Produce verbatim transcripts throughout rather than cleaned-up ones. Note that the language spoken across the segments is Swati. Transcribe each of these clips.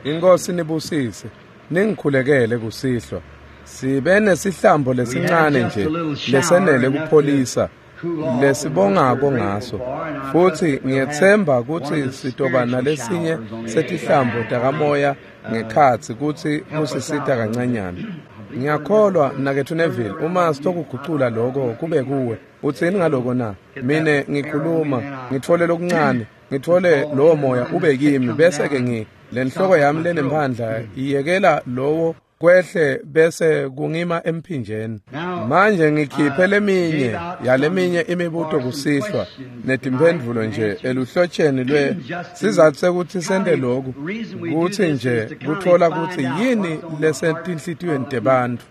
Inkosi nibusise, ningikhulekele kusihlwa. Sibe nesihlambo lesincane nje lesenele kupholisa lesibongako ngaso, futhi ngiyethemba ukuthi sitoba nalesinye setihlambo takamoya ngekhatsi kutsi kusisita kancanyana. Ngiyakholwa mnaketfu Neville, uma sitokugucula lokho kube kuwe. Utsini ngaloko na? Mine ngikhuluma ngitfole lokuncane, ngitfole lowo moya ube kimi, bese ke ngi lenhloko yami lenemphandla iyekela lowo kwehle bese kungima emphinjeni. Manje ngikhiphe leminye yaleminye imibuto kusihlwa netimphendvulo nje eluhlotsheni lwe sizathu sekuthi sente lokhu kutsi nje kuthola kutsi yini lesetinhlitiyweni tebantfu.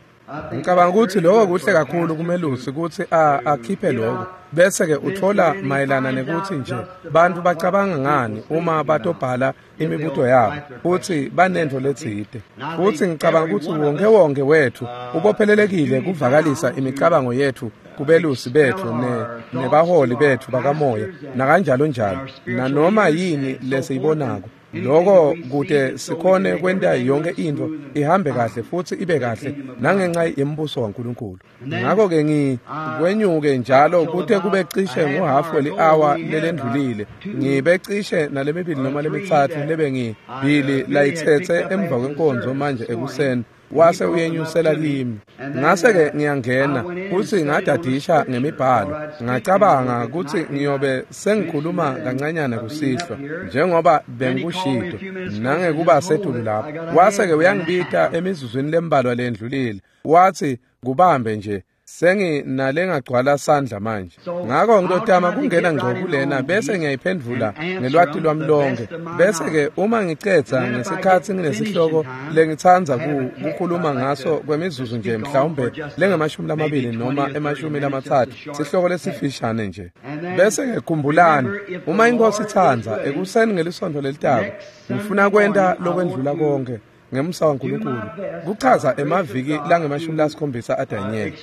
Ngicabanga ukuthi lokho kuhle kakhulu kumelusi kutsi akhiphe lokho bese ke uthola mayelana nekuthi nje bantu bacabanga ngani uma batobhala imibuto yabo futhi banento letsite. Futhi ngicabanga ukuthi wonke wonke wethu ubophelelekile kuvakalisa imicabango yethu kubelusi bethu ne nebaholi bethu bakamoya nakanjalo njalo nanoma yini lesiyibonako. Lokho kude sikhone kwenta yonke into ihambe kahle futhi ibe kahle nangenxa yembuso waNkulunkulu. Ngakho ke ngikwenyuke njalo kute kube cishe nguhafu weli-hour lelendlulile, ngibe cishe nalemibili noma lemitsatfu lebe ngibili layitsetse emva kwenkonzo manje ekuseni, wase uyenyusela kimi. Ngase ke ngiyangena futhi ngadadisha ngemibhalo, ngacabanga ukuthi ngiyobe sengikhuluma kancanyana kusihlwa njengoba bengikushito nangekuba setulu lapho. Wase ke uyangibita emizuzwini lembalwa lendlulile, wathi kubambe nje senginalengagcwala sandla manje. Ngakho ngitotama kungena ngco kulena bese ngiyayiphendvula ngelwati lwami lonke, bese ke uma ngicedza ngesikhatsi nginesihloko lengitsandza kukhuluma ngaso kwemizuzu nje mhlawumbe lengamashumi lamabili noma emashumi lamatsatfu, sihloko lesifishane nje. Bese ke khumbulani, uma inkosi itsandza ekuseni ngelisonto lelitako ngifuna kwenta lokwendlula konke ngemsa waNkulunkulu kuchaza emaviki langemashumi lasikhombisa aDanyeli.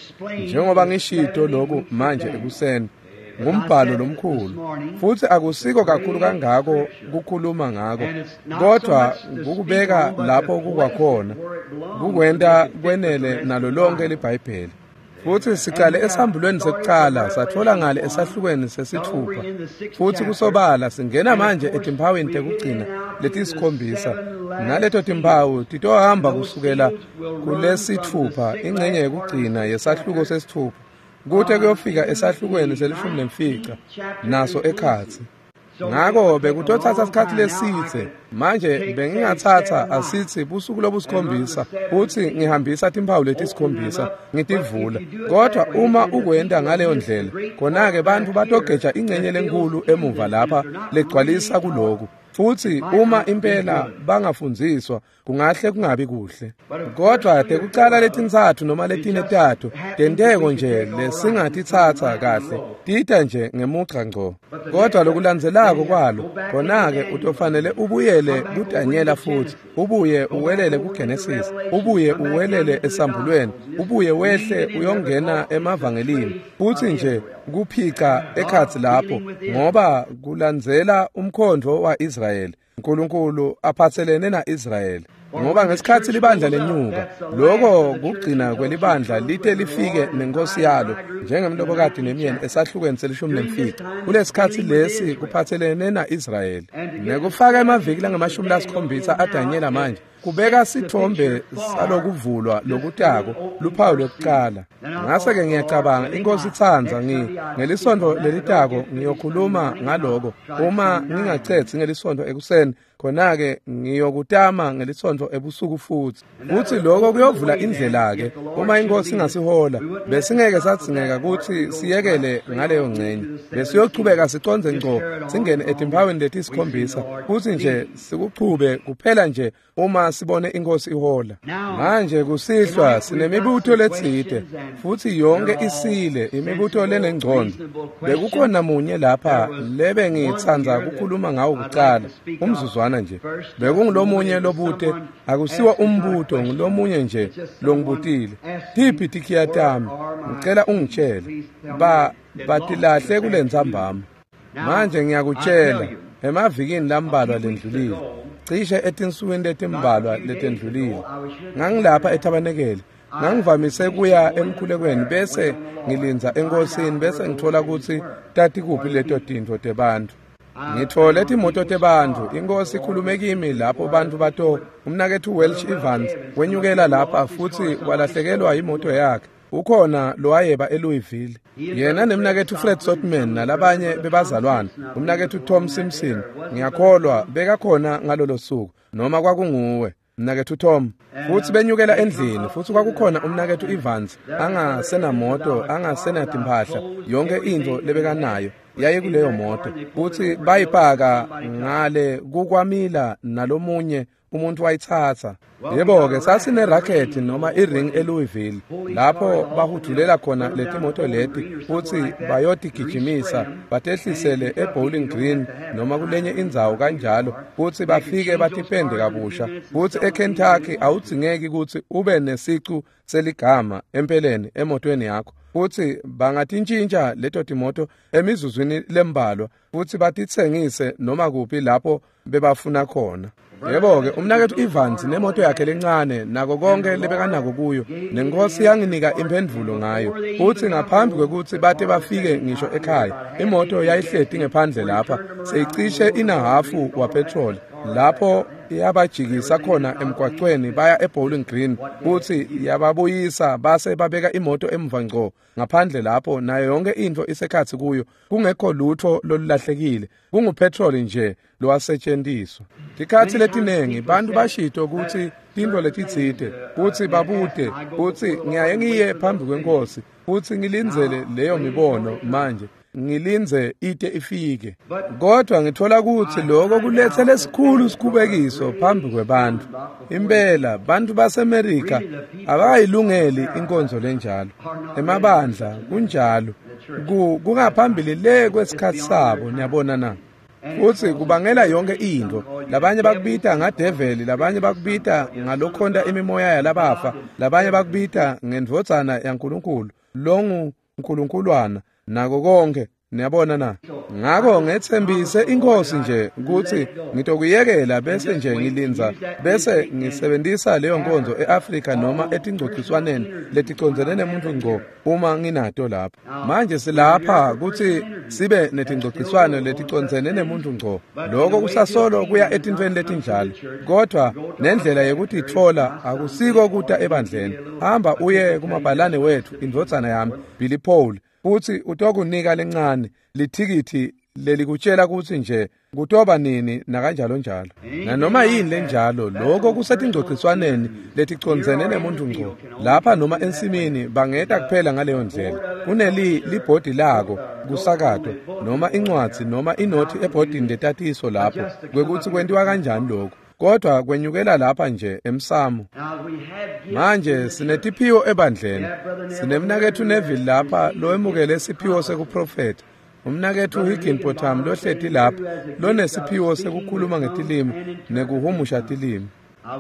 Njengoba ngishito lokhu manje ekuseni, ngumbhalo lomkhulu futhi akusiko kakhulu kangako kukhuluma ngako, kodwa kukubeka lapho kukwakhona kukwenta kwenele nalo lonke liBhayibheli. Futhi sicale esambulweni sekucala sathola ngale esahlukweni sesithupha, futhi kusobala singena manje etimphaweni tekugcina letisikhombisa, naleto timphawu titohamba kusukela kulesithupha ingcenye yekugcina yesahluko sesithupha kute kuyofika esahlukweni selishumi nemfica naso ekhatsi. Ngakho bekutothatha isikhathi lesitse. Manje bengingathatha asithi busuku lobusikhombisa futhi ngihambisa timphawu letisikhombisa ngitivula, kodwa uma ukwenta ngaleyo ndlela khona-ke bantu batogeja ingcenye lenkulu emuva lapha legcwalisa kuloku, futhi uma impela bangafundziswa kungahle kungabi kuhle. Kodwa tekucala letintsatfu noma letine tato tenteko nje lesingatitsatsa kahle tita nje ngemugca ngco, kodwa lokulandzelako kwalo khona-ke utofanele ubuyele kuDanyela futhi ubuye uwelele kuGenesis, ubuye uwelele esambulweni, ubuye wehle uyongena emavangelini, futhi nje kuphica ekhatsi lapho ngoba kulandzela umkhondvo wa-Israyeli. uNkulunkulu aphathelene na-Israyeli, ngoba ngesikhatsi libandla lenyuka, lokho kugcina kwelibandla lite lifike nenkosi yalo njengemlobokati nemyeni esahlukweni selishumi nemfica. Kulesikhatsi lesi kuphathelene na-Israyeli. Nekufaka emaviki langamashumi lasikhombisa aDanyela manje kubeka sithombe salokuvulwa lokutako luphawu lwekucala. Ngase ke ngiyacabanga inkosi itsandza ngi ngelisonto lelitako ngiyokhuluma ngaloko. Uma ngingacedzi ngelisonto ekuseni khona-ke ngiyokutama ngelisonto ebusuku futhi. Futhi lokho kuyovula indlela ke uma inkosi ingasihola. Besingeke sadzingeka kutsi siyekele ngaleyo ngcenye, besiyochubeka siconze ngco singene etimphaweni letisikhombisa futhi nje sikuchube kuphela nje uma sibone inkosi ihola. Manje kusihlwa sinemibuto letsite futhi yonke isile imibuto lenengcondo. Bekukhona munye lapha lebe ngitsandza kukhuluma ngawo kucala umzuzwana nje. Bekungulomunye lobute, akusiwa umbuto, ngulomunye nje longibutile. Tiphi tikhiya tami? Ngicela ungitshele. Ba batilahle kulentsambama. Manje ngiyakutshela, emavikini lambalwa lendlulile, cishe etinsukwini letimbalwa letendlulile, ngangilapha ethabanekele. Ngangivamise kuya emkhulekweni bese ngilindza enkosini bese ngithola kutsi tatikuphi leto tintfo tebantfu. Ngithole timoto tebantfu, inkosi ikhulume kimi lapho bantfu bato umnaketfu Welsh Evans wenyukela lapha futsi walahlekelwa imoto yakhe. Ukhona lowayeba eLouisville. Yena nemnaketfu Fred Sotman nalabanye bebazalwane, umnaketfu Tom Simpson, ngiyakholwa bekakhona ngalolo suku noma kwakunguwe mnaketfu Tom. Futsi benyukela endlini futsi kwakukhona umnaketfu Evans angasenamoto, angasenatimphahla, yonke intfo lebekanayo yaye kuleyo moto. Futsi bayipaka ngale kukwamila nalomunye umuntu wayitsatsa. Yebo-ke sasine racket noma i-ring eLouisville lapho bahudulela khona letimoto leti futsi bayotigijimisa batehlisele eBowling Green noma kulenye indzawo kanjalo futsi bafike batipende kabusha. Futsi eKentucky awudzingeki kutsi ube nesicu seligama empeleni emotweni yakho, futsi bangatintjintja leto timoto emizuzwini lembalwa futsi batitsengise noma kuphi lapho bebafuna khona. Yebo-ke umnaketfu Evans nemoto yakhe lencane nako konke lebekanako kuyo, nenkosi yanginika imphendvulo ngayo. Futsi ngaphambi kwekutsi bate bafike ngisho ekhaya, imoto yayihleti ngephandle lapha seyicishe inahafu wapetroli lapho yabajikisa khona emgwacweni baya eBowling Green, futsi yababuyisa base babeka imoto emva ngco ngaphandle lapho nayo yonke intfo isekhatsi kuyo, kungekho lutho lolulahlekile, kungupetroli nje lowasetjentiswa. Tikhatsi letinengi bantfu bashito kutsi tintfo letitsite, kutsi babute, kutsi ngiyaye ngiye phambi kwenkosi futsi ngilindzele leyo mibono manje, ngilindze ite ifike. Kodwa ngithola kutsi lokho kulethe lesikhulu sikhubekiso phambi kwebantfu. Impela bantfu baseMerika abakayilungeli inkonzo lenjalo. Emabandla kunjalo, kungaphambili le kwesikhatsi sabo, niyabona na. Futsi kubangela yonke intfo. Labanye bakubita ngadeveli, labanye bakubita ngalokhonta imimoya yalabafa, labanye bakubita ngendvodzana yaNkulunkulu, longu Nkulunkulwana, nako konke, niyabona na. Ngako ngetsembise inkosi nje kutsi ngitokuyekela bese nje ngilindza bese ngisebentisa leyo nkonzo eAfrika noma etingcociswaneni leticondzene nemuntu ngco uma nginato lapha. Manje silapha kutsi sibe netingcociswano leticondzene nemuntu ngco. Lokho kusasolo kuya etintfweni letinjalo, kodwa nendlela yekutitfola akusiko kuta ebandleni. Hamba uye kumabhalane wethu, indvodzana yami Billy Paul, futsi utokunika lencane lithikithi lelikutshela kutsi nje kutoba nini nakanjalo njalo nanoma yini lenjalo. Lokho kusetingcociswaneni leticondzene nemuntu ngco lapha noma ensimini, bangeta kuphela ngaleyo ndlela. Kuneli libhodi lako kusakatwa noma incwadzi noma inothi ebhodini letatiso lapho kwekutsi kwentiwa kanjani lokho, kodwa kwenyukela lapha nje emsamo. Manje sinetiphiwo ebandleni. Sinemnaketfu Neville lapha lowemukele isiphiwo sekuprofetha, umnaketfu Higginbotham lohleti lapha lonesiphiwo sekukhuluma ngetilimi nekuhumusha tilimi.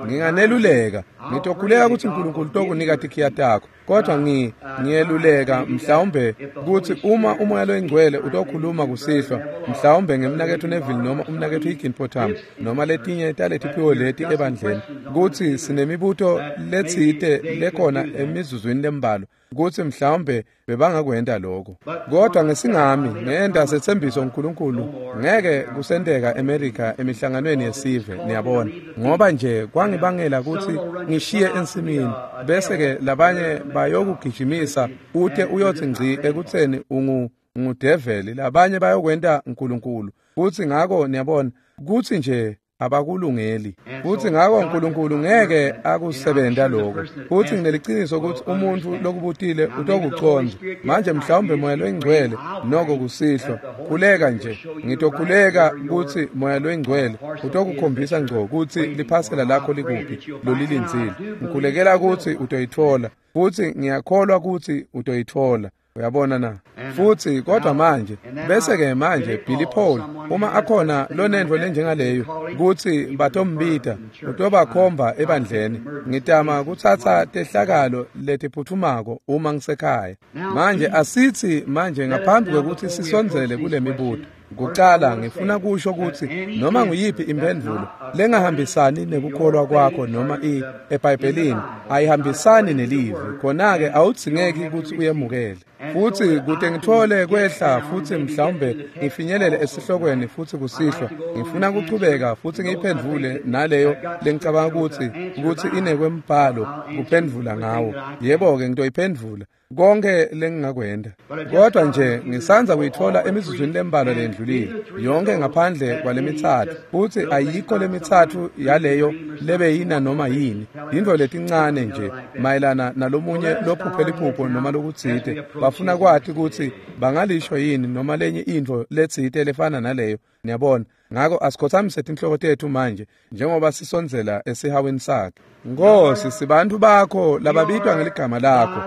Nginganeluleka, ngitokhuleka kutsi uNkulunkulu tokunika tikhiya takho, kodwa ngi ngiyeluleka mhlawumbe kutsi uma umoya loyingcwele utokhuluma kusihlwa, mhlawumbe ngemnaketfu Neville noma umnaketfu Higginbotham noma letinye taletiphiwo leti ebandleni, kutsi sinemibuto letsite lekhona emizuzwini lembalwa, kutsi mhlawumbe bebangakwenta lokho. Kodwa ngesingami ngenta setsembiso uNkulunkulu ngeke kusenteka eMerika emihlanganweni yesive, niyabona, ngoba nje kwangibangela kutsi ngishiye ensimini bese ke labanye bayokugijimisa ute uyotsi ngci ekutseni ungu ngudeveli, labanye bayokwenta uNkulunkulu. Futsi ngako niyabona kutsi nje abakulungeli. Futsi ngako uNkulunkulu ngeke akusebenta lokho. Futsi ngineliciniso kutsi umuntfu lokubutile utokucondza. Manje mhlawumbe moya loyingcwele noko kusihlwa, khuleka nje, ngitokhuleka kutsi moya loyingcwele utokukhombisa ngco kutsi liphasela lakho likuphi lolilindzile. Ngikhulekela kutsi utoyitfola, futsi ngiyakholwa kutsi utoyitfola. Uyabona na? Futsi kodwa manje bese ke manje Billy Paul uma akhona lonentfo lenjengaleyo kutsi batombita utobakhomba ebandleni. Ngitama kutsatsa tehlakalo letiphutfumako uma ngisekhaya. Manje asitsi manje ngaphambi kwekutsi sisondzele kule mibuto, Kucala ngifuna kusho kutsi noma nguyiphi imphendvulo lengahambisani nekukholwa kwakho noma i eBhayibhelini ayihambisani nelivi, khona-ke awudzingeki kutsi uyemukele. Futsi kute ngitfole kwehla futsi mhlawumbe ngifinyelele esihlokweni futsi kusihlwa, ngifuna kuchubeka futsi ngiyiphendvule naleyo lengicabanga kutsi kutsi inekwembhalo kuphendvula ngawo. Yebo-ke ngitoyiphendvula konke lengingakwenta, kodwa nje ngisandza kuyitfola emizuzwini lembalwa lendlulile yonke ngaphandle kwalemitsatfu, futsi ayikho lemitsatfu yaleyo lebeyina noma yini, yintfo letincane nje mayelana nalomunye lophuphe liphupho noma lokutsite. Bafuna kwati kutsi bangalisho yini noma lenye intfo letsite lefana naleyo, niyabona. Ngako asikhothamise tinhloko tetfu manje njengoba sisondzela esihaweni sakhe. Nkosi, sibantfu bakho lababitwa ngeligama lakho,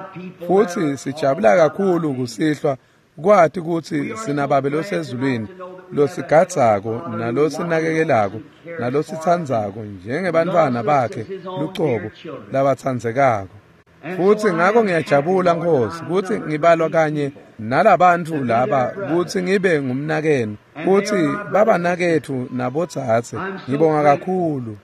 futsi sijabula kakhulu kusihlwa kwati kutsi sinababe losezulwini losigadzako nalosinakekelako nalositsandzako njengebantfwana bakhe lucobo labatsandzekako. Futsi ngako ngiyajabula Nkosi kutsi ngibalwa kanye nalabantfu laba kutsi ngibe ngumnakenu, kutsi babanaketfu nabodzadze. Ngibonga kakhulu.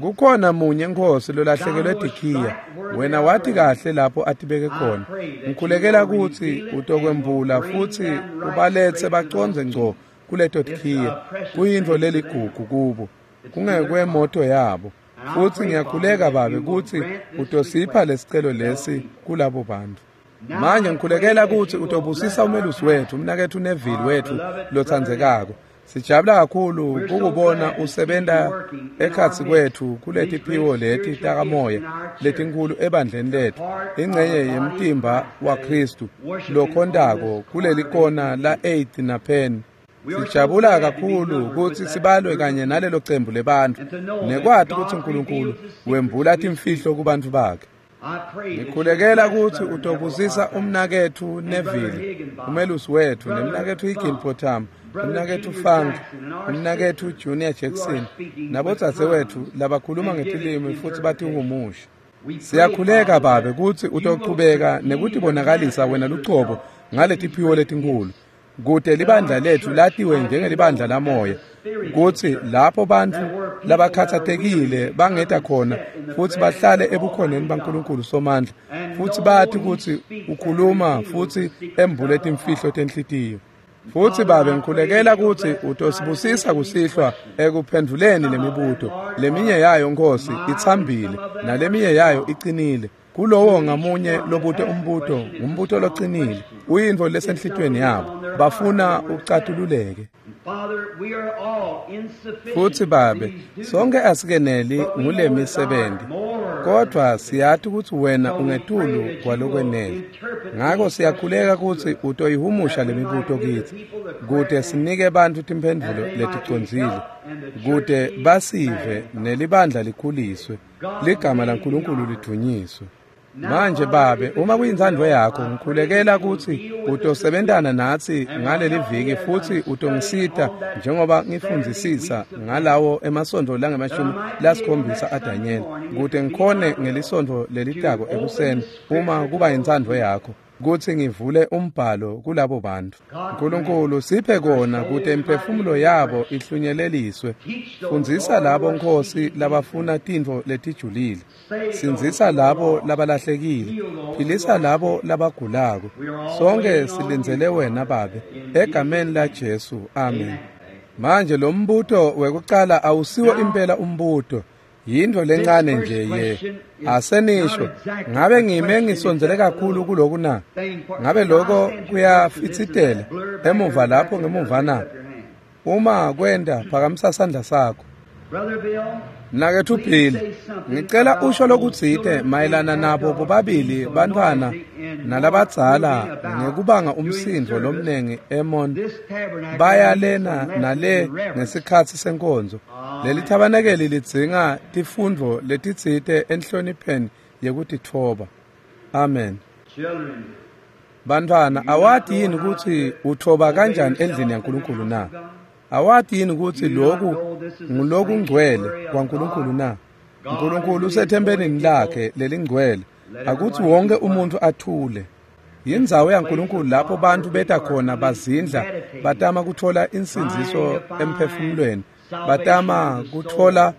Kukhona munye Nkosi lolahlekelwe tikhiya, wena wati kahle lapho atibeke khona. Ngikhulekela kutsi utokwembula futsi ubaletse bacondze ngco kuleto tikhiya. Kuyintfo leligugu kubo, kungekwemoto yabo. Futsi ngiyakhuleka Babe kutsi utosipha lesicelo lesi kulabo bantfu. Manje ngikhulekela kutsi utobusisa umelusi wetfu, umnaketfu Neville wetfu lotsandzekako. Sijabula kakhulu kukubona usebenta ekhatsi kwetfu kuletiphiwo leti takamoya letinkhulu ebandleni letfu, ingcenye yemtimba waKhristu lokhontako kulelikona la eighth na Penn. Sijabula kakhulu kutsi sibalwe kanye nalelo cembu lebantfu nekwati kutsi uNkulunkulu wembula timfihlo kubantfu bakhe. Ngikhulekela kutsi utobusisa umnaketfu Neville, umelusi wetfu, nemnaketfu Higginbotham, umnaketfu Funk, umnaketfu Junior Jackson, nabodzadzewetfu labakhuluma ngetilimi futsi batihumusha. Siyakhuleka Babe kutsi utochubeka nekutibonakalisa wena lucobo ngaletiphiwo letinkhulu, kute libandla letfu latiwe njengelibandla lamoya, kutsi lapho bantfu labakhatsatekile bangeta khona futsi bahlale ebukhoneni baNkulunkulu Somandla, futsi bati kutsi ukhuluma futsi embule timfihlo tenhlitiyo. Futsi Babe ngikhulekela kutsi utosibusisa kusihlwa ekuphendvuleni lemibuto. Leminye yayo Nkosi itsambile naleminye yayo icinile. Kulowo ngamunye lobute umbuto, ngumbuto locinile, uyintfo lesenhlitiyweni yabo, bafuna ucatululeke. Futsi Babe, sonke asikeneli ngulemisebenti, kodvwa siyati kutsi wena ungetulu kwalokwenele. Ngako siyakhuleka kutsi utoyihumusha lemibuto kitsi, kute sinike bantfu timphendvulo leticondzile, kute basive nelibandla likhuliswe, ligama laNkulunkulu lidvunyiswe. Manje Babe, uma kuyintsandvo yakho, ngikhulekela kutsi utosebentana natsi ngaleli viki futsi utongisita njengoba ngifundzisisa ngalawo emasontfo langemashumi lasikhombisa aDanyela, kute ngikhone ngelisontfo lelitako ekuseni, uma kuba yintsandvo yakho, kutsi ngivule umbhalo kulabo bantfu. Nkulunkulu, siphe kona kute imiphefumulo yabo ihlunyeleliswe. Fundzisa labo Nkosi labafuna tintfo letijulile, sindzisa labo labalahlekile, philisa labo labagulako. Sonke silindzele wena Babe, egameni la Jesu, amen. Manje lo mbuto wekucala awusiwo impela umbuto, yintfo lencane nje ye. Asenisho, ngabe ngime ngisondzele kakhulu kuloku na? Ngabe loko kuyafitsitela emuva lapho ngemuva na? Uma kwenta, phakamisa sandla sakho. Mnaketfu Bill, ngicela usho lokutsite mayelana nabo bobabili bantfwana nalabadzala ngekubanga umsindvo lomnengi eMon baya lena nale ngesikhatsi senkonzo. Leli thabanekeli lidzinga tifundvo letitsite enhlonipheni yekutitfoba. Amen. Bantfwana, awati yini kutsi utfoba kanjani endlini yaNkulunkulu na? Awati yini kutsi loku ngulokungcwele kwaNkulunkulu na? Nkulunkulu usethempelini lakhe lelingcwele, akutsi wonke umuntu athule. Yindzawo yaNkulunkulu lapho bantu beta khona bazindla, batama kuthola insindziso emphefumulweni, batama kuthola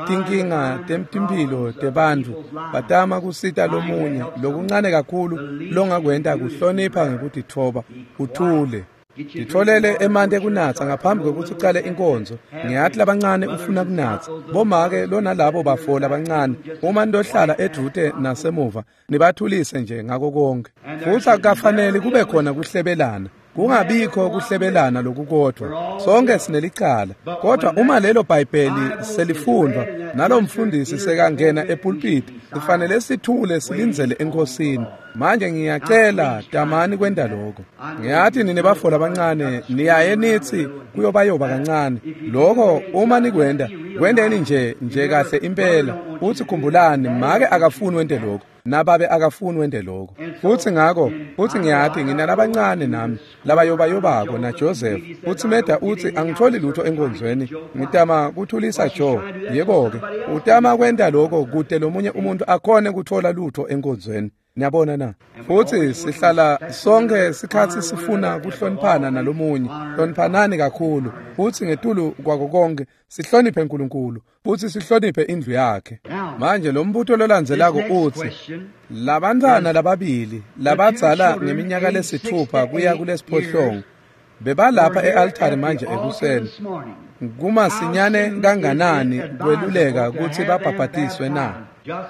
tinkinga temtimphilo tebantfu, batama kusita lomunye. Lokuncane kakhulu longakwenta kuhlonipha ngekutitfoba, uthule. Titfolele emanti ekunatsa ngaphambi kwekutsi ucale inkonzo. Ngiyati labancane ufuna kunatsa. Bomake lonalabo bafo labancane, uma nitohlala edvute nasemuva, nibathulise nje ngako konke. Futsi akukafaneli kube khona kuhlebelana. Kungabikho kuhlebelana lokukodvwa. Sonke sinelicala. Kodwa uma lelo Bhayibheli selifundvwa nalo mfundisi sekangena epulpiti, kufanele sithule silindzele eNkosini. Manje ngiyacela tamani kwenta lokho. Ngiyati nine bafo labancane niyaye nithi kuyobayoba kancane. Lokho uma nikwenta, kwenteni nje nje kahle impela. Uthi khumbulani, make akafuni wente lokho, nababe akafuni wente lokho. Futhi ngakho, futhi ngiyati nginalabancane nami labayobayobako na Joseph. Uthi Meda uthi angitholi lutho enkonzweni, ngitama kuthulisa Joe. Yebo-ke, utama kwenta lokho kude lomunye umuntu akhone kuthola lutho enkonzweni. Niyabona na? Futhi sihlala sonke sikhathi sifuna kuhloniphana nalomunye. Hloniphanani kakhulu. Futhi ngetulu kwako konke sihloniphe uNkulunkulu, futhi sihloniphe indlu yakhe. Manje lo mbuto lolandzelako uthi labantwana lababili labadzala ngeminyaka lesithupha kuya kulesiphohlongo bebalapha e-altari manje ekuseni. Kumasinyane kanganani kweluleka kutsi babhabhatiswe na?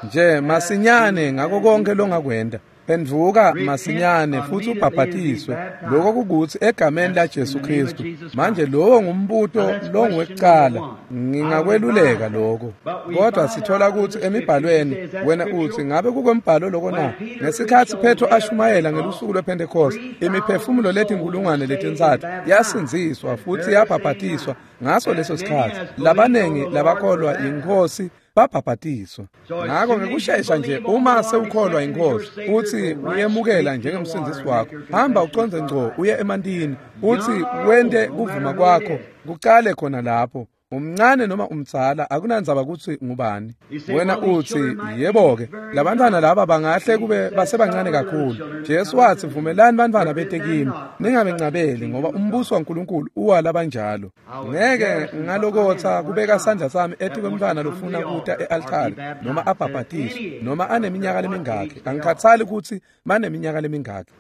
Nje masinyane ngako konke longakwenta. Phendvuka masinyane futhi ubhabhatiswe. Lokho kukutsi egameni laJesu Kristu. Manje lowo ngumbuto longwekucala. Ngingakweluleka lokho. Kodwa sithola kutsi emibhalweni wena uthi ngabe kukwembhalo lokho na? Ngesikhatsi Petro ashumayela ngelusuku lwePentecost, imiphefumulo letinkulungwane letintsatfu yasindziswa futhi yabhabhatiswa ngaso leso sikhatsi. Labanengi labakholwa yiNkhosi babhabhatiswa. Ngakho ngekushesha nje uma sewukholwa yiNkhosi uthi uyemukela njengemsindzisi wakho, hamba uconze ngco uye emantini, uthi wente kuvuma kwakho kucale khona lapho. Umncane noma umdzala akunandzaba kutsi ngubani. Wena uthi yebo-ke, labantwana laba bangahle kube basebancane kakhulu. Jesu wathi vumelani bantwana bete kimi, ningabencabeli ngoba umbuso waNkulunkulu uwa labanjalo. Ngeke ngalokotsa kubeka sandla sami etikwemntfwana lofuna kuta e-altari noma abhabhatiswe noma aneminyaka lemingaki. Angikhathali kutsi baneminyaka lemingaki.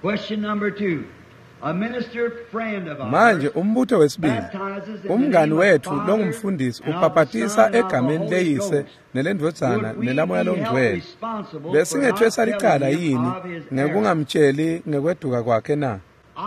Question number two. A minister friend of ours Manje umbuto wesibili, umngani wethu longumfundisi ubhabhatisa egameni leyise nelendvodzana nelamoya longcwele. Besingethwesa licala yini ngekungamtsheli ngekweduka kwakhe na?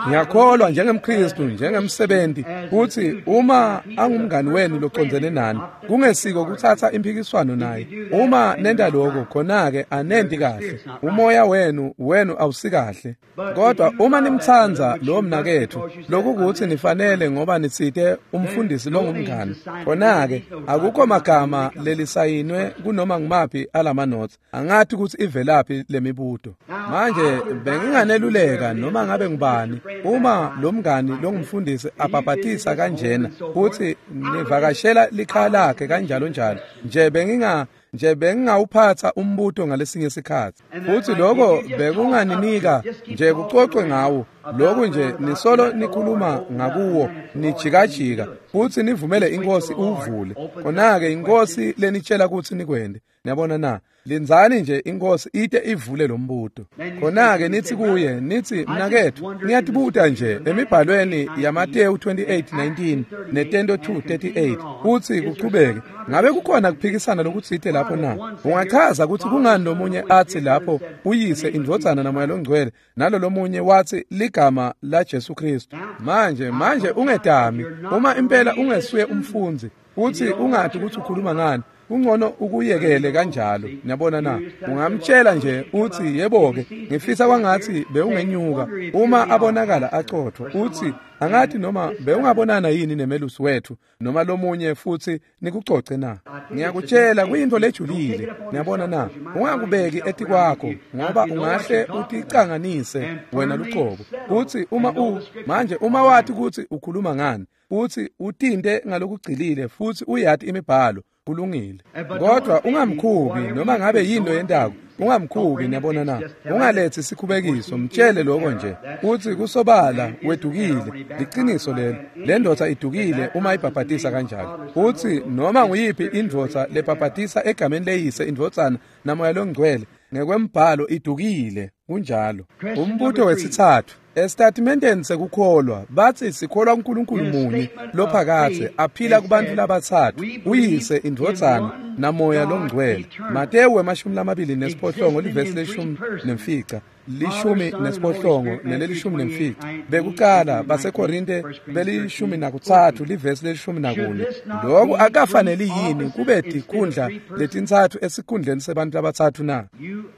Ngiyakholwa njengemKristu, njengemsebenti, kutsi uma angumngani wenu locondzene nani, kungesiko kutsatsa imphikiswano naye. Uma nenta lokho, khona-ke anenti kahle. Umoya wenu wenu awusikahle. Kodwa uma nimtsandza lowo mnaketfu, lokukutsi nifanele ngoba nitsite umfundisi longumngani, khona-ke akukho magama lelisayinwe kunoma ngumaphi alamanotsi. Angathi kutsi ivelaphi lemibuto. Manje benginganeluleka noma ngabe ngubani, uma lo mngani longumfundisi abhabhatisa kanjena futhi nivakashela likhaya lakhe kanjalo njalo nje, benginga nje bengingawuphatha umbuto ngalesinye isikhatsi. Futhi lokho bekunganinika nje kucocwe ngawo. Lokhu nje nisolo nikhuluma ngakuwo nijikajika futhi nivumele iNkosi uvule. Khona-ke iNkosi lenitshela kutsi nikwente. Niyabona na? Lindzani nje iNkosi ite ivule lo mbuto. Khona-ke nithi kuye, nithi mnaketfu, ngiyatibuta nje emibhalweni yaMateyu twenty-eight nineteen neTento two thirty-eight uthi kuchubeke, ngabe kukhona kuphikisana lokutsite lapho na? Ungachaza kutsi kungani lomunye athi lapho uyise indvodzana namoya longcwele nalo lomunye wathi ligama la Jesu Kristu? Manje manje ungetami uma impela ungesuye umfundzi uthi ungathi ukuthi ukhuluma ngani, kungcono ukuyekele kanjalo. Niyabona na? Ungamtshela nje uthi yebo-ke, ngifisa kwangathi bewungenyuka. Uma abonakala acothwa uthi angathi noma bewungabonana yini nemelusi wethu noma lomunye futhi nikucoce na? Ngiyakutshela kuyinto lejulile. Niyabona na? Ungakubeki etikwakho ngoba ungahle uticanganise wena lucobo. Uthi uma u manje uma wathi ukuthi ukhuluma ngani, uthi utinte ngalokugcilile futhi uyati imibhalo, kulungile. Kodwa ungamkhubi noma ngabe yini yentako. Ungamkhubi, niyabona na? Ungaletsi sikhubekiso, mtshele lokho nje. Uthi kusobala wedukile, liqiniso lelo. Le ndoda idukile uma ibhabhatisa kanjalo. Uthi noma nguyiphi indvodza lebhabhatisa egameni leyise indvodzana namoya longcwele ngekwembhalo idukile. Kunjalo. Umbuto wesithathu esitatimendeni sekukholwa bathi sikholwa uNkulunkulu munye lophakathe aphila kubantu labathathu, uyise, indvodzana namoya longcwele. Matewu emashumi lamabili nesiphohlongo livesi leshumi nemfica lishumi nesiphohlongo nelelishumi nemfica. Bekuqala baseKorinte belishumi nakutsatfu livesi lelishumi nakune. Lokhu akafaneli yini kube tikhundla letintsatfu esikhundleni sebantu labatsatfu na?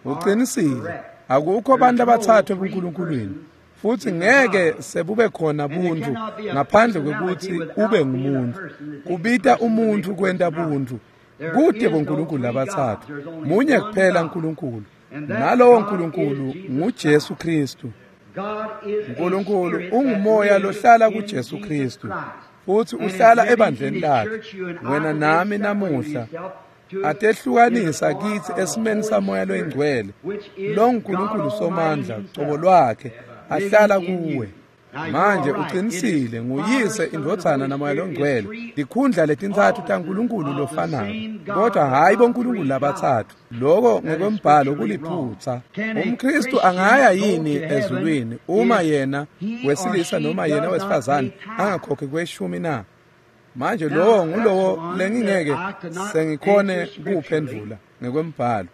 Uqinisile, akukho bantu labatsatfu ebuNkulunkulwini, futhi ngeke sebube khona buntu ngaphandle kwekuthi ube ngumuntu. Kubita umuntu kwenta buntu. Kude boNkulunkulu labatsatfu, munye kuphela uNkulunkulu, nalowo Nkulunkulu nguJesu Kristu. uNkulunkulu ungumoya lohlala kuJesu Kristu, futhi uhlala ebandleni lakhe. Wena nami namuhla atehlukanisa kithi esimeni samoya loyingcwele, lo Nkulunkulu somandla cobo lwakhe ahlala kuwe. Manje uqinisile, nguyise, indvodzana namoya longcwele, tikhundla letintsatfu taNkulunkulu lofanako, kodwa hhayi boNkulunkulu labatsatfu. Lokho ngekwembhalo kuliphutsa. UmKristu angaya yini ezulwini uma yena wesilisa noma yena wesifazane angakhokhi kweshumi na? Manje lowo ngulowo lengingeke sengikhone kuwuphendvula ngekwembhalo.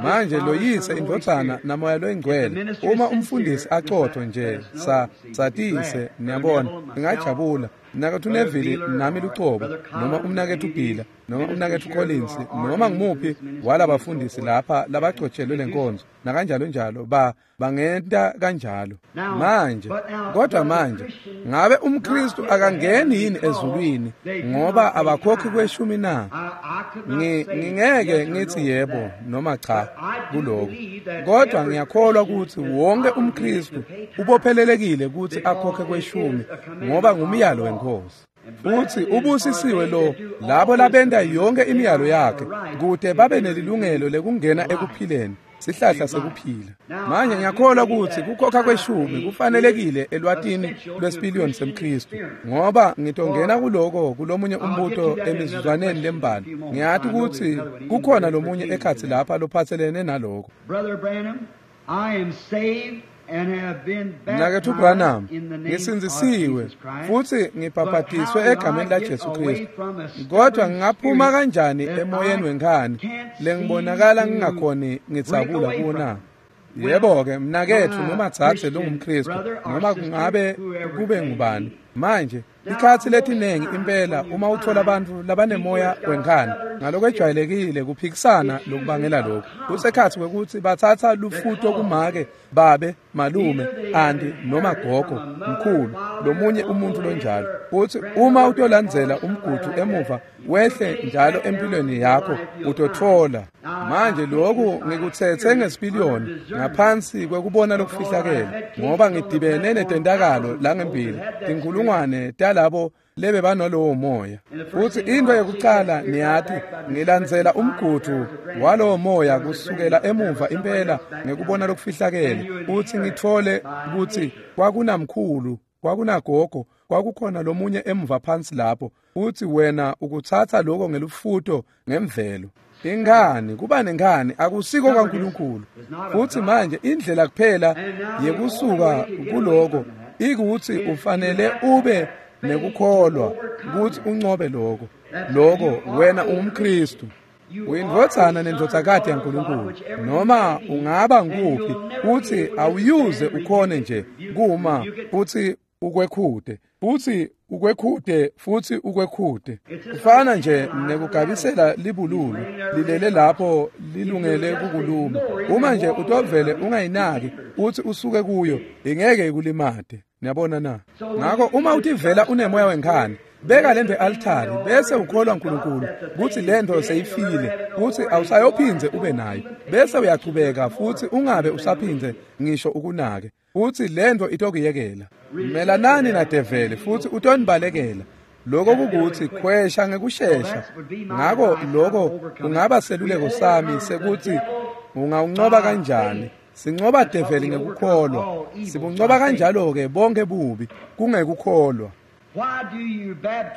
Manje loyise, indvodzana namoya loyingcwele, uma umfundisi acotho nje sa satise, niyabona, ngingajabula. Mnaketfu Neville nami lucobo, noma umnaketfu Bhila, noma umnaketfu Collins, noma ngimuphi walabafundisi lapha labagcotshelwe lenkonzo nakanjalo njalo, ba bangenta kanjalo. Manje kodwa manje ngabe umKristu akangeni yini ezulwini ngoba abakhokhi kweshumi na? Ngingeke ngithi yebo noma cha kuloko, kodwa ngiyakholwa ukuthi wonke umKristu ubophelelekile ukuthi akhokhe kweshumi ngoba ngumyalo wenkosi. Futhi ubusisiwe lo labo labenta yonke imiyalo yakhe kute babe nelilungelo lekungena ekuphileni, sihlahla sekuphila. Manje ngiyakholwa ukuthi kukhokha kweshumi kufanelekile elwatini lwesipiliyoni semKristu, ngoba ngitongena kuloko kulomunye umbuto emizuzwaneni lembalwa. Ngiyati ukuthi kukhona lomunye ekhatsi lapha lophatselene naloko. Mnaketfu Branham, ngisindzisiwe futhi ngibhabhatiswe egameni laJesu Kristu, kodwa ngingaphuma kanjani emoyeni wenkhani lengibonakala ngingakhoni ngitsabula kuwo na? Yebo-ke mnaketfu noma dzadze longumKristu, noma kungabe kube ngubani. Manje ikhatsi letinengi impela uma uthola abantu labanemoya wenkhani, ngalokwejwayelekile kuphikisana lokubangela lokhu kusekhatsi kwekutsi batsatsa lufuto kumake, babe, malume, anti noma gogo, mkhulu, lomunye umuntu lonjalo. Uthi uma utolandzela umgudu emuva wehle njalo empilweni yakho utotfola. Manje lokhu ngikutsetse ngesipiliyoni ngaphansi kwekubona lokufihlakele, ngoba ngidibene netentakalo langembili tinkhulungwane talabo lebe banalowo moya. Futhi into yokucala niyati, ngilandzela umgudu walowo moya kusukela emuva impela ngekubona lokufihlakele, uthi ngithole ukuthi kwakunamkhulu, kwakunagogo, kwakukhona lomunye emuva phansi lapho. Uthi wena ukutsatsa lokho ngelufuto ngemvelo. Inkhani, kuba nenkhani akusiko kaNkulunkulu. Futhi manje indlela kuphela yekusuka kuloko ikuthi ufanele ube nekukholwa ukuthi uncobe lokho. Lokho wena ungumKristu, uyindvodzana nendvodzakati yaNkulunkulu. Noma ungaba nguphi, uthi awuyuze ukhone nje kuma futhi ukwekhude futhi ukwekhude futhi ukwekhude. Kufana nje nekugabisela libululu lilele lapho lilungele kukuluma. Uma nje utovele ungayinaki uthi usuke kuyo, ingeke ikulimate. Niyabona na? Ngakho uma utivela unemoya wenkhani, beka lento e-altari bese ukholwa uNkulunkulu kuthi lento seyifile, kuthi awusayophindze ube nayo, bese uyachubeka futhi ungabe usaphindze ngisho ukunake, uthi lento itokuyekela. Melanani nadeveli futhi utonibalekela. Lokho kukuthi khwesha ngekushesha. Ngako lokho kungaba seluleko sami sekuthi ungawuncoba kanjani. Sincoba develi ngekukholwa, sibuncoba kanjalo-ke bonke bubi kungekukholwa.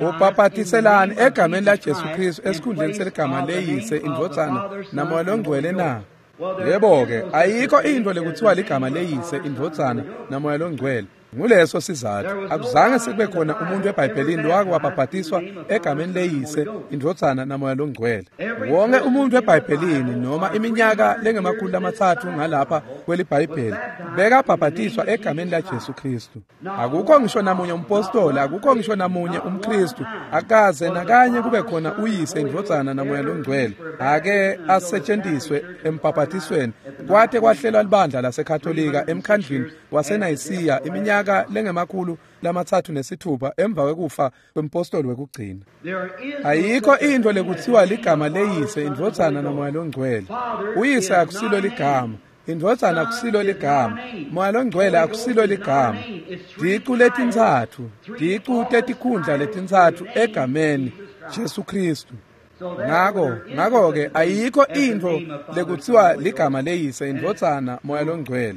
Ubhabhatiselani egameni laJesu Kristu esikhundleni seligama leyise, indvodzana naMoya loNgcwele na? Yebo-ke, ayikho into lekuthiwa ligama leyise, indvodzana naMoya loNgcwele. Nguleso sizathu akuzange sekube khona umuntu eBhayibhelini lowake wabhabhatiswa egameni leyise, indvodzana naMoya loNgcwele. Wonke umuntu eBhayibhelini noma iminyaka lengemakhulu lamatsatfu ngalapha kweliBhayibheli bekabhabhatiswa egameni laJesu Kristu. Akukho ngisho namunye umpostoli, akukho ngisho namunye umKristu akaze nakanye kube khona uyise, indvodzana naMoya loNgcwele ake asetshenziswe embhabhatisweni. Kwate kwahlelwa libandla laseKatolika emkhandlwini waseNayisiya iminyaka lengemakhulu lamatsatfu nesithupha emva kwekufa kwempostoli wekugcina. Ayikho into lekuthiwa ligama leyise, indvodzana naMoya loNgcwele. Uyise akusilo ligama, indvodzana akusilo ligama, Moya loNgcwele akusilo ligama. Ticu letintsatfu, ticu tetikhundla letintsatfu egameni Jesu Kristu. Ngako ngako-ke ayikho intfo lekuthiwa ligama leyise, indvodzana, Moya loNgcwele,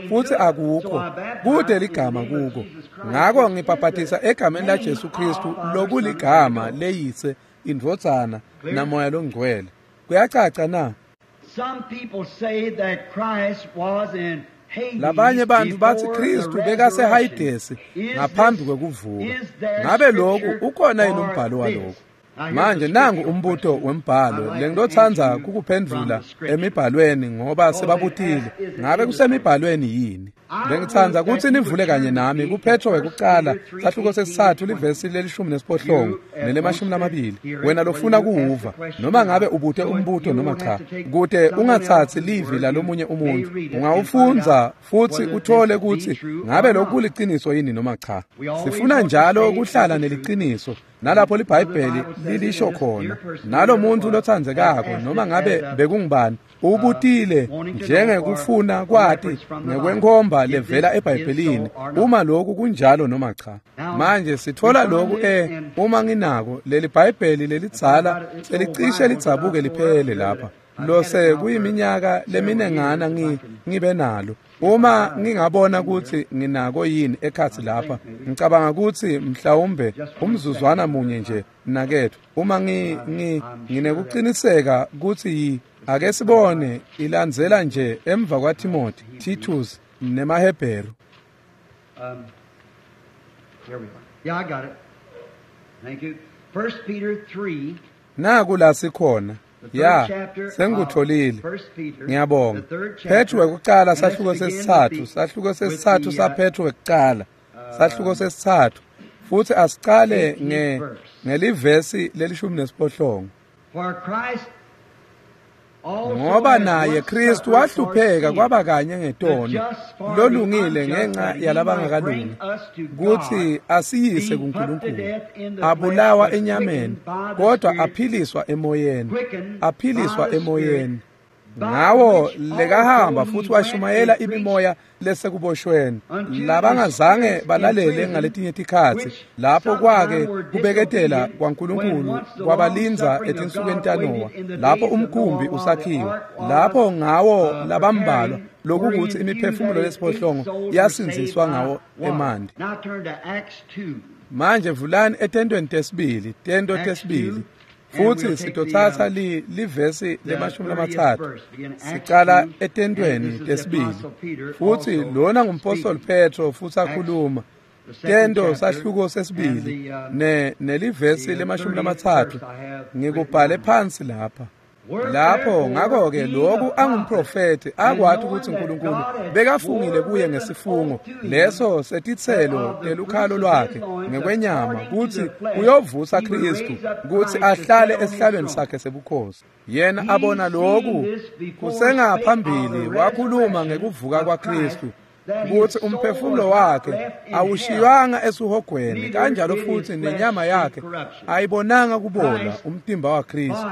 futsi akukho kude ligama kuko. Ngako ngibhabhatisa egameni laJesu Kristu lokuligama leyise, indvodzana naMoya loNgcwele. Kuyacaca na? Labanye bantfu batsi Kristu bekaseHayidesi ngaphambi kwekuvuka. Ngabe lokhu ukhona yini umbhalo walokhu? Manje nangu umbuto wembhalo lengitotsandza kukuphendvula emibhalweni ngoba sebabutile. Ngabe kusemibhalweni yini? Bengitsandza kutsi nivule kanye nami kuPetro wekucala sahluko sesitsatfu livesi lelishumi nesiphohlongo nelemashumi lamabili. Wena lofuna kuwuva noma ngabe ubute umbuto noma cha, kute ungatsatsi livi lalomunye umuntu, ungawufundza futsi uthole kutsi ngabe lokhu kuliciniso yini noma cha. Sifuna njalo kuhlala neliciniso nalapho liBhayibheli lilisho khona. Nalo muntu lotsandzekako noma ngabe bekungubani ubutile njengekufuna kwati ngekwenkhomba levela eBhayibhelini uma lokhu kunjalo noma cha. Manje sithola lokhu e uma nginako leli Bhayibheli lelidzala selicishe lidzabuke liphele lapha lose kuyiminyaka leminengana ngi ngibe nalo. Uma ngingabona ukuthi nginako yini ekhatsi lapha, ngicabanga ukuthi mhlawumbe umzuzwana munye nje nakethu uma ngi nginekuqiniseka ukuthi ake sibone ilandzela nje emva kwaTimothy, Titus nemaHebheru. Um, here we are. Yeah, I got it. Thank you. First Peter three. Naku la sikhona. Ya, sengikutholile. Ngiyabonga. Petro wekucala sahluko sesitsatfu, sahluko sesitsatfu saPetro wekucala. Sahluko sesitsatfu. Futhi asicale nge ngelivesi lelishumi nesiphohlongo. Ngoba naye Kristu wahlupheka kwaba kanye ngetono, lolungile ngenxa yalabangakalungi, kutsi asiyise kuNkulunkulu. Abulawa enyameni, kodwa aphiliswa emoyeni, aphiliswa emoyeni. Ngawo lekahamba futhi washumayela imimoya lesekuboshweni labangazange balalele ngaletinye tikhatsi, lapho kwake kubeketela kwaNkulunkulu kwabalindza etinsukwini taNowa, lapho umkhumbi usakhiwe, lapho ngawo labambalwa lokukuthi imiphefumulo lesiphohlongo yasindziswa ngawo emanti. Manje vulani etentweni tesibili, tento tesibili. Futhi sitothatha li livesi lemashumi lamatsatfu sicala etentweni tesibili. Futhi lona ngumpostoli Petro futhi akhuluma tento sahluko sesibili ne nelivesi lemashumi lamatsatfu. Ngikubhale phansi lapha. Lapho ngakho-ke lokhu angumprofethi akwathi ukuthi uNkulunkulu bekafungile kuye ngesifungo leso setitselo telukhalo lwakhe ngekwenyama kutsi uyovusa Kristu kutsi ahlale esihlalweni sakhe sebukhosi. Yena abona lokhu kusengaphambili wakhuluma ngekuvuka kwaKristu kutsi umphefumulo wakhe awushiywanga esuhogweni, kanjalo futhi nenyama yakhe ayibonanga kubola umtimba waKristu.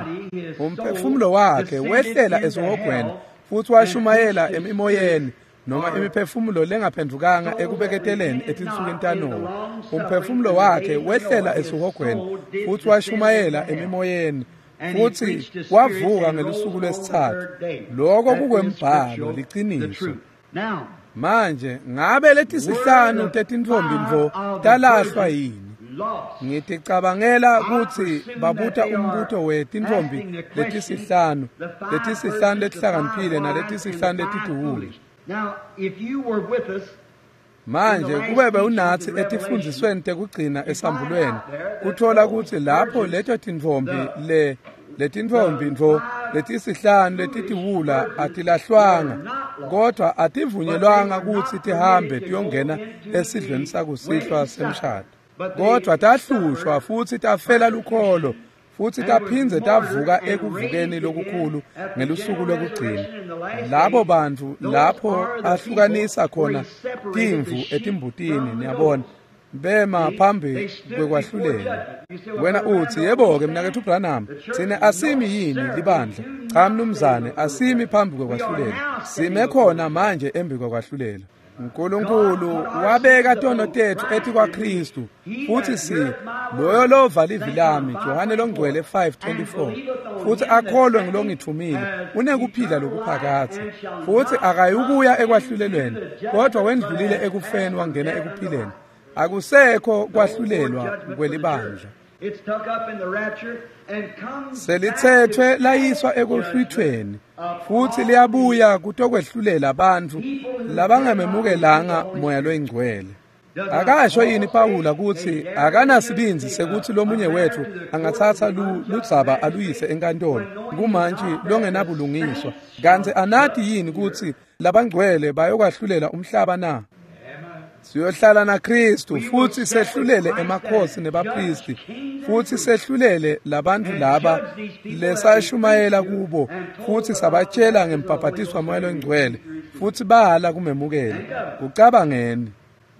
Umphefumulo wakhe wehlela esuhogweni futhi washumayela emimoyeni noma imiphefumulo lengaphendvukanga ekubeketeleni etinsukwini taNowa. Umphefumulo wakhe wehlela esihogweni futhi washumayela emimoyeni futhi wavuka ngelusuku lwesithathu. Lokho kukwembhalo, liciniso. Manje ngabe letisihlanu tetintfombi mvo talahlwa yini? Ngiticabangela kutsi babuta umbuto wetintfombi letisihlanu, letisihlanu letihlakaniphile naletisihlanu letituwule. Manje kube bewunatsi etifundzisweni tekugcina esambulweni, kuthola kutsi lapho leto tintfombi le letintfombi ntfo letisihlanu letitiwula atilahlwanga, kodwa ativunyelwanga kutsi tihambe tiyongena esidlweni sakusihlwa semshado. Kodwa tahlushwa futhi tafela lukholo futhi taphindze tavuka ekuvukeni lokukhulu ngelusuku lwekugcina. Labo bantfu lapho ahlukanisa khona timvu etimbutini, niyabona, bema phambi kwekwahlulela. Wena uthi, yebo-ke mnaketfu Branham, tsine asimi yini libandla? Cha mnumzane, asimi phambi kwekwahlulela. Sime khona manje embi kwekwahlulela. uNkulunkulu wabeka tono tethu etikwaKristu futhi si loyo lova livi lami, Johane longcwele five twenty-four, futhi akholwe ngilongithumile unekuphila lokuphakadze futhi akayukuya ekwahlulelweni, kodwa wendlulile ekufeni wangena ekuphileni. Akusekho kwahlulelwa kwelibandla. Selithethwe layiswa ekuhlwithweni futhi liyabuya kutokwehlulela bantfu labangamemukelanga moya loyingcwele. Akasho yini Pawula kutsi akanasibindzi sekuthi lomunye wethu angatsatsa ludzaba aluyise enkantolo kumantshi longenabulungiswa, kantsi anati yini kutsi labangcwele bayokwahlulela umhlaba na? Siyohlala naKristu futhi sehlulele emakhosi nebapristi futhi sehlulele labantu laba lesashumayela kubo futhi sabatshela ngembhaphatiswa moya longcwele futhi bahala kumemukela. Kucabangeni.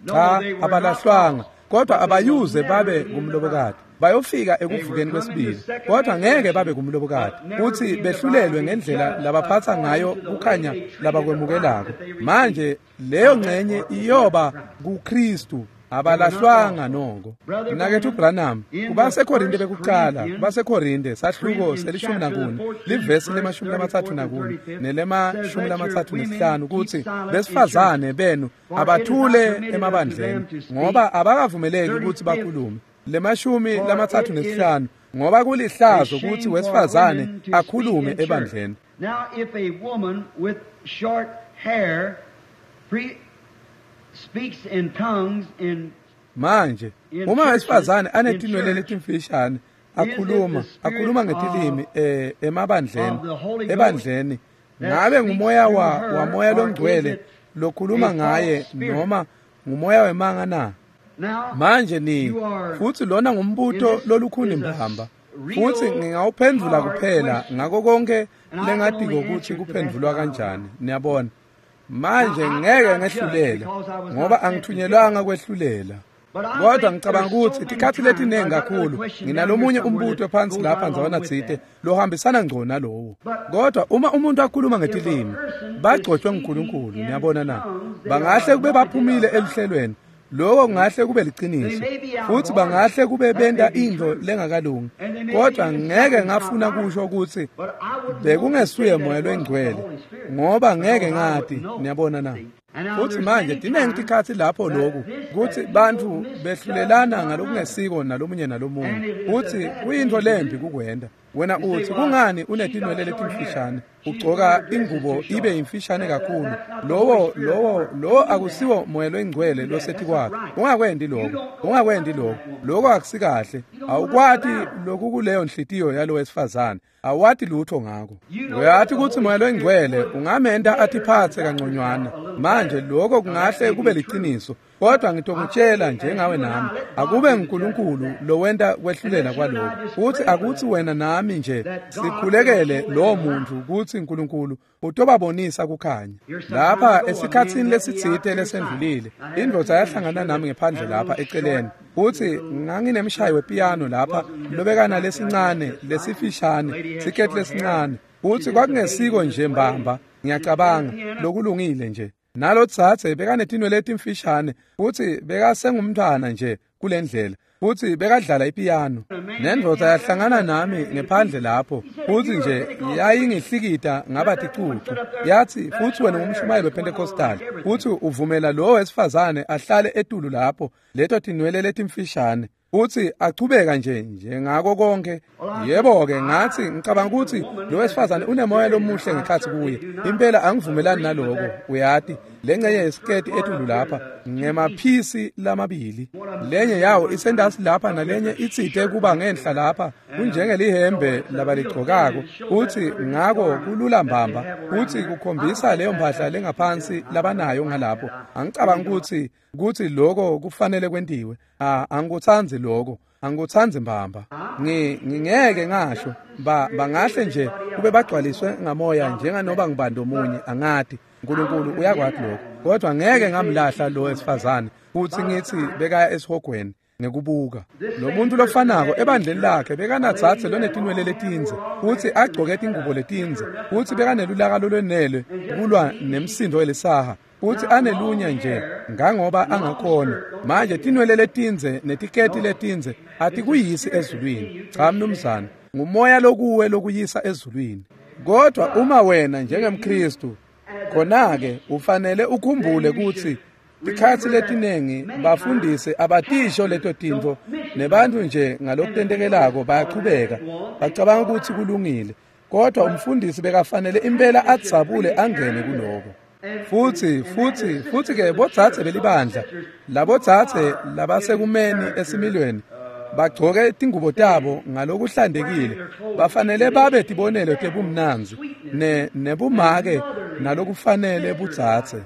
Cha, abalahlwanga, kodwa abayuze babe kumlobokati. Bayofika ekuvukeni kwesibili, kodwa ngeke babe kumlobokati futhi behlulelwe ngendlela labaphatha ngayo kukhanya labakwemukelako. Manje leyo ngcenye iyoba kuKristu, abalahlwanga noko. Mnaketfu Branham, kubaseKorinte bekuqala, kubaseKorinte sahluko selishumi nakune, livesi lemashumi lamatsatfu nakune nelemashumi lamatsatfu nesihlanu kutsi besifazane benu abathule emabandleni ngoba abakavumeleki kutsi bakhulume. Lemashumi lamatsatfu nesihlanu, ngoba kulihlazo kutsi wesifazane akhulume ebandleni. Now if a woman with short hair pre speaks in tongues in manje uma wesifazane anetinwele letimfishane akhuluma akhuluma ngetilimi eh emabandleni ebandleni, ngabe ngumoya wa wamoya longcwele lokhuluma ngaye noma ngumoya wemanga na? Manje ni futhi lona ngumbuto lolukhuni mbamba futhi ngingawuphendvula kuphela ngako konke lengatiko ukuthi kuphendvulwa kanjani, niyabona. Manje ngeke ngehlulele ngoba angithunyelwanga kwehlulela, kodwa ngicabanga ukuthi tikhathi letiningi kakhulu nginalomunye umbuto phansi lapha ndzawana tsite lohambisana ngco nalowo. Kodwa uma umuntu akhuluma ngetilimi bagcotshwe nguNkulunkulu, niyabona na, bangahle kube baphumile eluhlelweni, lokho kungahle kube liciniso futhi bangahle kube benta intfo lengakalungi, kodwa ngeke ngafuna kusho ukuthi bekungesuye moya longcwele ngoba ngeke ngati, niyabona na. Futhi manje tiningi tikhathi lapho lokhu kuthi bantfu behlulelana ngalokungesiko nalomunye nalomunye, futhi kuyintfo lembi kukwenta. Wena uthi kungani unetinwele letimfishane, ugcoka ingubo ibe yimfishane kakhulu? Lowo lowo lowo akusiwo moya longcwele losetikwakho. Ungakwendi lokho, ungakwendi lokho, lokho akusikahle. Awukwati lokhu kuleyo nhliziyo yalo wesifazane, awati lutho ngako. Uyathi ukuthi moya longcwele ungamenta atiphatse kanconywana. Manje lokho kungahle kube liciniso, kodwa ngitokutshela njengawe nami, akube nguNkulunkulu lowenta kwehlulela kwalokho. Futhi akuthi wena nami nje sikhulekele lowo muntu ukuthi uNkulunkulu utobabonisa kukhanya. Lapha esikhatsini lesitsite lesendlulile, indvodza yahlangana nami ngephandle lapha eceleni, futhi nganginemshayi wepiano lapha lobekana lesincane lesifishane siketi lesincane, futhi kwakungesiko nje mbamba, ngiyacabanga lokulungile nje. Nalotsatse bekanetinwele letimfishane futsi bekasengumntfwana nje kulendlela futsi bekadlala ipiyano. Nendvodza yahlangana nami ngephandle lapho futsi nje yayingihlikita ngaba ticucu. Yathi futsi wena ungumshumayeli wePentecostal futsi uvumela lo wesifazane ahlale etulu lapho leto tinwele letimfishane futsi achubeka nje njengako konke. Yebo-ke ngathi ngicabanga ukuthi lo wesifazane unemoya lomuhle ngekhatsi kuye. Impela angivumelani naloko, uyati. Lengcenye yesiketi etulu lapha ngemaphisi lamabili, lenye yawo isendasi lapha nalenye itsite kuba ngenhla lapha, kunjengelihembe labaligcokako futsi ngako kulula mbamba futsi kukhombisa leyo mphahla lengaphansi labanayo ngalapho. Angicabanga ukuthi kutsi lokho kufanele kwentiwe. Ah, angikutsandzi lokho, angikutsandzi mbamba. Ngi ngingeke ngasho ba bangahle nje kube bagcwaliswe ngamoya njenganoba ngibani omunye, angati. uNkulunkulu uyakwati lokho, kodwa ngeke ngamlahla lo wesifazane futhi ngithi bekaya esihogweni ngekubuka. Lo muntu lofanako ebandleni lakhe bekanatsatse lonetinwele letindze futhi agcoke tingubo letindze futhi bekanelulaka lolwenele kulwa nemsindo welisaha futhi anelunya nje ngangoba angakhona. Manje tinwele letindze netiketi letindze atikuyisi ezulwini. Cha mnumzane, ngumoya lokuwe lokuyisa ezulwini. Kodwa uma wena njengemKristu khona-ke ufanele ukhumbule ukuthi tikhatsi letinengi bafundisi abatisho leto tintfo nebantu nje ngalokutentekelako bayachubeka bacabanga ukuthi kulungile, kodwa umfundisi bekafanele impela adzabule angene kuloko. Futhi futhi futhi ke botsatse belibandla labotsatse labasekumeni esimilweni bagcoke tingubo tabo ngalokuhlantekile bafanele babe tibonelo tebumnandzi ne nebumake nalokufanele butsatse.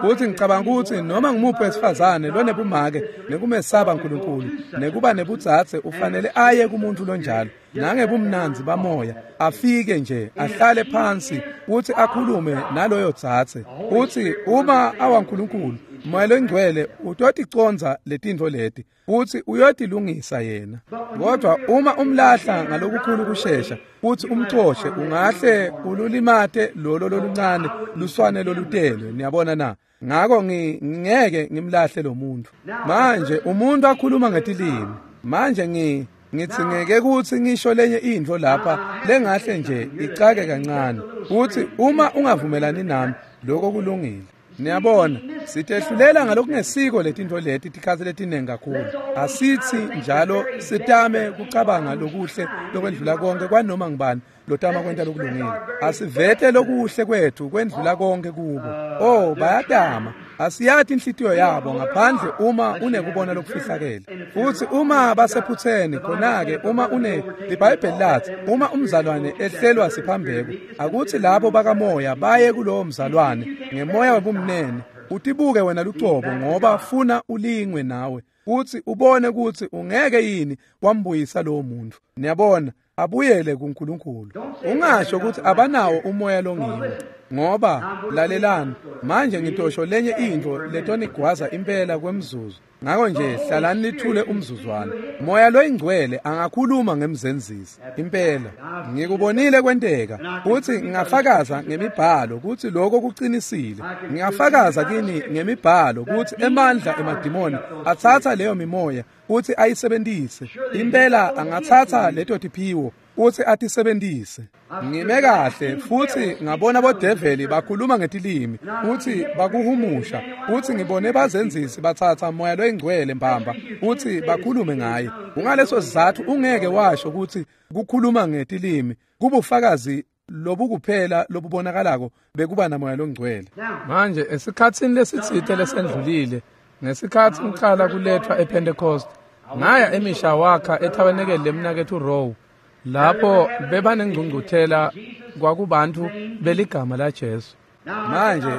Futhi ngicabanga ukuthi noma ngumuphi wesifazane lonebumake nekumesaba uNkulunkulu nekuba nebutsatse ufanele aye kumuntu lonjalo nangebumnandzi bamoya, afike nje ahlale phansi futhi akhulume naloyo tsatse. Futhi uma awaNkulunkulu Moya loNgcwele utoticonza letintfo leti futhi uyotilungisa yena. Kodwa uma umlahla ngalokukhulu kushesha futhi umcoshe, ungahle ululimate lolo loluncane luswane lolutelwe. Niyabona na? Ngako ngingeke ngimlahle lo muntu. Manje umuntu akhuluma ngetilimi, manje ngi ngithi ngeke kuthi ngisho lenye intfo lapha lengahle nje icake kancane, futhi uma ungavumelani nami lokho kulungile. Niyabona, sitehlulela ngalokungesiko letintfo leti tikhatsi letinengi kakhulu. Asithi njalo sitame kucabanga lokuhle lokwendlula konke kwanoma ngibani lotama kwenta lokulungile. Asivete lokuhle kwethu kwendlula konke kubo. Oh, bayatama. Asiyati inhlitiyo yabo ngaphandle uma unekubona lokufihlakele. Futhi uma basephutheni khona-ke uma une iBhayibheli lathi uma umzalwane ehlelwa siphambeko, akuthi labo bakamoya baye kulowo mzalwane ngemoya webumnene. Utibuke wena lucobo ngoba funa ulingwe nawe futhi ubone ukuthi ungeke yini wambuyisa lowo muntu. Niyabona, abuyele kuNkulunkulu. Ungasho ukuthi abanawo umoya longiwo, ngoba lalelani manje ngitosho lenye intfo letonigwaza impela kwemzuzu. Ngako nje hlalani nithule umzuzwana. Moya loyingcwele angakhuluma ngemzenzisi impela. Ngikubonile kwenteka futhi ngingafakaza ngemibhalo ukuthi lokho kuqinisile. Ngingafakaza kini ngemibhalo ukuthi emandla emadimoni athatha leyo mimoya futhi ayisebenzise. Impela angathatha leto tiphiwo futhi atisebenzise. Ngime kahle futhi ngabona bodeveli bakhuluma ngetilimi futhi bakuhumusha, futhi ngibone bazenzisi bathatha moya loyingcwele mbamba futhi bakhulume ngaye. Kungaleso sizathu ungeke washo ukuthi kukhuluma ngetilimi kubufakazi lobukuphela lobubonakalako bekuba namoya longcwele. Manje esikhatsini lesitsite lesendlulile, ngesikhatsi ngiqala kulethwa ePentecost, ngaya eMishawaka ethabenekele lemnakethu Rowe, lapho bebanengcungcuthela kwakubantu beligama laJesu. Manje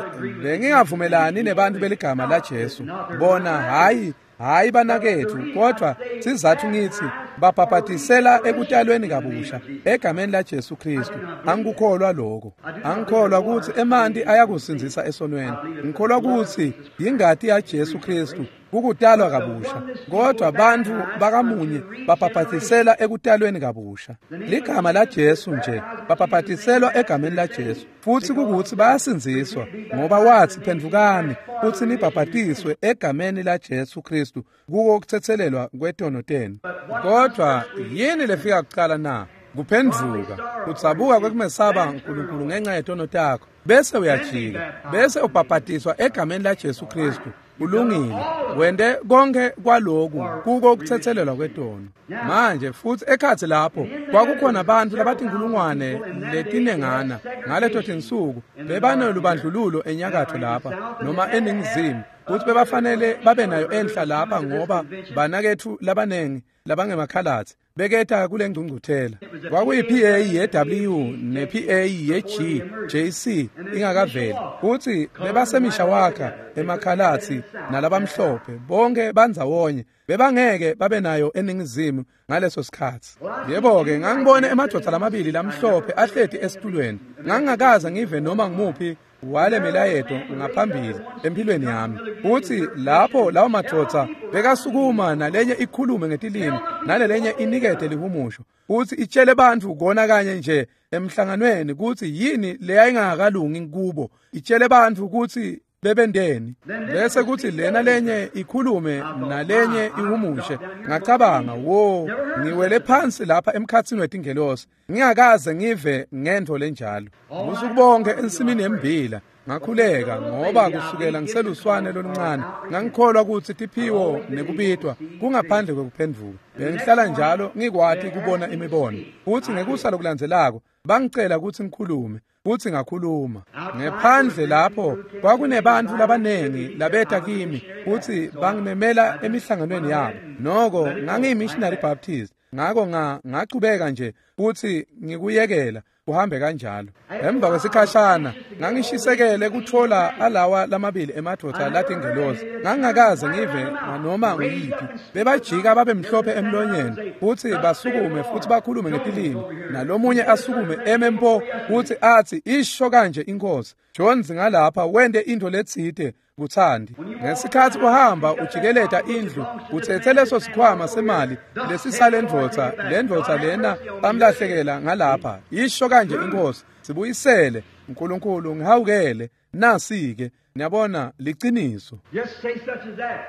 bengingavumelani nebantu beligama laJesu bona, hayi hayi banakethu, kodwa sizathu ngithi babhabhatisela ekutalweni kabusha egameni laJesu Kristu. Angikukholwa lokho. Angikholwa ukuthi emanti ayakusindzisa esonweni. Ngikholwa ukuthi ingati yaJesu Kristu Kukutalwa kabusha. Kodwa bantfu bakamunye babhabhatisela ekutalweni kabusha. Ligama la Jesu nje babhabhatiselwa egameni la Jesu. Futsi kukuthi bayasindziswa ngoba wathi phendvukani futsi nibhabhatiswe egameni la Jesu Kristu kuko kuthethelelwa kwetono tenu. Kodwa yini lefika kuqala na? Kuphendvuka, kutsabuka kwekumesaba uNkulunkulu ngenxa yetono takho, bese uyajika, bese ubhabhatiswa egameni la Jesu Kristu. Ulungile, wende konke kwaloku kuko kuthethelelwa kwetono. Manje futhi ekhathi lapho kwakukhona abantu labatinkulungwane letinengana ngaleto tinsuku bebanelubandlululo enyakatho lapha noma eningizimu, futhi bebafanele babe nayo enhla lapha ngoba banakethu labanengi labangemakhalatsi beketa kule ngcungcuthela. Kwakuyi P A ye W ne P A ye G J C ingakaveli, futhi bebasemishawaka emakhalatsi nalabamhlophe bonke bandzawonye bebangeke babe nayo eningizimu ngaleso sikhathi. Yebo-ke ngangibone emadvodza lamabili lamhlophe ahleti esitulweni. Ngangingakaze ngive noma ngimuphi wale milayeto ngaphambili empilweni yami. Uthi lapho lawo madvodza bekasukuma nalenye ikhulume ngetilimi nalelenye inikete lihumusho, uthi itshele bantfu kona kanye nje emhlanganweni kuthi yini leyayingakalungi kubo, itshele bantfu kuthi bebendeni, bese kuthi lena lenye ikhulume nalenye ihumushe. Ngacabanga, wo, ngiwele phansi lapha emkhathini wetingelosi, ngingakaze ngive ngento lenjalo. Ubusuku bonke ensimini yembila ngakhuleka, ngoba kusukela ngiseluswane loluncane ngangikholwa ukuthi tiphiwo nekubitwa kungaphandle kwekuphendvuka. Bengihlala njalo ngikwati kubona imibono. Futhi ngekusa lokulandzelako bangicela ukuthi ngikhulume, futhi ngakhuluma. Ngephandle lapho kwakunebantfu labanengi labeta kimi futhi bangimemela emihlanganweni yabo. Noko ngangiyi-missionary Baptist, ngako ngachubeka nje futhi ngikuyekela kuhambe kanjalo. Emva kwesikhashana ngangishisekele kuthola alawa lamabili emadvodza latingelosi. Ngangingakaze ngive noma nguyiphi. Bebajika babe mhlophe emlonyeni futhi basukume futhi bakhulume ngetilimi, nalomunye asukume eme mpo futhi athi isho kanje inkosi, Jones ngalapha wente into letsite kuthandi. Ngesikhathi uhamba ujikeleta indlu uthethe leso sikhwama semali lesisale ndvodza, le ndvodza lena bamlahlekela ngalapha, isho kanje inkosi, sibuyisele uNkulunkulu ngihawukele. Nasi-ke niyabona liciniso.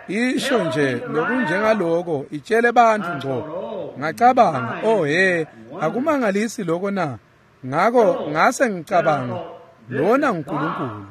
Isho nje lokunjengaloko itshele bantfu ngco. Ngacabanga, oh he, akumangalisi lokho na? Ngako ngase ngicabanga, lona uNkulunkulu.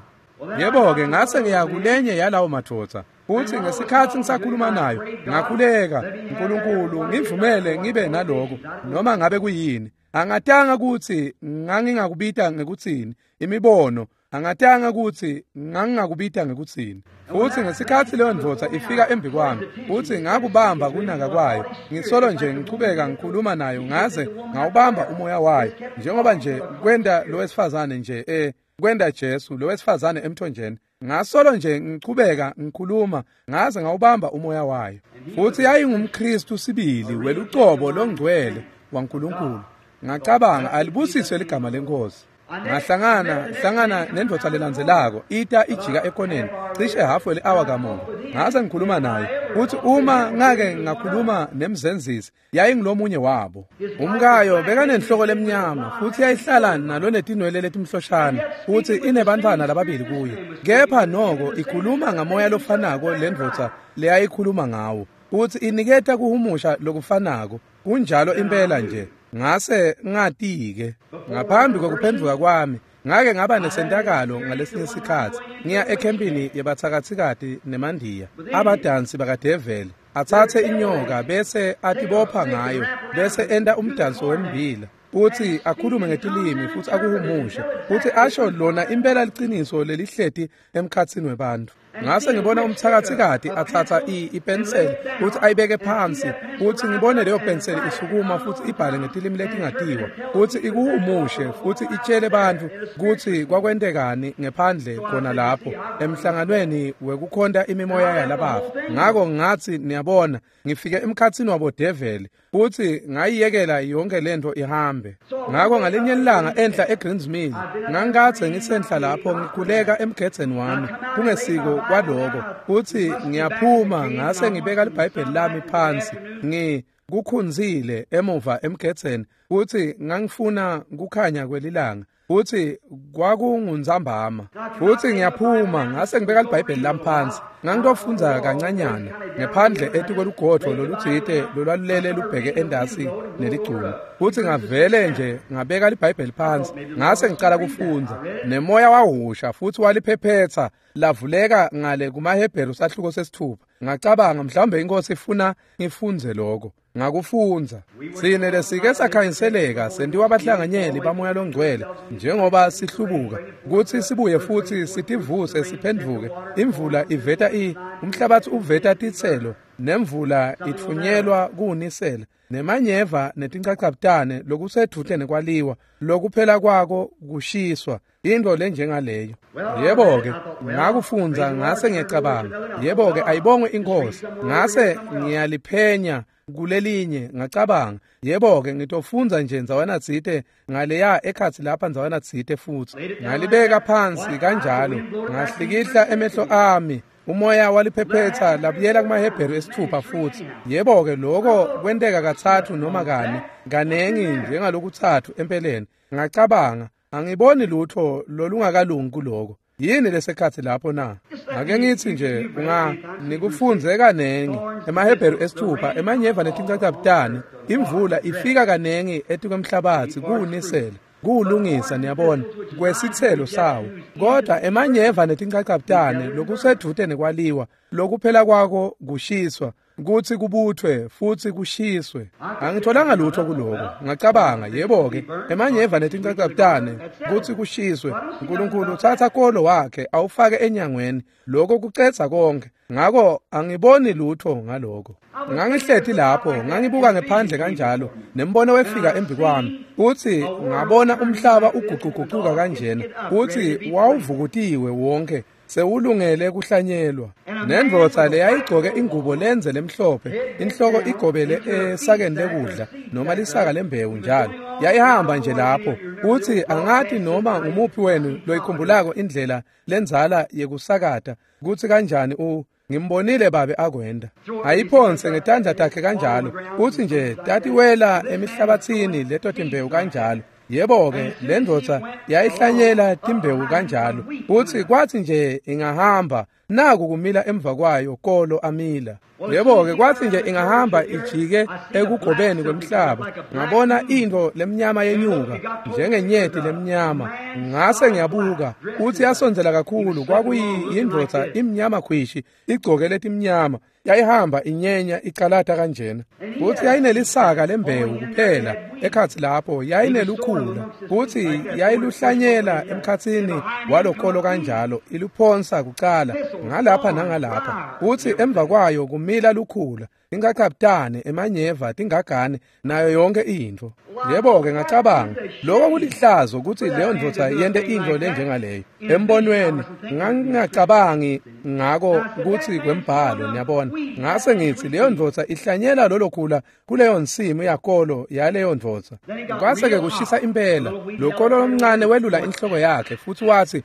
Yebo-ke ngase ngiya kulenye yalawo madvodza, futhi ngesikhathi ngisakhuluma nayo ngakhuleka, uNkulunkulu ngivumele ngibe naloko noma ngabe kuyini. Angatanga ukuthi ngangingakubita ngekuthini imibono, angatanga ukuthi ngangingakubita ngekuthini. Futhi ngesikhathi leyo ndvodza ifika embi kwami, futhi ngakubamba kunaka kwayo, ngisolo nje ngichubeka ngikhuluma nayo ngaze ngawubamba umoya wayo, njengoba nje kwenda lo wesifazane nje eh kwenda Jesu lo wesifazane emthonjeni. Ngasolo nje ngichubeka ngikhuluma ngaze ngawubamba umoya wayo. Futhi yayingumKristu sibili welucobo longcwele waNkulunkulu. Ngacabanga, alibusiswe ligama lenkosi. Ngahlangana hlangana nendvodza lelandzelako ita ijika ekoneni cishe hafu le-hour kamuva. Ngase ngikhuluma naye, futhi uma ngake ngakhuluma nemzenzisi yayingilomunye wabo. Umkayo bekanenhloko lemnyama futhi yayihlala nalo netinwele letimhloshana futhi inebantfwana lababili kuye. Kepha noko ikhuluma ngamoya lofanako lendvodza leyayikhuluma ngawo, futhi iniketa kuhumusha lokufanako. Kunjalo impela nje. Ngase ngati-ke ngaphambi kokuphendvuka kwami ngake ngaba nesentakalo ngalesinye isikhathi ngiya ekhempini yebathakathikati nemandiya, abadansi bakadeveli atsatse inyoka bese atibopha ngayo bese enta umdanso wembila, futhi akhulume ngetilimi futhi akuhumushe futhi asho lona impela liciniso lelihleti emkhathini webantu. Ngase ngibona umthakathikati athatha ipenseli futhi ayibeke phansi, futhi ngibone leyo penseli isukuma futhi ibhale ngetilimi letingatiwa futhi ikuhumushe futhi itshele bantu kutsi kwakwentekani ngephandle khona lapho emhlanganweni wekukhonta imimoya yalabafa. Ngako ngathi niyabona ngifike emkhathini wabo develi futhi ngayiyekela yonke lento ihambe. Ngako ngalinye ilanga enhla eGreens Mill ngangikathe ngisenhla lapho ngikhuleka emgedzeni wami kungesiko kwaloko kutsi ngiyaphuma ngase ngibeka liBhayibheli lami phansi ngi kukhunzile emuva emgedzeni kutsi ngangifuna kukhanya kwelilanga kutsi kwakunguntsambama futsi ngiyaphuma ngase ngibeka liBhayibheli lami phansi ngangitofundza kancanyana ngephandle etikwelugodvo lolutsite lolwalulele lubheke endasi neligcuma futsi ngavele nje ngabeka liBhayibheli phansi ngase ngicala kufundza nemoya wahusha futsi waliphephetsa lavuleka ngale kumaHebheru sahluko sesithupha. Ngacabanga mhlawumbe inkosi ifuna ngifundze lokho. Ngakufundza. Sine lesike sakhanyiseleka sentiwa abahlanganyeli bamoya longcwele njengoba sihlubuka kutsi sibuye futsi sitivuse siphendvuke. Imvula iveta i umhlabathi uveta titselo nemvula itfunyelwa kuwunisela nemanyeva netinchachabutane lokusedvute nekwaliwa lokuphela kwako kushiswa into lenjengaleyo. Yebo-ke ngakufundza ngase ngiyacabanga yebo-ke ayibongwe inkosi ngase ngiyaliphenya kulelinye ngacabanga yebo-ke ngitofundza nje ndzawana tsite ngaleya ekhatsi lapha ndzawana tsite futsi ngalibeka phansi kanjalo ngahlikihla emehlo ami umoya waliphephetsa labuyela kumaHebheru esithupha futsi. Yebo-ke lokho kwenteka katsatfu noma kane kanengi njengalokutsatfu empeleni. Ngacabanga angiboni lutho lolungakalungi kuloko. Yini lesekhatsi lapho na? Ake ngitsi nje unga nikufundze kanengi emaHebheru esithupha emanyeva netinchachabutane imvula ifika kanengi etikwemhlabatsi kuwunisela kuwulungisa niyabona kwesitselo sawo kodwa emanyeva netinchachabutane lokusedvute nekwaliwa lokuphela kwako kushiswa kutsi kubuthwe futsi kushiswe. Angitholanga lutho kuloko. Ngacabanga yebo-ke emanyeva netinchachabutane kutsi kushiswe. uNkulunkulu uthatha kolo wakhe awufake enyangweni lokho kucedza konke. Ngako angiboni lutho ngaloko. Ngangihleti lapho ngangibuka ngephandle kanjalo nembono wefika embi kwami kutsi ngabona umhlaba uguquguquka kanjena kutsi wawuvukutiwe wonke sewulungele kuhlanyelwa. Nendvodza leyayigcoke ingubo lenze lemhlophe inhloko igobele esakeni lekudla noma lisaka lembewu njalo yayihamba nje lapho kutsi angati noma ngumuphi wenu loyikhumbulako indlela lendzala yekusakata kutsi kanjani u ngimbonile babe akwenda ayiphonse ngetandla takhe kanjalo kutsi nje tatiwela emihlabatsini leto timbewu kanjalo. Yebo-ke le ndvodza yayihlanyela timbewu kanjalo kutsi kwatsi nje ingahamba naku kumila emva kwayo kolo amila. Yebo-ke kwatsi nje ingahamba ijike ekugobeni kwemhlaba ngabona intfo lemnyama yenyuka njengenyeti lemnyama ngase ngiyabuka kutsi yasondzela kakhulu kwakuyindvodza imnyama khwishi igcoke letimnyama yayihamba inyenya icalata kanjena kutsi yayinelisaka lembewu kuphela ekhatsi lapho yayinelukhula kutsi yayiluhlanyela emkhatsini walokolo kanjalo iluphonsa kucala ngalapha nangalapha kutsi emva kwayo kumila lukhula ingachaptane emanyeva tingagane nayo yonke intfo. Yebo-ke ngacabanga lokho kulihlazo kutsi leyo ndvodza yente intfo lenjengaleyo. Embonweni ngangingacabangi ngako kutsi kwembhalo niyabona. Ngase ngitsi leyo ndvodza ihlanyela lolo khula kuleyo nsimu yakolo yaleyo ndvodza. Kwase-ke kushisa impela lokolo lomncane welula inhloko yakhe futsi watsi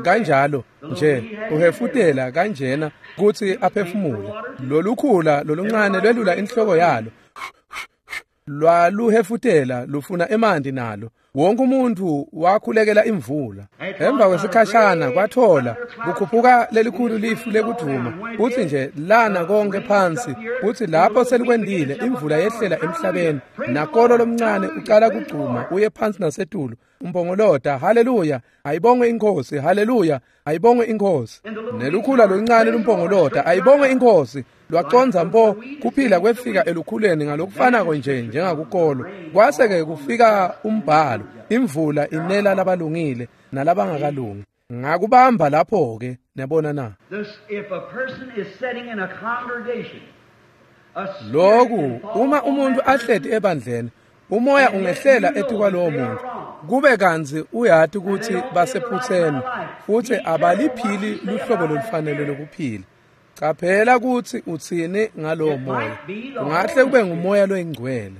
kanjalo nje uhefutela kanjena kutsi aphefumule. Lolukhula loluncane lwelula inhloko yalo lwaluhefutela lufuna emanti nalo. Wonke umuntu wakhulekela imvula. Emva kwesikhashana kwathola kukhuphuka lelikhulu lifu lekudvuma kutsi nje lana konke phansi kutsi lapho selikwendile imvula yehlela emhlabeni nakolo lomncane ucala kugcuma uye phansi nasetulu umpongolota haleluya ayibongwe inkosi haleluya ayibongwe inkosi. Nelukhula loluncane lumpongolota ayibongwe inkosi lwacondza mpo kuphila kwefika elukhuleni ngalokufanako nje njengakukolo. Kwase-ke kufika umbhalo imvula inela labalungile nalabangakalungi. Ngakubamba lapho-ke niyabona na. Lokhu uma umuntu ahleti ebandleni umoya ungehlela etikwalowo muntu kube kantsi uyati kutsi basephutseni futsi abaliphili luhlobo lolufanele lokuphila. Caphela kutsi utsini ngalowo moya. Ungahle kube ngumoya loyingcwele.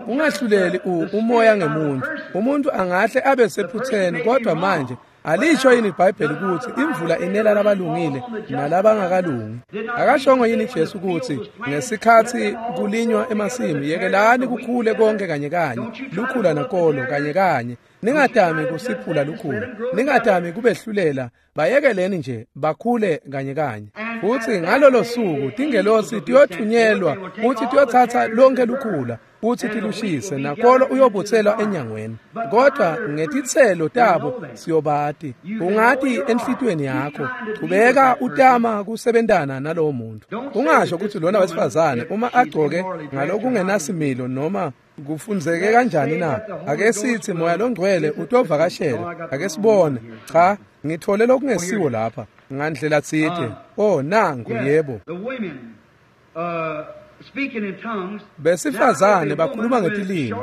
Ungahluleli umoya ngemuntu. Umuntu angahle abe sephutseni kodwa manje Alisho yini iBhayibheli ukuthi imvula inela labalungile nalabangakalungi? Akashongo yini Jesu ukuthi ngesikhathi kulinywa emasimi yekelani kukhule konke kanye kanye, lukhula nakolo kanye kanye, ningatami kusiphula lukhula, ningatami kubehlulela, bayekeleni nje bakhule kanye kanye. Futhi ngalolo suku tingelosi tiyothunyelwa futhi tiyothatha lonke lukhula futhi tilushise, nakolo uyobuthelwa enyangweni. Kodwa ngetitselo tabo siyobati. Ungati enhlitweni yakho, chubeka utama kusebentana nalowo muntu. Ungasho ukuthi lona wesifazane uma agcoke ngalokungenasimilo noma kufunzeke kanjani na? Ake sithi moya longcwele utovakashela, ake sibone. Cha, ngithole lokungesiwo lapha ngandlela tsite. Oh, nangu yebo. Besifazane bakhuluma ngetilimi.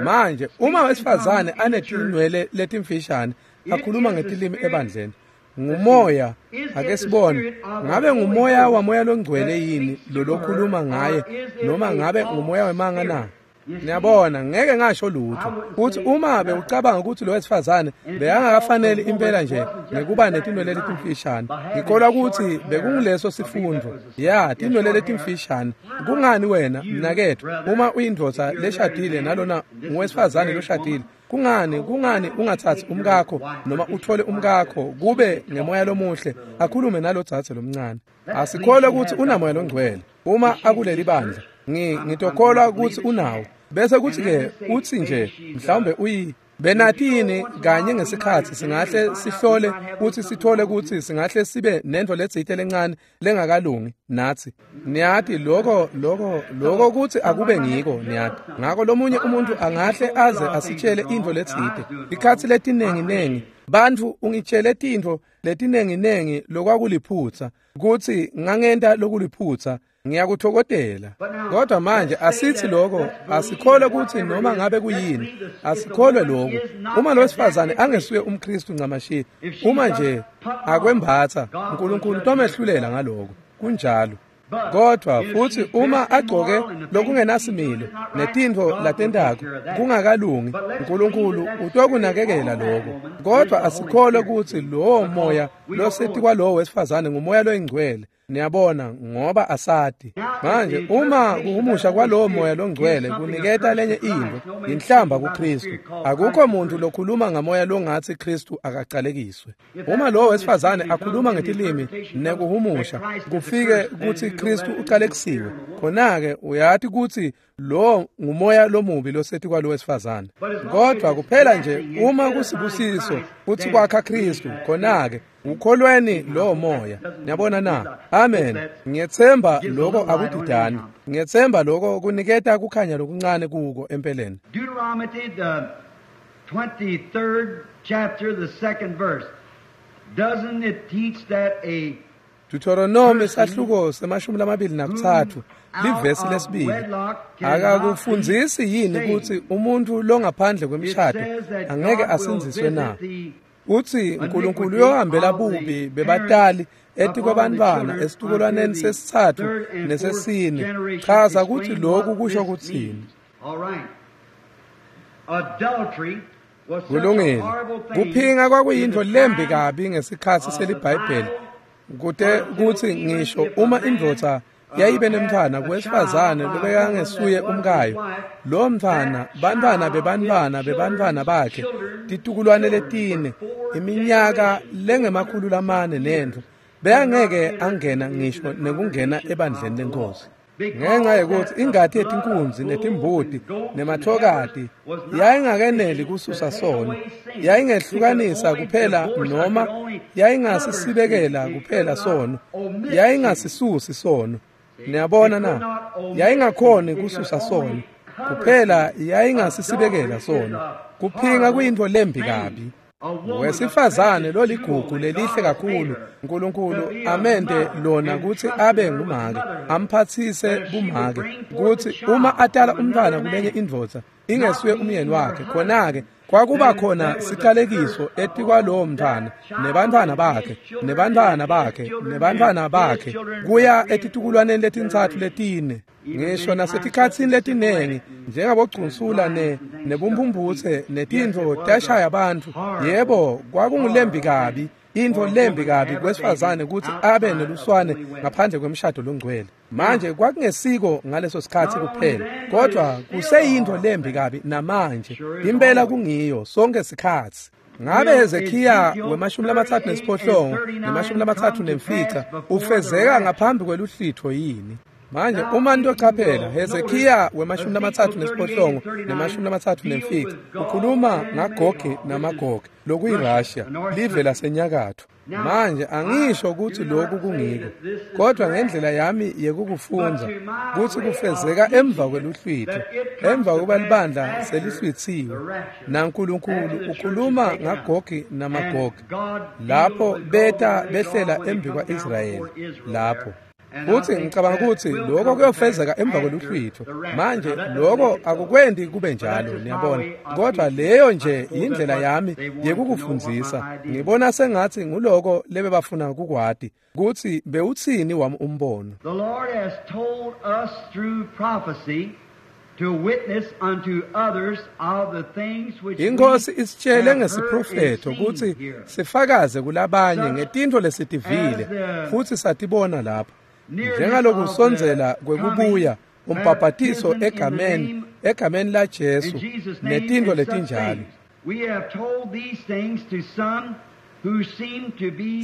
Manje uma wesifazane anetinwele letimfishane akhuluma ngetilimi ebandleni, ngumoya. Ake sibone, ngabe ngumoya wamoya longcwele yini lo lokhuluma ngaye, noma ngabe ngumoya wemanga na? Niyabona, ngeke ngasho lutho. Uthi uma bewucabanga ukuthi lo wesifazane bekangakafanele impela nje ngekuba netinwele letimfishane, ngikholwa ukuthi bekunguleso sifundo. Ya, tinwele letimfishane. Kungani wena mnaketfu, uma uyindvodza leshadile nalona ngowesifazane loshadile, kungani kungani ungathathi umkakho noma uthole umkakho kube ngemoya lomuhle akhulume nalodzadze lomncane? Asikholwe ukuthi unamoya longcwele uma akuleli bandla. Ngi ngitokholwa ukuthi unawo. Bese kuthi ke uthi nje mhlawumbe uyi benatini kanye ngesikhathi singahle sihlole ukuthi sithole ukuthi singahle sibe nento letsite lencane lengakalungi nathi. Niyati lokho lokho lokho kuthi akube ngiko, niyati. Ngakho lomunye umuntu angahle aze asitshele into letsite. Ikhathi letinengi nengi bantfu ungitshele tintfo letinengi nengi lokwakuliphutsa kuthi ngangenta lokuliphutsa, ngiyakuthokodela. Kodwa manje asithi lokho, asikholwe ukuthi noma ngabe kuyini, asikholwe lokho. Uma lo wesifazane angesuye umKristu ncamashi, uma nje akwembatha, uNkulunkulu utomehlulela ngaloko. Kunjalo. Kodwa futhi uma agcoke lokungenasimilo netintfo latentako kungakalungi, uNkulunkulu utokunakekela lokho. Kodwa asikholwe ukuthi lowo moya loseti kwalowo wesifazane ngumoya loyingcwele. Niyabona, ngoba asati. Manje uma kuhumusha kwalowo moya longcwele kuniketa lenye into, inhlamba kuKristu. Akukho muntu lokhuluma ngamoya longathi Kristu akacalekiswe. Uma lowo wesifazane akhuluma ngetilimi nekuhumusha kufike kuthi Kristu ucalekisiwe, khona-ke uyati ukuthi lo ngumoya lomubi losethi kwalo wesifazane. Kodwa kuphela nje uma kusibusiso kuthi kwakha Kristu, khona-ke ukholweni lo moya. Niyabona na? Amen. Ngiyethemba lokho akudidani. Ngiyethemba lokho kuniketa kukhanya lokuncane kuko empeleni. Deuteronomy the twenty-third chapter, the second verse. Doesn't it teach that a Deuteronomy sahluko semashumi lamabili nakutsatfu livesi lesibili akakufundzisi yini ukuthi umuntu longaphandle kwemishado angeke asindziswe na? Uthi uNkulunkulu uyohambela bubi bebatali etikwabantwana esitukulwaneni sesitsatfu nesesine. Chaza ukuthi lokhu kusho kuthini. Kulungile. Kuphinga kwakuyintfo lembi kabi ngesikhathi seliBhayibheli. Kute kuthi ngisho uma indvodza yayibe nemntfwana kuwesifazane lobekangesuye umkayo, lo mntfwana, bantfwana bebantfwana bebantfwana bakhe, titukulwane letine, iminyaka lengemakhulu lamane nentfo, beyangeke angena ngisho nekungena ebandleni lenkosi. Ngenxa yokuthi ingati yetinkunzi netimbuti nemathokati yayingakeneli kususa sono, yayingehlukanisa kuphela noma yayingasisibekela kuphela sono, yayingasisusi sono. Niyabona na? Yayingakhoni kususa sono kuphela, yayingasisibekela sono. Kuphinga kuyintfo lembi kabi. Wesifazane loligugu lelihle kakhulu uNkulunkulu amente lona ukuthi abe ngumake, amphathise bumake, ukuthi uma atala umntwana kulenye indvodza ingesuye umyeni wakhe, khona-ke kwakuba khona sicalekiso etikwalowo mntwana nebantwana bakhe nebantwana bakhe nebantwana bakhe kuya etitukulwaneni letintsatfu letine. Ngisho nasetikhatsini letinengi njengabogcunsula ne nebumphumputse netintfo tashaya bantfu. Yebo, kwakungulembi kabi, intfo lembi kabi kwesifazane kutsi abe neluswane ngaphandle kwemshado longcwele. Manje kwakungesiko ngaleso sikhatsi kuphela, kodwa kuseyintfo lembi kabi namanje. Impela kungiyo sonke sikhatsi. Ngabe Hezekiya wemashumi lamatsatfu nesiphohlongo nemashumi lamatsatfu nemfica ufezeka ngaphambi kweluhlitho yini? Manje uma nitochaphela Hezekiya wemashumi lamatsatfu nesiphohlongo nemashumi lamatsatfu nemfica ukhuluma ngaGogi namaGogi lokuyiRussia, live lasenyakatfo. Manje angisho ukuthi lokhu kungiko, kodwa ngendlela yami yekukufundza kutsi kufezeka emva kweluhlwitho, emva kuba libandla selihlwitsiwe, naNkulunkulu ukhuluma ngaGogi namaGogi lapho beta behlela embi kwa-Israyeli lapho. Futhi ngicabanga ukuthi lokho kuyofezeka emva kweluhlwitho. Manje lokho akukwendi kube njalo, niyabona, kodwa leyo nje indlela yami yekukufundzisa. Ngibona sengathi nguloko lebebafuna kukwati kutsi bewutsini wami umbono. The Lord has told us through prophecy to witness unto others of the things which Inkosi isitshele ngesiprofetho kutsi sifakaze kulabanye ngetintfo lesitivile futhi satibona lapha. Njengalokusondzela kwekubuya umbhabhatiso egameni egameni la Jesu netintfo letinjalo.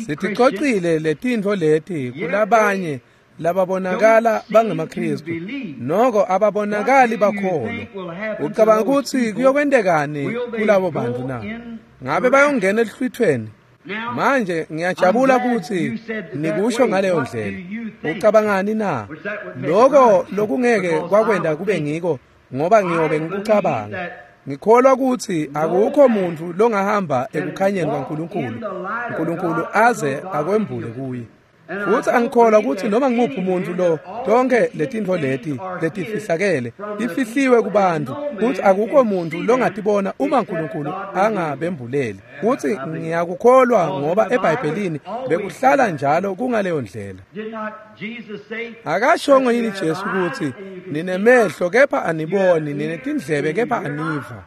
Siticocile letintfo leti kulabanye lababonakala bangemaKristu, noko ababonakali bakholwa. Ucabanga kutsi kuyokwentekani kulabo bantu na? Ngabe bayongena eluhlwithweni? Manje ngiyajabula kutsi nikusho ngaleyo ndlela. Ucabangani na? Lokho lokungeke kwakwenda kube ngiko, ngoba ngiyobe ngikucabanga. Ngikholwa kutsi akukho muntu longahamba ekukhanyeni kwaNkulunkulu, uNkulunkulu aze akwembule kuye. Futhi angikholwa ukuthi noma ngimuphi umuntu lo tonke letintfo leti letifihlakele tifihliwe kubantu, kuthi akukho muntu longatibona uma uNkulunkulu angabembuleli. Kuthi ngiyakukholwa ngoba eBhayibhelini bekuhlala njalo kungaleyo ndlela. Akashongo yini Jesu ukuthi ninemehlo kepha aniboni, ninetindlebe kepha aniva?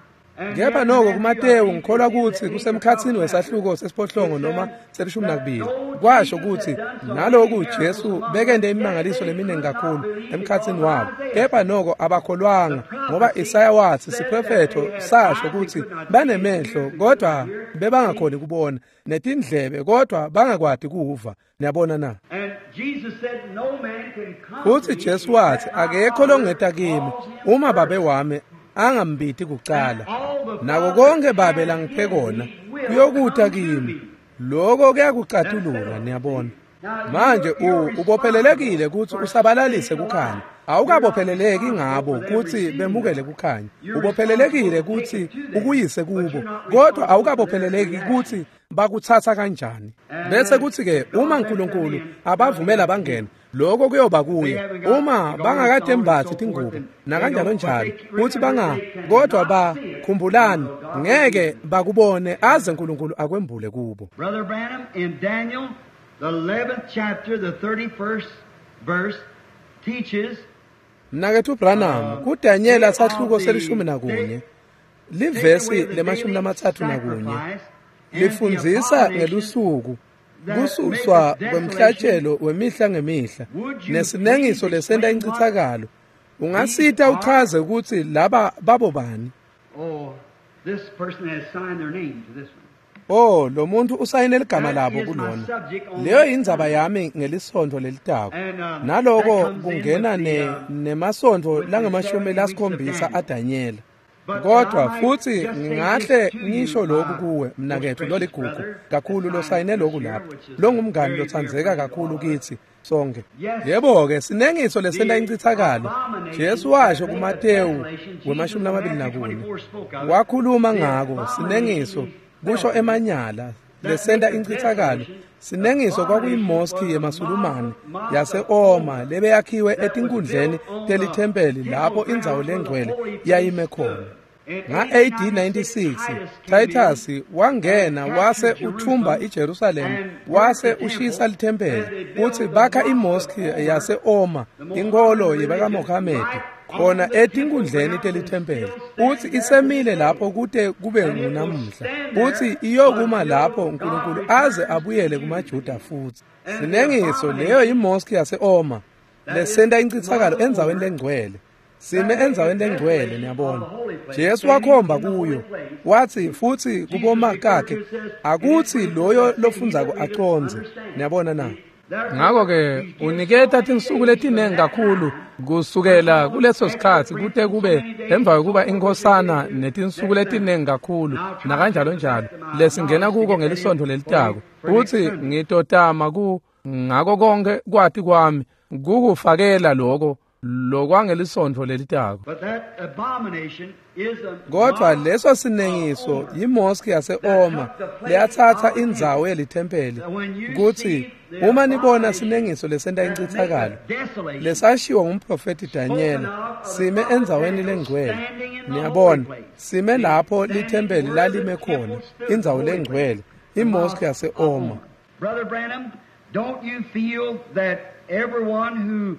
Kepha noko kuMatewu ngikholwa ukuthi kusemkhatsini wesahluko sesiphohlongo noma selishumi nakubili kwasho ukuthi naloku Jesu bekende imimangaliso leminingi kakhulu emkhatsini wabo, kepha noko abakholwanga, ngoba Isaya wathi siprofetho sasho ukuthi banemehlo kodwa bebangakhoni kubona, netindlebe kodwa bangakwati kuva. Niyabona na? Futhi Jesu wathi akekho longeta kimi uma babe wami angambiti kucala, nako konke babe langiphe kona kuyokuta kimi. Lokho kuyakucatulula, niyabona. Manje ubophelelekile ukuthi usabalalise kukhanya. Awukabopheleleki ngabo ukuthi bemukele kukhanya. Ubophelelekile ukuthi ukuyise kubo, kodwa awukabopheleleki ukuthi bakuthatha kanjani. Bese kuthi ke uma uNkulunkulu abavumela bangena, lokho kuyoba kuye. Uma bangakadembathi tingubo nakanjalo njalo kuthi banga, kodwa bakhumbulani ngeke bakubone aze uNkulunkulu akwembule kubo. Brother Branham in Daniel the eleventh chapter the thirty-first verse teaches. Mnaketfu Branham kuDaniel sahluko selishumi nakunye livesi lemashumi lamatsatfu nakunye lifundzisa ngelusuku kususwa kwemhlatshelo wemihla ngemihla nesinengiso lesenta incithakalo. Ungasita uchaze ukuthi laba babo bani? Oh, this person has signed their name to this one. Oh, lo muntu usayine ligama labo kulona. Leyo indzaba yami ngelisonto lelitako. Naloko kungena ne nemasonto langamashumi lasikhombisa aDaniel. Kodwa futhi ngingahle ngisho lokhu kuwe mnaketfu loligugu kakhulu losayine lokhu lapha, longumngani lotsandzeka kakhulu kithi sonke. Yebo-ke, sinengiso lesenta incithakalo. Jesu washo kuMatewu wemashumi lamabili nakunye wakhuluma ngako sinengiso, kusho emanyala lesenta incithakalo. Sinengiso kwakuyimoski yemaSulumane yase-Oma lebeyakhiwe etinkundleni telithempeli lapho indzawo lengcwele yayime khona. Nga-A D ninety-six Titus wangena wase uthumba iJerusalem wase ushisa lithempeli kutsi bakha imosque yase-Oma inkholo yebakaMohamedi khona etinkundleni telithempeli. Utsi isemile lapho kute kube ngunamuhla. Utsi iyokuma lapho uNkulunkulu aze abuyele kumaJuda futsi. Sinengiso leyo yimosque yase-Oma lesenta incitsakalo endzaweni lengcwele. Sime endzaweni lengcwele niyabona. Jesu wakhomba kuyo wathi futsi kubomakakhe akutsi loyo lofundzako acondze. Niyabona na? Ngakho-ke uniketa tinsuku letinengi kakhulu kusukela kuleso sikhatsi kute kube emva kwekuba inkhosana netinsuku letinengi kakhulu nakanjalo njalo lesingena kuko ngelisontfo lelitako. Utsi ngitotama ku ngako konke kwati kwami kukufakela loko lokwangelisonto lelitako. Kodwa leso sinengiso yimosque yase-Oma leyatsatsa indzawo yelithempeli kutsi uma nibona sinengiso lesenta incitsakalo lesashiwo ngumprofethi Daniel sime endzaweni lengcwele. Niyabona sime lapho lithempeli lalime khona indzawo lengcwele imosque yase-Oma. Brother Branham, don't you feel that everyone who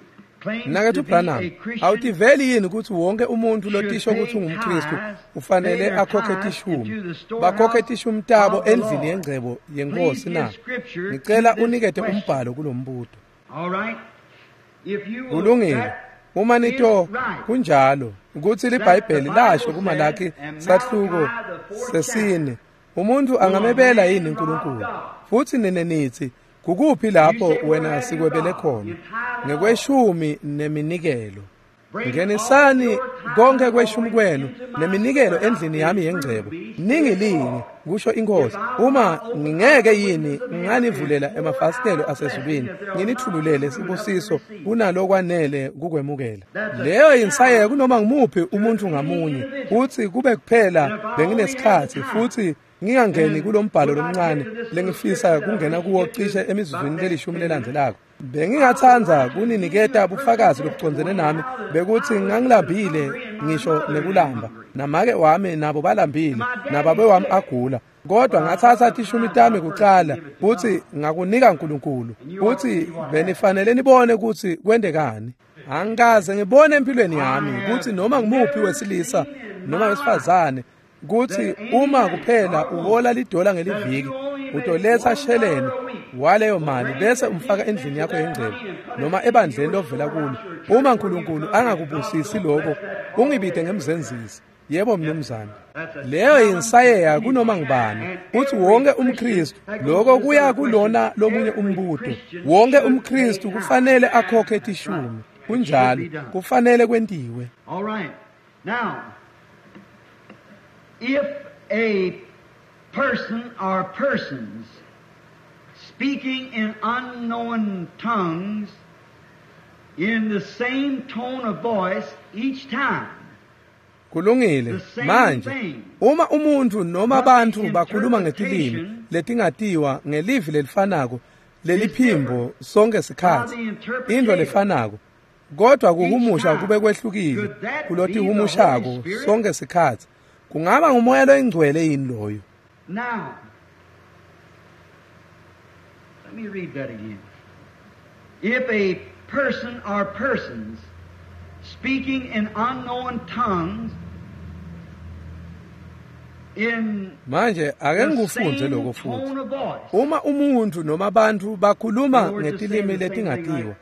Mnaketfu Branham, awutiveli yini kutsi wonke umuntfu lotisho kutsi ungumKhristu ufanele akhokhe tishumi bakhokhe tishumi tabo endlini yengcebo yeNkhosi na? Ngicela unikete umbhalo kulombuto. Kulungile. Uma nito kunjalo kutsi liBhayibheli lasho kuMalaki sahluko sesine umuntfu angamebela yini uNkulunkulu? Futsi nine nitsi kukuphi lapho wena sikwebele khona? Ngekweshumi neminikelo. Ngenisani konke kweshumi kwenu neminikelo endlini yami yengcebo. Ningilinge, kusho iNkhosi, uma ngingeke yini nganivulela emafasitelo asezulwini nginithululele sibusiso kunalokwanele kukwemukela. Leyo insayeya kunoma ngumuphi umuntu ngamunye. Utsi kube kuphela benginesikhatsi futsi ngingangeni kulombhalo lomncane lengifisa kungena kuwo cishe emizuzwini lelishumi lelandzelako. Bengingatsandza kuniniketa bufakazi lobucondzene nami bekuthi ngangilambile ngisho nekulamba namake wami nabo balambile nababe wami agula, kodwa ngatsatsa tishumi tami kucala kutsi ngakunika uNkulunkulu. Kutsi benifanele nibone kutsi kwentekani. Angikaze ngibone empilweni yami kutsi noma ngumuphi wesilisa noma wesifazane kutsi uma kuphela uhola lidola ngeliviki utoletsa sheleni waleyo mali bese umfaka endlini yakho yengcebo noma ebandleni lovela kulo. Uma uNkulunkulu angakubusisi lokho ungibide ngemzenzisi. Yebo mnumzane. Leyo insayeya kunoma ngubani kutsi wonke umKhristu lokho kuya kulona lomunye umbuto. Wonke umKhristu kufanele akhokhe tishumi. Kunjalo kufanele kwentiwe. All right. Now if a person or persons speaking in unknown tongues in the same tone of voice each time. Kulungile. Manje uma umuntu noma abantu bakhuluma ngetilimi letingatiwa ngelivi lelifanako leliphimbo sonke sikhatsi into lefanako kodwa kuhumusha kube kwehlukile kulotihumushako sonke sikhatsi, kungaba ngumoya loyingcwele yini loyo? Now, let me read that again. If a person or persons speaking in unknown tongues in manje ake ngikufundze lokho futhi. Uma umuntu noma abantu bakhuluma ngetilimi letingatiwa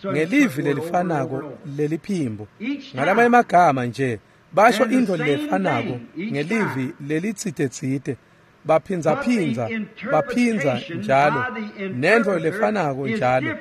ngelivi lelifanako leliphimbo, ngalamanye amagama nje basho into lefanako ngelivi lelitsite-tsite baphindza-phindza baphindza njalo nento lefanako njalo,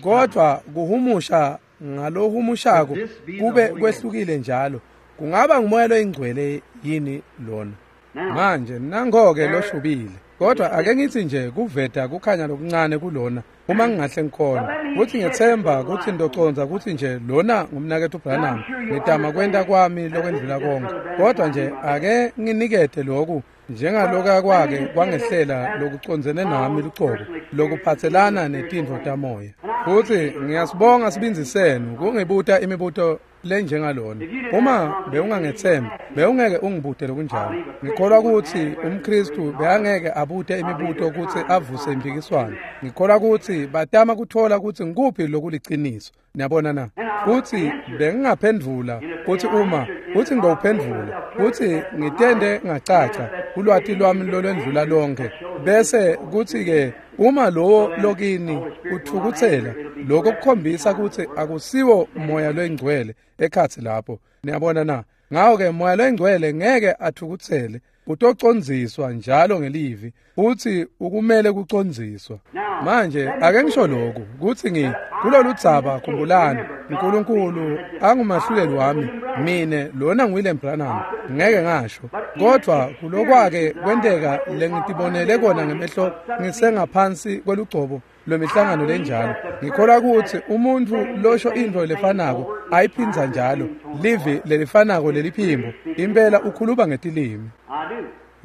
kodwa kuhumusha ngalohumushako kube kwehlukile njalo, kungaba ngumoya loyingcwele yini lona? Manje nango-ke loshubile. Kodwa ake ngithi nje kuveta kukhanya lokuncane kulona uma ngingahle ngikhona kutsi ngethemba kutsi ndoconza kutsi nje lona ngumnaketfu Branham ngitama kwenta kwami lokwendlula konke, kodwa nje ake nginikete lokhu njengaloka kwake kwangehlela lokucondzene nami lucobo lokuphatselana netintfo tamoya. Futhi ngiyasibonga sibindzi senu kungibuta imibuto lenjengalona. Uma bewungangethembi, bewungeke ungibute lokunjalo. Ngikholwa ukuthi umKristu bekangeke abute imibuto ukuthi avuse impikiswano. Ngikholwa ukuthi batama kuthola ukuthi ngikuphi lokuliciniso. Niyabona na? Futhi bengingaphendvula kuthi uma kuthi ngiyophendvula kuthi ngitende ngacaca ulwati lwami lolwendlula lonke, bese kuthi ke uma lowo lokini uthukuthela, lokho kukhombisa ukuthi akusiwo moya lwengcwele ekhathi lapho. Niyabona na? Ngawo ke moya lwengcwele ngeke athukuthele, utocondziswa njalo ngelivi, futhi ukumele kucondziswa. Manje ake ngisho lokhu kuthi ngi kulolu dzaba, khumbulani uNkulunkulu angumahluleli wami, mine lona nguWilliam Branham, ngeke ngasho, kodwa kulokwake kwenteka lengitibonele kona ngemehlo ngisengaphansi kwelugcobo lwemihlangano lenjalo. Ngikholwa ukuthi umuntu losho into lefanako ayiphindza njalo, livi lelifanako leliphimbo, impela ukhuluma ngetilimi.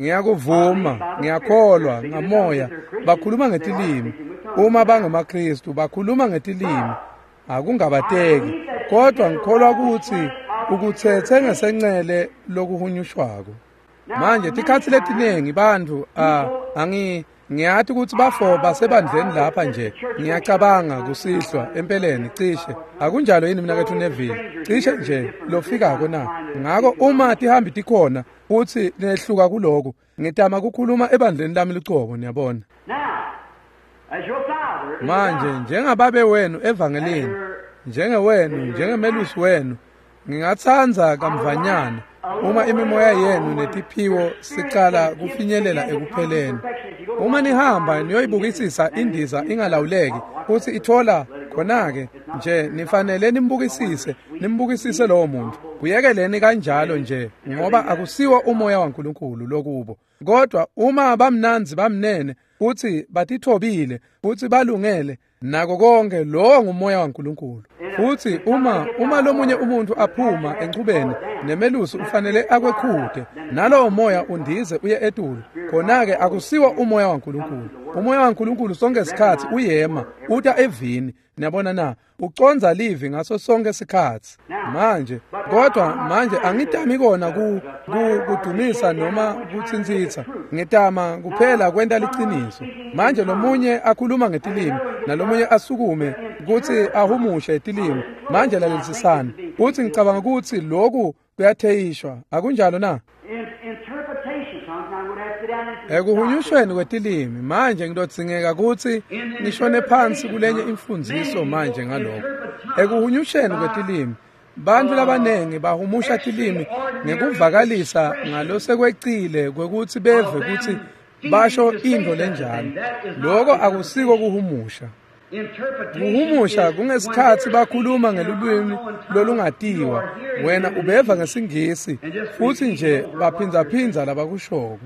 Ngiyakuvuma, ngiyakholwa ngamoya bakhuluma ngetilimi. Uma bangemaKristu bakhuluma ngetilimi, akungabateki, kodwa ngikholwa ukuthi ukuthethe ngesencele lokuhunyushwako. Manje tikhatsi letiningi bantfu ah angi ngiyathi ukuthi bafo basebandleni lapha nje, ngiyacabanga kusihlwa empeleni cishe akunjalo yini mina kethu Neville, cishe nje lofikako na. Ngako uma tihambi tikhona futhi nehluka kuloko, ngitama kukhuluma ebandleni lami lucobo, niyabona. Manje njengababe wenu evangelini, njengewenu, njengemelusi wenu, ngingatsandza kamvanyana uma imimoya yenu netiphiwo sicala kufinyelela ekupheleni. Uma nihamba niyoyibukisisa indiza ingalawuleki futhi ithola khona-ke nje, nifanele nimbukisise, nimbukisise lowo muntu. Kuyekeleni kanjalo nje, ngoba akusiwo umoya waNkulunkulu lokubo. Kodwa uma bamnanzi bamnene futhi batithobile futhi balungele nako konke, lowo ngumoya waNkulunkulu. Futhi uma uma lomunye umuntu aphuma enchubeni nemelusi ufanele akwekhude, nalowo moya undize uye etulu, khona-ke akusiwo umoya waNkulunkulu. Umoya waNkulunkulu sonke isikhathi uyema uta evini. Niyabona na? Uconza livi ngaso sonke isikhathi. Manje kodwa manje angitami kona ku kudumisa noma kutsintsitsa, ngitama kuphela kwenta liciniso. Manje lomunye akhuluma ngetilimi nalomunye asukume kuthi ahumushe itilimi. Manje lalelisisani, uthi ngicabanga ukuthi lokhu kuyatheyishwa, akunjalo na? Ekuhunyushweni kwetilimi, manje ngidodingeka ukuthi ngishone phansi kulenye imfundiso manje ngalokho. Ekuhunyusheni kwetilimi, bantu labanengi bahumusha tilimi ngekuvakalisa ngalosekwecile kwekuthi beve ukuthi basho into lenjalo. Lokho akusiko kuhumusha. Kuhumusha kungesikhathi bakhuluma ngelulwimi lolungatiwa, wena ubeva ngesingisi futhi nje baphindzaphindza labakushoko.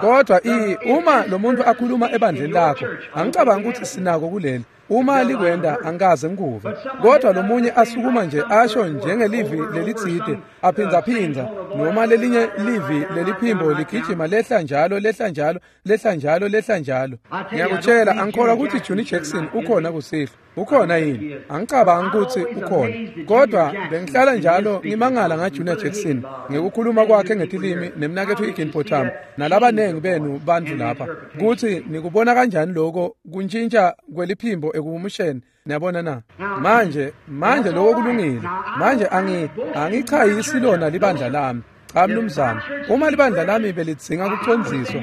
Kodwa i uma lo muntu akhuluma ebandleni lakho, angicabangi ukuthi sinako kuleli. Uma likwenda angikaze ngikuve. Kodwa lo munye asukuma nje asho njengelivi lelitsite, aphindzaphindza, noma lelinye livi leliphimbo ligijima lehla njalo lehla njalo lehla njalo lehla njalo. Ngiyakutshela, angikholwa ukuthi Johnny Jackson ukhona kusihlwa. Ukhona yini? Angicabangi ukuthi ukhona. Kodwa bengihlala njalo ngimangala ngaJunior Jackson ngekukhuluma kwakhe ngetilimi nemnakethu Higginbotham nalabanengi benu bantu lapha, kuthi nikubona kanjani lokho kuntshintsha kweliphimbo ekuhumusheni. Niyabona na? Manje manje lokho kulungile. Manje angi angichayisi lona libandla lami. Cha mnumzane, uma libandla lami belidzinga kucondziswa,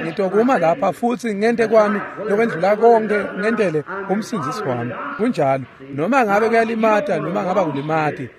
ngitokuma lapha futhi ngente kwami lokwendlula konke ngentele umsindzisi wami. Kunjalo, noma ngabe kuyalimata noma ngaba kulimati,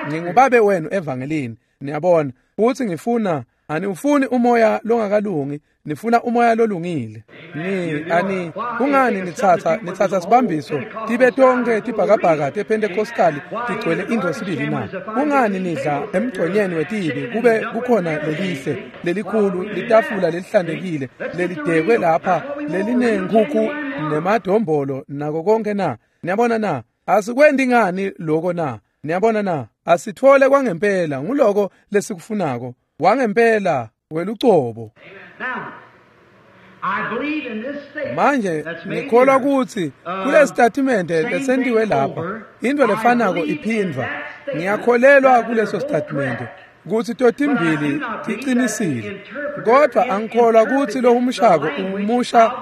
ngingubabe wenu evangelini. Niyabona, futhi ngifuna aniufuni umoya longakalungi, nifuna umoya lolungile. Ni ani kungani nithatha nithatha sibambiso tibe tonke tibhakabhaka tePentecostal tigcwele into sibili na? Kungani nidla emgconyeni wetibi kube kukhona lelihle lelikhulu litafula lelihlantekile lelidekwe lapha lelinenkukhu nemadombolo nako konke na? Niyabona na? Asikwendi ngani lokho na? Niyabona na? Asithole kwangempela nguloko lesikufunako. Wangempela welucobo. Now, Manje ngikholwa kutsi kule sitatimende lesentiwe lapha into lefanako iphindvwa. Ngiyakholelwa kuleso sitatimende kutsi totimbili tiqinisile, kodvwa angikholwa kutsi lohumushako uhumusha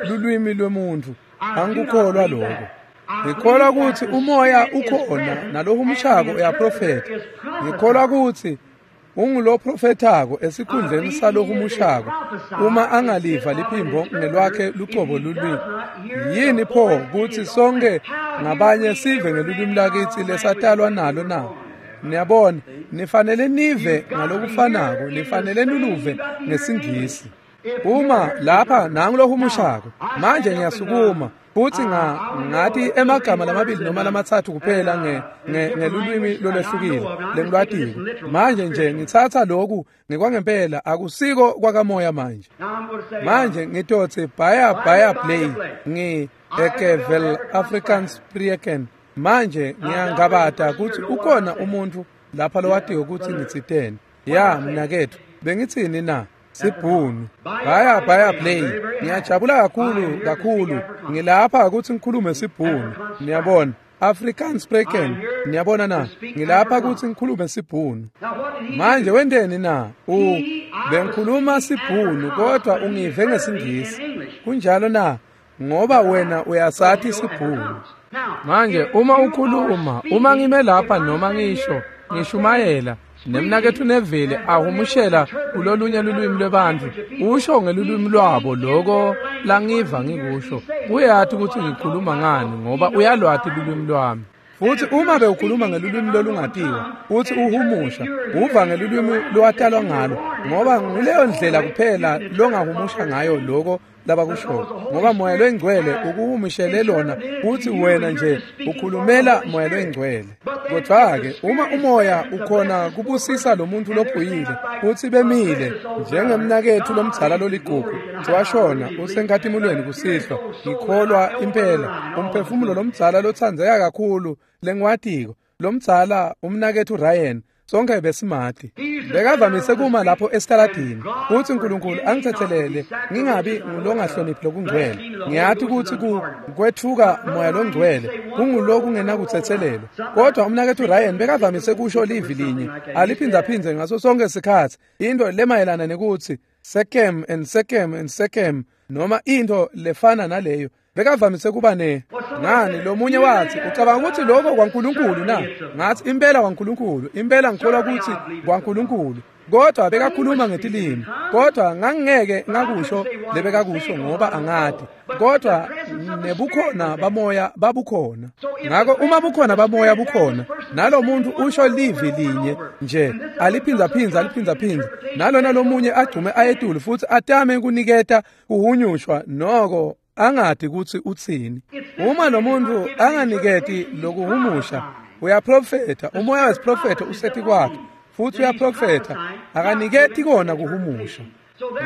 lulwimi lwemuntfu. Angikukholwa lokho. Ngikholwa kutsi umoya ukhona nalohumushako uyaprofetha. Ngikholwa kutsi unguloprofethako esikhundleni salohumushako uma angaliva liphimbo ngelwakhe lucobo lulwimi. Yini pho kutsi sonke ngabanye sive ngelulwimi lakitsi lesatalwa nalo na? Niyabona, nifanele nive ngalokufanako, nifanele nuluve ngesingisi. Uma lapha nangulohumushako, manje ngiyasukuma futhi nga ngathi emagama lamabili noma lamatsatfu kuphela nge ngelulwimi lolwehlukile lengilwatiko. Manje nje ngitsatsa lokhu ngekwangempela, akusiko kwakamoya manje. Manje ngitotsi baya baya play ngi ekevel Afrikaans spreken. Manje ngiyangabata kutsi ukhona umuntu lapha lowatiyo kutsi ngitsiteni. Ya mnaketfu, bengitsini na? Sibhunu. Baya baya play. Ngiyajabula kakhulu kakhulu. Ngilapha kutsi ngikhulume sibhunu. Niyabona, Afrikaans spreken. Niyabona na? Ngilapha kutsi ngikhulume sibhunu. Manje wenteni na? U bengikhuluma sibhunu kodwa ungive ngesingisi. Kunjalo na? Ngoba wena uyasathi sibhunu. Manje uma ukhuluma, uma ngime lapha noma ngisho ngishumayela nemnaketfu Neville ahumushela kulolunye lulwimi lwebantfu, usho ngelulwimi lwabo loko langiva ngikusho, uyathi kutsi ngikhuluma ngani ngoba uyalwati lulwimi lwami. Futhi uma bewukhuluma ngelulwimi lolungatiwa uthi uhumusha uva ngelulwimi lowatalwa ngalo, ngoba nguleyo ndlela kuphela longahumusha ngayo loko labakusho, ngoba moya loyingcwele ukuhumushele lona uthi wena nje ukhulumela moya loyingcwele. Kodwa-ke uma umoya ukhona kubusisa lo muntu lophuyile uthi bemile njengemnaketfu lomdzala loligugu washona usenkhatimulweni kusihlwa, ngikholwa impela umphefumulo lomdzala lotsandzeka kakhulu lengiwatiko lomdzala umnaketfu Ryan, sonke besimati. Bekavamise kuma lapho esitaladini kutsi uNkulunkulu angitsetselele ngingabi ngulongahloniphi lokungcwele. Ngiyathi kutsi kwetfuka moya longcwele kungulokungenakutsetselelwa, kodwa umnaketfu Ryan bekavamise kusho livi linye aliphindzaphindze ngaso sonke sikhatsi, into lemayelana nekutsi sekem and sekem and sekem noma into lefana naleyo. Bekavamise kuba ne ngani lomunye wathi ucabanga ukuthi lokho kwaNkulunkulu na? Ngathi impela kwaNkulunkulu, impela ngikholwa ukuthi kwaNkulunkulu. Kodwa bekakhuluma ngetilimi, kodwa ngangeke ngakusho lebekakusho ngoba angati, kodwa nebukhona bamoya babukhona. Ngakho uma bukhona bamoya bukhona, nalo muntu usho livi linye nje aliphindzaphindza aliphindzaphindza, nalona lomunye agcume ayetulu futhi atame kuniketa kuhunyushwa noko angati kutsi utsini. Uma lo muntu anganiketi lokuhumusha, uyaprofetha, umoya wesiprofetho useti kwakhe futhi uyaprofetha, akaniketi kona kuhumusha.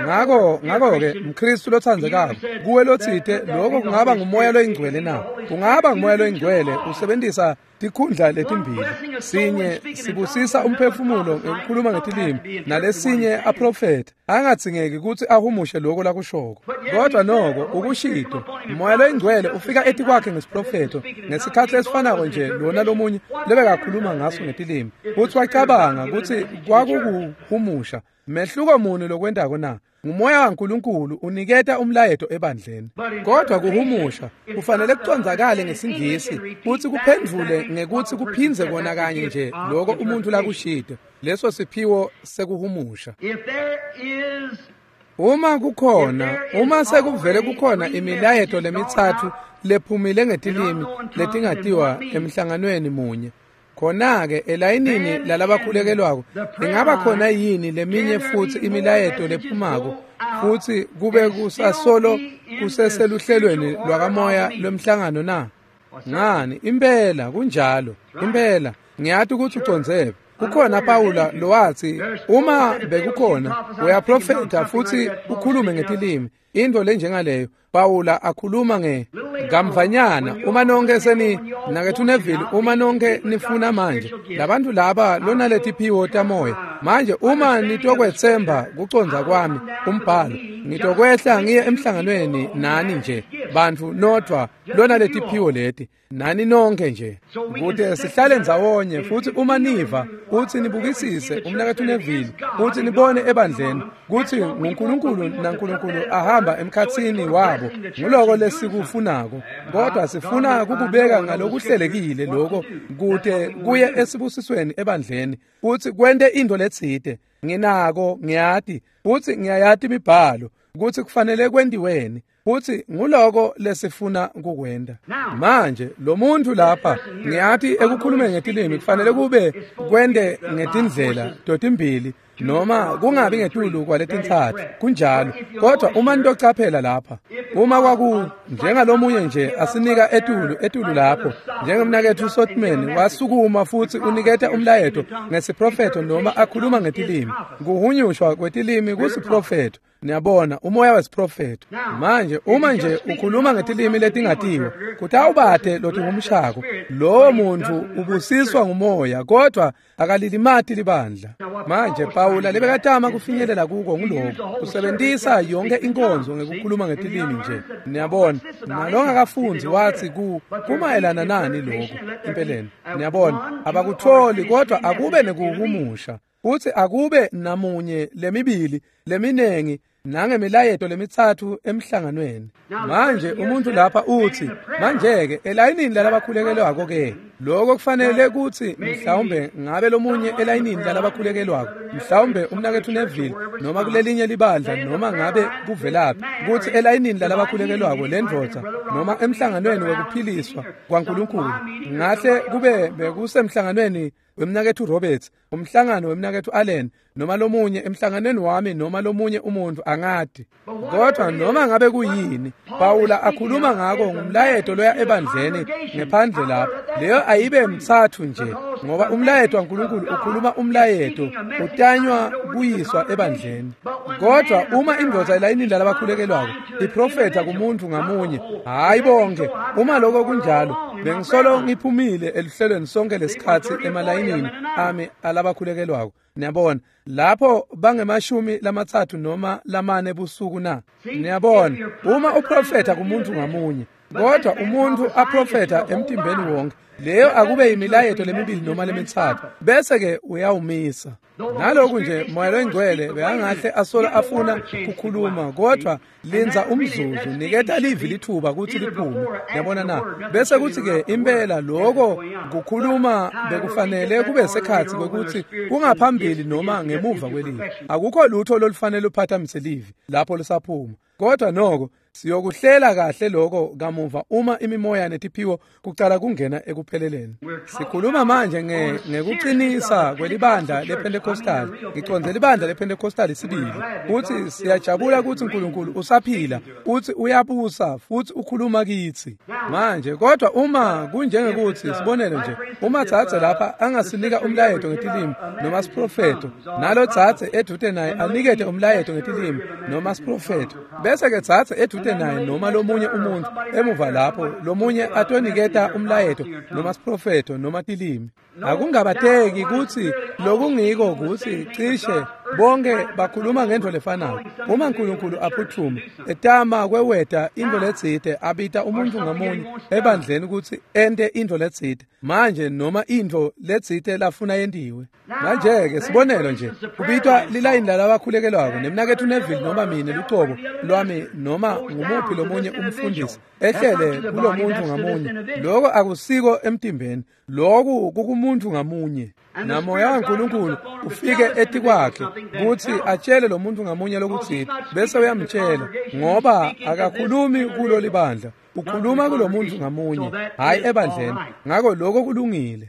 Ngako ngako-ke mKhristu lotsandzekako, kuwe lotsite lokho kungaba ngumoya loyingcwele na? Kungaba ngumoya loyingcwele usebenzisa tikhundla letimbili, sinye sibusisa umphefumulo ngekukhuluma ngetilimi nalesinye aprofetha, angadzingeki kutsi ahumushe lokho lakushoko. Kodwa noko ukushito moya loyingcwele ufika etikwakhe ngesiprofetho ngesikhatsi lesifanako nje lona lomunye lebekakhuluma ngaso ngetilimi, futsi wacabanga kutsi kwakukuhumusha. Mehluko muni lokwentako na? Ngumoya waNkulunkulu uniketa umlayeto ebandleni. Kodwa kuhumusha kufanele kucondzakale ngesingisi futsi kuphendvule ngekutsi kuphindze kona kanye nje lokho umuntu lakushito. Leso siphiwo sekuhumusha. Uma kukhona, uma sekuvele kukhona imilayeto lemitsatfu lephumile ngetilimi letingatiwa emhlanganweni munye, khona-ke elayinini lalabakhulekelwako ingaba khona yini leminye futsi imilayeto lephumako futhi kube kusasolo kuseseluhlelweni lwakamoya lwemhlangano na? Ngani, impela kunjalo, impela ngiyati ukuthi ucondzephi. Kukhona Pawula lowathi uma bekukhona uyaprofetha futhi ukhulume ngetilimi, into lenjengaleyo. Pawula akhuluma nge ngamvanyana uma nonke seni nakethu Neville, uma nonke nifuna manje labantu laba lona letiphiwo tamoya Manje uma nitokwetsemba kucondza kwami umbhalo, ngitokwehla ngiye emhlanganweni nani nje bantfu nodvwa lona letiphiwo leti nani nonke nje, kute sihlale ndzawonye. Futsi uma niva kutsi nibukisise umnaketfu Neville, kutsi nibone ebandleni kutsi nguNkulunkulu naNkulunkulu ahamba emkhatsini wabo, nguloko lesikufunako. Kodwa sifuna kukubeka ngalokuhlelekile lokho kute kuye esibusisweni ebandleni, kutsi kwente into letsite. Nginako, ngiyati futsi ngiyayati imibhalo kutsi kufanele kwentiweni, futsi nguloko lesifuna kukwenta. Manje lo muntu lapha, ngiyati ekukhulumeni ngetilimi kufanele kube kwente ngetindlela totimbili noma kungabi ngetulu kwaletintsatfu, kunjalo. Kodwa uma nitocaphela lapha, uma kwaku njengalomunye nje asinika etulu etulu lapho, njengemnaketfu Sotman wasukuma futsi uniketa umlayeto ngesiprofetho noma akhuluma ngetilimi, kuhunyushwa kwetilimi kusiprofetho. Niyabona, umoya wesiprofetho. Manje uma nje ukhuluma ngetilimi letingatiwa, kutawubate lotihumushako, lowo muntu ubusiswa ngumoya, kodwa akalilimati libandla. Manje Pawula lebekatama kufinyelela kuko nguloko, usebentisa yonke inkonzo ngekukhuluma ngetilimi nje. Niyabona, nalongakafundzi wathi ku kumayelana nani lokhu empeleni. Niyabona, abakutholi, kodwa akube nekuhumusha, kutsi akube namunye lemibili leminengi nangemilayeto lemitsatfu emhlanganweni. Manje umuntu lapha uthi, manje-ke elayinini lalabakhulekelwako ke, lokho kufanele kutsi mhlawumbe ngabe lomunye elayinini lalabakhulekelwako, mhlawumbe umnaketfu Neville noma kulelinye libandla noma ngabe kuvelaphi, kutsi elayinini lalabakhulekelwako lendvodza noma emhlanganweni wekuphiliswa kwaNkulunkulu, ngahle kube bekusemhlanganweni wemnaketfu Roberts, umhlangano wemnaketfu Allen, noma lomunye emhlanganweni wami noma lomunye umuntu, angati. Kodwa noma ngabe kuyini Pawula akhuluma ngako ngumlayeto loya ebandleni ngephandle lapho, leyo ayibe mtsatfu nje, ngoba umlayeto waNkulunkulu ukhuluma umlayeto utanywa kuyiswa ebandleni. Kodwa uma indvodza elayinini lalabakhulekelwako iprofetha kumuntu ngamunye, hayi bonke. Uma lokho kunjalo, bengisolo ngiphumile eluhlelweni sonke lesikhatsi emalayinini ami alabakhulekelwako. Niyabona, lapho bangemashumi lamatsatfu noma lamane busuku na. Niyabona, uma uprofetha kumuntu ngamunye, kodwa umuntu aprofetha emtimbeni wonke, leyo akube imilayeto lemibili noma lemitsatfu, bese ke uyawumisa. Naloku nje moya loyingcwele bekangahle asolo afuna kukhuluma, kodwa linza umzuzu, niketa livi lithuba kutsi liphume. Yabona na? Bese kuthi ke impela lokho kukhuluma bekufanele kube sekhatsi kwekuthi kungaphambili noma ngemuva kwelivi. Akukho lutho lolufanele luphathamise livi lapho lisaphuma. Kodwa noko siyokuhlela kahle lokho kamuva uma imimoya netiphiwo kucala kungena ekupheleleni. Sikhuluma manje nge ngekuqinisa kwelibandla lePentecostal, ngiconze libandla lePentecostal sibili, kuthi siyajabula ukuthi uNkulunkulu usaphila, uthi uyabusa futhi ukhuluma kithi manje. Kodwa uma kunjengekuthi sibonele nje, uma tsatse lapha angasinika umlayeto ngetilimi noma siprofeto, nalo tsatse edute naye anikete umlayeto ngetilimi noma siprofeto, bese ke tsatse edute naye noma lomunye umuntu emuva lapho lomunye atoniketa umlayeto noma siprofeto noma tilimi, akungabateki kutsi lokungiko kutsi cishe bonke bakhuluma ngento lefanako. Uma uNkulunkulu aphuthuma etama kweweta into letsite, abita umuntu ngamunye ebandleni kutsi ente into letsite manje noma into letsite lafuna yentiwe. Manje ke sibonelo nje, kubitwa lilayini lalabakhulekelwako nemnaketfu Neville noma mine lucobo lwami noma ngumuphi lomunye umfundisi ehlele kulomuntu ngamunye, lokho akusiko emtimbeni, lokhu kukumuntu ngamunye. Namoya waNkulunkulu ufike etikwakhe kutsi atshele lo muntu ngamunye lokutsite, bese uyamtshela, ngoba akakhulumi kulo libandla, ukhuluma kulo muntu ngamunye, hayi ebandleni. Ngakho lokho kulungile.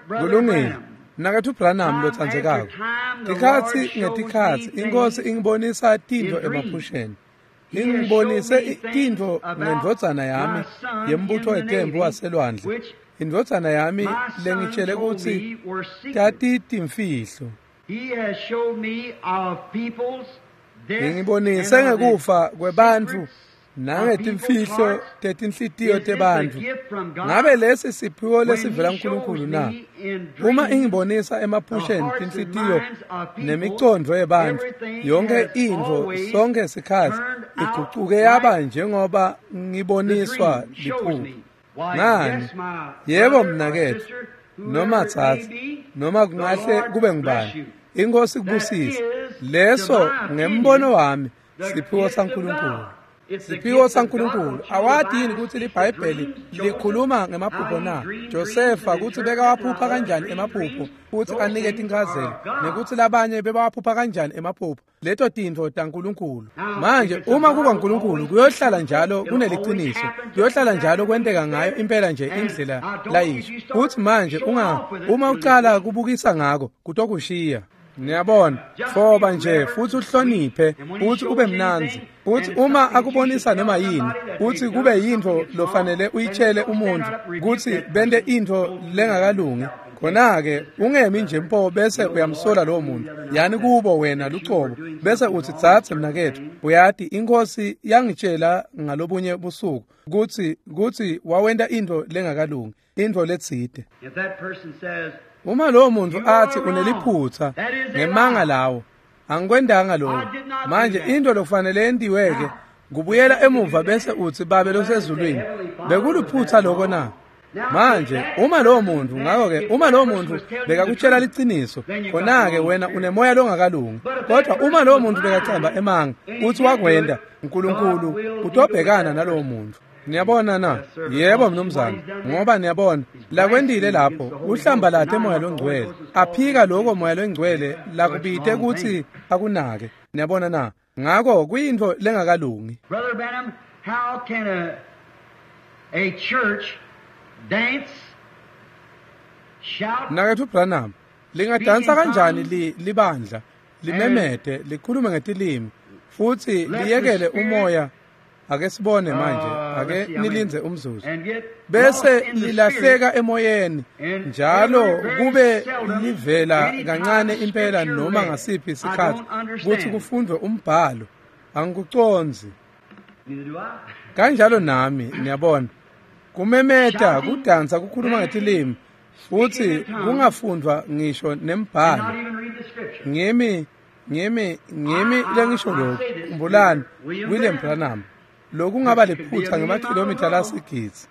Kulungile. Mnaketfu Branham lotsandzekako, tikhatsi ngetikhatsi iNkosi ingibonisa tintfo emaphusheni. Ingibonise tintfo ngendvodzana yami yembutfo wetembu waselwandle, indvodzana yami lengitshele kutsi tatitimfihlo. Ingibonise ngekufa kwebantfu Nangetimfihlo tetinhlitiyo tebantfu. Ngabe lesi siphiwo lesivela kuNkulunkulu na? Uma ingibonisa emaphusheni tinhlitiyo nemicondvo yebantfu, yonke intfo sonke sikhatsi igucuke yaba njengoba ngiboniswa liphupho. Ngani? Yebo mnaketfu, noma tsatsa, noma kungahle kube ngubani. Inkosi kubusise. Leso ngembono wami siphiwo saNkulunkulu. Siphiwo saNkulunkulu. Awati yini kutsi liBhayibheli likhuluma ngemaphupho na? Josefa kutsi bekawaphupha kanjani emaphupho kutsi anike tinchazelo, nekutsi labanye bebawaphupha kanjani emaphupho. Leto tintfo taNkulunkulu. Manje uma kuba uNkulunkulu kuyohlala njalo kuneliciniso, kuyohlala njalo kwenteka ngayo impela nje indlela layisho. Kutsi manje unga uma ucala kubukisa ngako kutokushiya. Niyabona, foba nje futhi uhloniphe, futhi ube mnandzi, futhi uma akubonisa noma yini, futhi kube yintfo lofanele uyitshele umuntu kutsi bente intfo lengakalungi, khona-ke ungemi nje mpo bese uyamsola lowo muntu. Yani kubo wena lucobo bese utsi tsatse mnaketfu, uyati inkosi yangitshela ngalobunye busuku kutsi kutsi wawenta intfo lengakalungi, intfo letsite. Uma lowo muntu athi uneliphutsa ngemanga lawo, angikwendanga lokho. Manje into lokufanele yentiweke kubuyela emuva bese utsi Babe losezulwini, bekuliphutsa lokho na? Manje uma lowo muntu, ngakho-ke uma lowo muntu bekakutshela liciniso, khona-ke wena unemoya longakalungi. Kodwa uma lowo muntu bekacamba emanga utsi wakwenda, uNkulunkulu utobhekana nalowo muntu. Niyabona na? Yebo mnumzane, ngoba niyabona lakwendile lapho uhlambalate moya longcwele, aphika lokho moya longcwele lakubite kutsi akunake. Niyabona na? Ngako kuyintfo lengakalungi. Brother Branham, how can a a church dance, shout, Mnaketfu Branham, lingadansa kanjani li libandla limemete likhulume ngetilimi futsi liyekele umoya? Ake sibone manje, ake nilindze umzuzu. Bese lilahleka emoyeni njalo kube livela kancane impela noma ngasiphi isikhathi kutsi kufundwe umbhalo. Angikucondzi. Kanjalo nami, niyabona. Kumemeta, kudansa, kukhuluma ngetilimi futsi kungafundwa ngisho nembhalo. Ngimi ngimi ngimi lengisho lokhu. Khumbulani William Branham. Lokungaba liphutsa ngemakilomitha lasigidzi.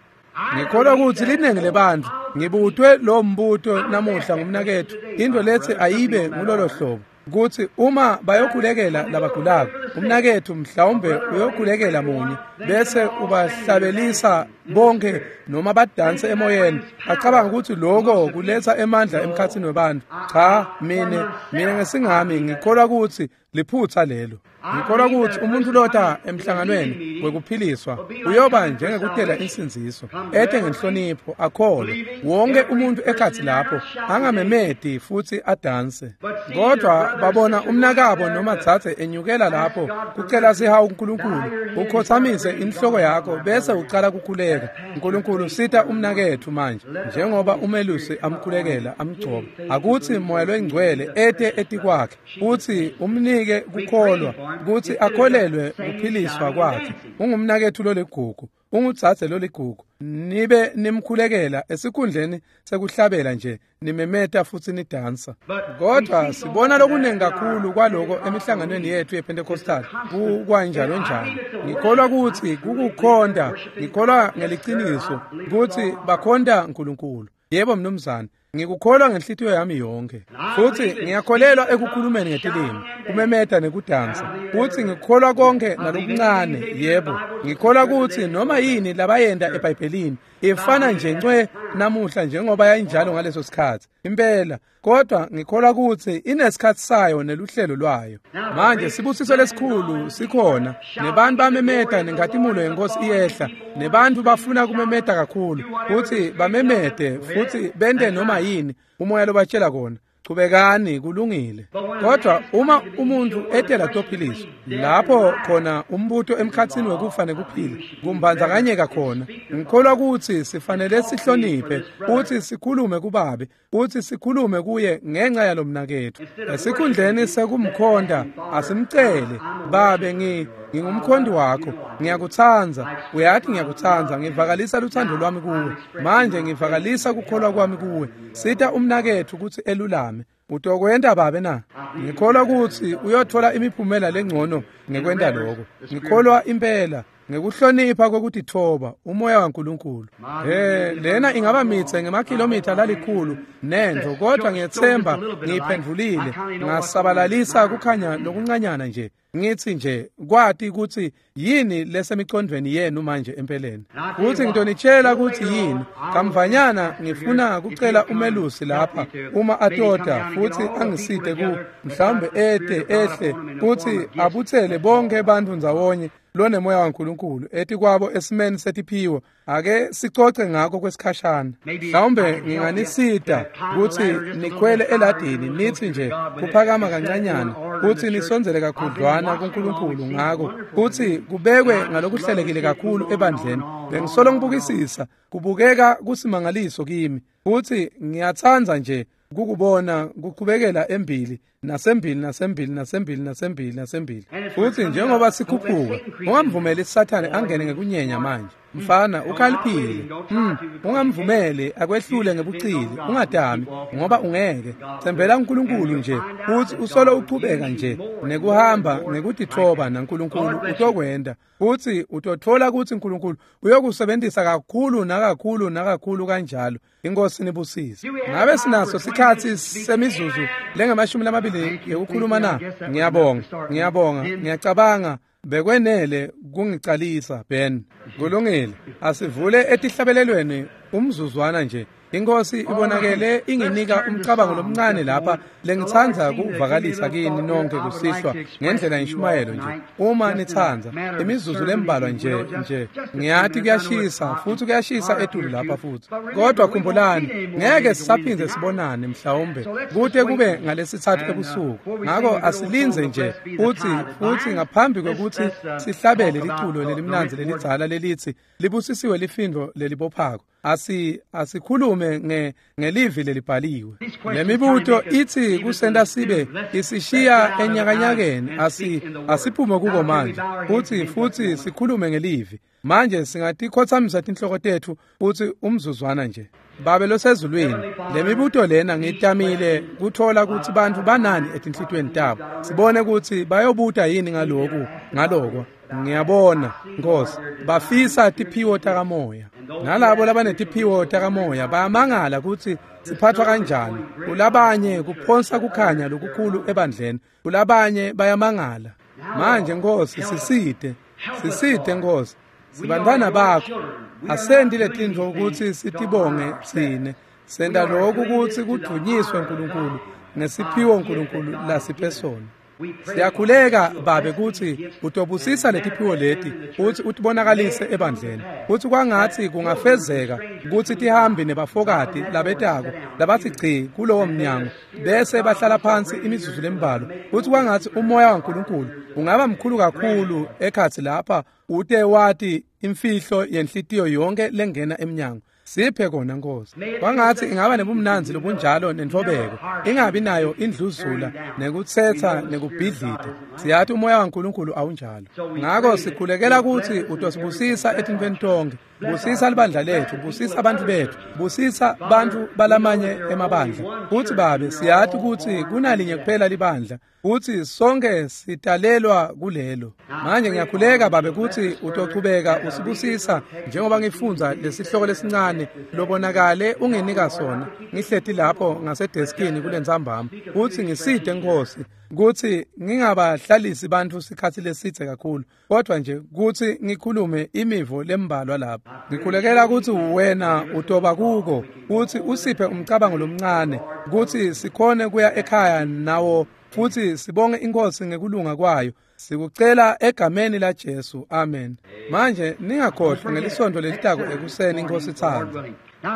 Ngikholwa kutsi linengi lebantfu ngibutwe lo mbuto namuhla ngumnaketfu, into letsi ayibe ngulolo hlobo kutsi uma bayokhulekela labagulako, umnaketfu mhlawumbe uyokhulekela munye bese ubahlabelisa bonke noma badanse emoyeni, bacabanga ukuthi lokho kuletsa emandla emkhatsini webantfu. Cha, mine mine ngesingami ngikholwa kutsi liphutsa lelo. Ngikholwa kutsi umuntu lota emhlanganweni wekuphiliswa uyoba njengekutela insindziso, ete ngenhlonipho, akholwe wonke umuntu ekhatsi lapho, angamemeti futsi adanse. Kodwa babona umnakabo noma dzadze enyukela lapho kucela sihawu kuNkulunkulu, ukhotsamise inhloko yakho bese ucala kukhuleka. uNkulunkulu sita umnaketfu manje njengoba umelusi amkhulekela amgcoba, akutsi moya longcwele ete etikwakhe futsi umnike kukholwa kutsi akholelwe kuphiliswa kwakhe. Ungumnaketfu loligugu, ungudzadze loligugu. Nibe nimkhulekela esikhundleni sekuhlabela nje nimemeta futsi nidansa. Kodwa sibona lokunengi kakhulu kwaloko emihlanganweni yethu yePentecostal kukwanjalo njalo. Ngikholwa kutsi kukukhonta, ngikholwa ngeliciniso kutsi bakhonta uNkulunkulu. Yebo mnumzane, ngikukholwa ngenhlitiyo yami yonke. Futsi ngiyakholelwa ekukhulumeni ngetilimi, kumemeta nekudansa. Futsi ngikholwa konke nalokuncane, yebo. Ngikholwa kutsi noma yini labayenta eBhayibhelini ifana nje ncwe namuhla njengoba yayinjalo ngaleso sikhatsi. Impela, kodwa ngikholwa kutsi inesikhatsi sayo neluhlelo lwayo. Manje sibusiso lesikhulu sikhona, nebantu bamemeta nenkhatimulo yenkosi iyehla, nebantu bafuna kumemeta kakhulu, futsi bamemete futsi bente noma yini umoya lobatshela kona. Chubekani kulungile. Kodwa uma umuntu etela tophiliswa lapho khona umbuto emkhatsini wekufa nekuphila kumbandzakanyeka khona. Ngikholwa ukuthi sifanele sihloniphe uthi sikhulume kubabe uthi sikhulume kuye ngenxa yalomnaketfu. Esikhundleni sekumkhonda asimcele babe ngi ngingumkhondi wakho ngiyakutsandza uyathi ngiyakutsandza ngivakalisa luthando lwami kuwe manje ngivakalisa kukholwa kwami kuwe sita umnaketfu ukuthi elulame. Utokwenta babe na? Ngikholwa ukuthi uyothola imiphumela lengcono ngekwenta lokho. Ngikholwa impela ngekuhlonipha kwekutithoba umoya waNkulunkulu. Eh lena ingaba mitse ngemakilomitha lalikhulu nento kodwa ngiyethemba ngiyiphendvulile ngasabalalisa kukhanya lokuncanyana nje. Ngithi nje kwati ukuthi yini lesemicondweni yenu manje empeleni. Kuthi ngitonitshela ukuthi yini. Kamvanyana ngifuna kucela umelusi lapha uma atota futhi angisite ku mhlawumbe ete ehle futhi abuthele bonke abantu ndzawonye lonemoya waNkulunkulu ethi kwabo esimeni setiphiwo. Ake sicoce ngakho kwesikhashana. Mhlawumbe nginganisida ukuthi nikhwele eladini nithi nje kuphakama kancanyana uthi nisondzele kakhudlwana kuNkulunkulu ngako uthi kubekwe ngalokuhlelekile kakhulu ebandleni. Bengisolo ngibukisisa kubukeka kusimangaliso kimi uthi ngiyatsandza nje kukubona kuqhubekela embili nasembili nasembili nasembili nasembili nasembili. Futhi njengoba sikhuphuka ungamvumeli Sathane angene ngekunyenya manje. Mfana ukhaliphile. Mm, ungamvumeli akwehlule ngebucili, ungadami ngoba ungeke. Thembela uNkulunkulu nje uthi usolo uqhubeka nje nekuhamba ngekutithoba naNkulunkulu utokwenda. Uthi utothola ukuthi uNkulunkulu uyokusebenzisa kakhulu nakakhulu nakakhulu kanjalo. Inkosi nibusise. Ngabe sinaso sikhathi semizuzu lengamashumi lamabili yokukhuluma na? Ngiyabonga, ngiyabonga, ngiyacabanga bekwenele kungicalisa Ben. Kulungile. Asivule etihlabelelweni umzuzwana nje. Inkosi ibonakele inginika umcabango lomncane lapha lengitsandza kuvakalisa kini nonke kusihlwa ngendlela inshumayelo nje. Uma nitsandza imizuzu lembalwa nje nje ngiyathi kuyashisa futhi kuyashisa etulu lapha futhi. Kodwa khumbulani ngeke sisaphindze sibonane mhlawumbe kude kube ngalesithathu ebusuku. Ngakho asilinze nje uthi futhi ngaphambi kokuthi sihlabele liculo lelimnandzi lelidzala lelithi libusisiwe lifindo lelibophako. Asi asikhulume nge ngelivi lelibhaliwe. Lemibuto ithi kusenda sibe isishiya enyakanyakeni asi asiphume kuko manje uthi futhi sikhulume ngelivi. Manje singatikhothamisa tinhloko tethu uthi umzuzwana nje. Babe losezulwini, lemibuto lena ngitamile kuthola ukuthi bantu banani etinhlitweni tabo. Sibone ukuthi bayobuta yini ngaloku ngaloko. Ngiyabona Nkosi bafisa tiphiwo takamoya. Nalabo labanetiphiwo takamoya bayamangala ukuthi siphathwa kanjani. Kulabanye kuphonsa kukhanya lokukhulu ebandleni, kulabanye bayamangala. Manje Nkosi siside, siside Nkosi. Sibantwana bakho. Asendi letintfo ukuthi sitibonge tsine. Senda lokhu ukuthi kudunyiswe uNkulunkulu ngesiphiwo uNkulunkulu lasiphe sona. Siyakhuleka babe ukuthi utobusisa letiphiwo leti uthi utibonakalise ebandleni. Uthi kwangathi kungafezeka ukuthi tihambe nebafokati labetako labathi chi kulowo mnyango bese bahlala phansi imizuzu lembalwa. Uthi kwangathi umoya waNkulunkulu ungaba mkhulu kakhulu ekhathi lapha ute wati imfihlo yenhlitiyo yonke lengena emnyango. Siphe kona Nkosi. Kwangathi ingaba nebumnandzi lobunjalo nentfobeko, ingabi nayo indluzula nekutsetsa nekubhidlita. Siyathi umoya waNkulunkulu awunjalo. Ngakho sikhulekela ukuthi utosibusisa etintfweni tonke. Busisa libandla lethu, busisa abantu bethu, busisa bantu balamanye emabandla. Uthi babe siyathi ukuthi kunalinye kuphela libandla, uthi sonke sitalelwa kulelo. Manje ngiyakhuleka babe ukuthi utochubeka usibusisa njengoba ngifundza lesihloko lesincane lobonakale unginika sona. Ngihleti lapho ngasedeskini kulentsambama. Uthi ngiside Nkosi kuthi ngingabahlalisi bantu sikhathi lesithe kakhulu, kodwa nje kuthi ngikhulume imivo lembalwa lapha. Ngikhulekela ukuthi wena utoba kuko, uthi usiphe umcabango lomncane kuthi sikhone kuya ekhaya nawo futhi sibonge inkosi ngekulunga kwayo. Sikucela egameni la Jesu, amen. Manje ningakhohlwa ngelisonto lelitako ekuseni inkosi ithanda.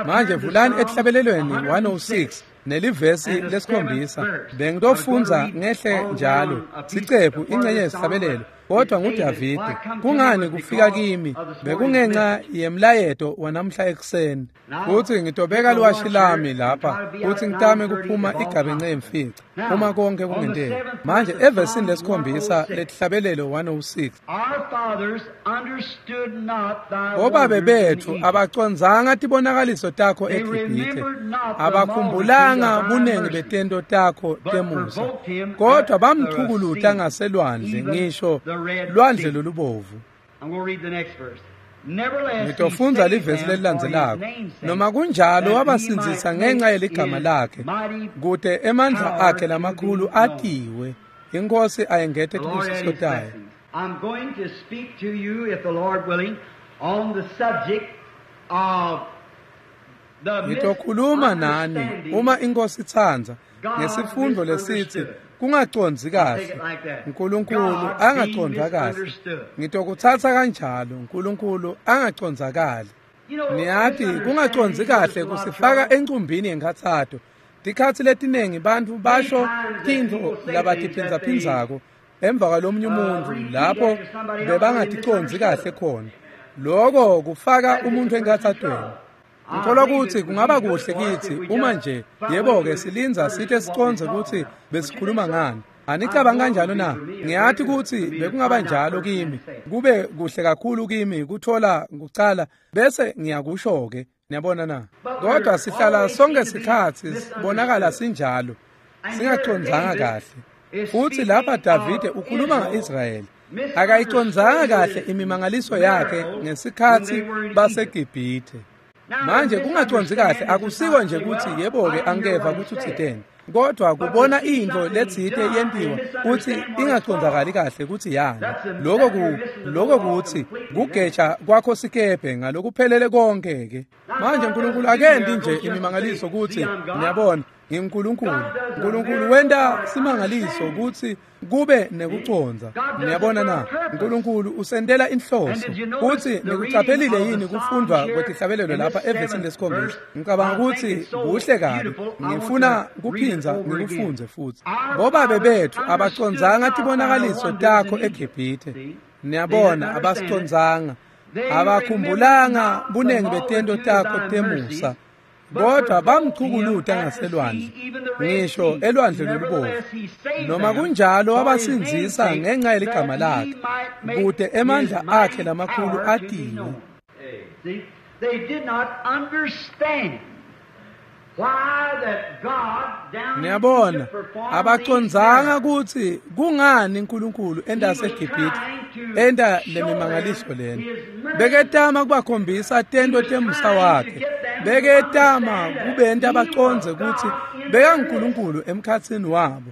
Manje vulani etihlabelelweni one oh six Nelivesi lesikhombisa bengitofundza ngehle njalo sicephu ingcenye yesihlabelelo kodwa nguDavide. Kungani kufika kimi bekungenxa yemlayeto wanamhla ekuseni. Futhi ngitobeka liwashi lami lapha futhi ngitame kuphuma igabence yemfica uma konke kungenteka. Manje evesini lesikhombisa letihlabelelo one oh six, obabe bethu abacondzanga tibonakaliso takho eGibhithe, abakhumbulanga bunengi betento takho temusa, kodwa bamchukuluta ngaselwandle, ngisho lwandle lolubovu. Ngitofundza livesi lelilandzelako. Noma kunjalo wabasindzisa ngenxa yeligama lakhe, kute emandla akhe lamakhulu atiwe. Inkosi ayengete tibusiso tayo. I'm going to speak to you, if the Lord willing, on the subject of the Ngitokhuluma nani uma inkosi itsandza ngesifundo lesithi kungacondzi kahle, uNkulunkulu angacondza kahle. Ngitokutsatsa kanjalo, uNkulunkulu angacondzakali. Niyati kungacondzi kahle kusifaka encumbini yenkhatsato. Tikhatsi letinengi bantfu basho tintfo labatiphindzaphindzayo emva kwalomunye umuntfu lapho bebangaticondzi kahle khona. Loko kufaka umuntfu enkhatsatweni. Ngikholwa kutsi kungaba kuhle kitsi uma nje yebo-ke silindza site sicondze kutsi besikhuluma ngani. Anicabanga kanjalo na? Ngiyati kutsi bekungaba njalo kimi, kube kuhle kakhulu kimi kuthola kucala bese ngiyakusho-ke. Niyabona na? Kodwa sihlala sonke sikhatsi sibonakala sinjalo, singacondzanga kahle. Futhi lapha Davide ukhuluma nga-Israyeli. Akayicondzanga kahle imimangaliso yakhe ngesikhatsi baseGibhithe. Manje kungacondzi kahle akusiko nje kutsi yebo-ke angeva kutsi utsiteni, kodwa kubona intfo letsite yentiwa kutsi ingacondzakali kahle kutsi yani. Loko ku loko kutsi kugeja kwakho sikebhe ngalokuphelele konke-ke. Manje uNkulunkulu akendi nje imimangaliso kutsi niyabona nginguNkulunkulu. uNkulunkulu wenta simangaliso kutsi kube nekucondza. Niyabona na? uNkulunkulu usentela inhloso. Kutsi nikucaphelile yini kufundvwa kwetihlabelelo lapha evesini lesikhombisa? Ngicabanga kutsi kuhle kabi. Ngifuna kuphindza ngikufundze futsi. Bobabe bethu abacondzanga tibonakaliso takho eGibhithe. Niyabona abasicondzanga. Abakhumbulanga bunengi betento takho temusa, kodwa bamchukuluta ngaselwandle, ngisho elwandle lolubovu. Noma kunjalo wabasindzisa ngenxa yeligama lakhe, kute emandla akhe lamakhulu atiwe. Niyabona abacondzanga kutsi kungani uNkulunkulu enta seGibhithe enta lemimangaliso lena. Beketama kubakhombisa tento temusa wakhe, beketama kubenta bacondze kutsi bekanguNkulunkulu emkhatsini wabo.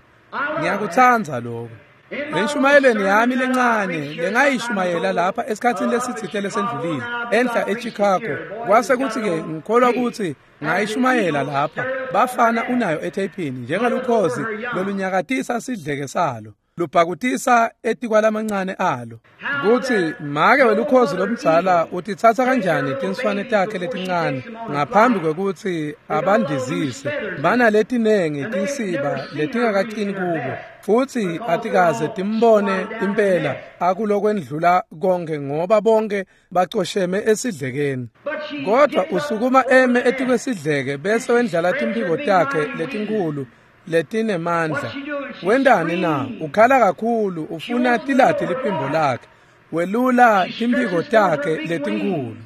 Ngiyakutsandza lokho. Enshumayelweni yami lencane lengayishumayela lapha esikhatsini lesitsite lesendlulile enhla eChicago, kwase kutsi-ke ngikholwa kutsi ngayishumayela lapha. Bafana unayo etheyphini njengalukhozi lolunyakatisa sidleke salo, lubhakutisa etikwalamancane alo. Kutsi make welukhozi lomdzala utitsatsa kanjani tinswane takhe letincane ngaphambi kwekutsi abandizise. Banaletinengi tinsiba letingakacini kubo, futsi atikaze timbone impela akulokwendlula konke ngoba bonke bacosheme esidlekeni. Kodwa usukuma eme etikwesidleke bese wendlala timphiko takhe letinkhulu letinemandla. Wentani na? Ukhala kakhulu, ufuna tilati liphimbo lakhe, welula timphiko takhe letinkhulu.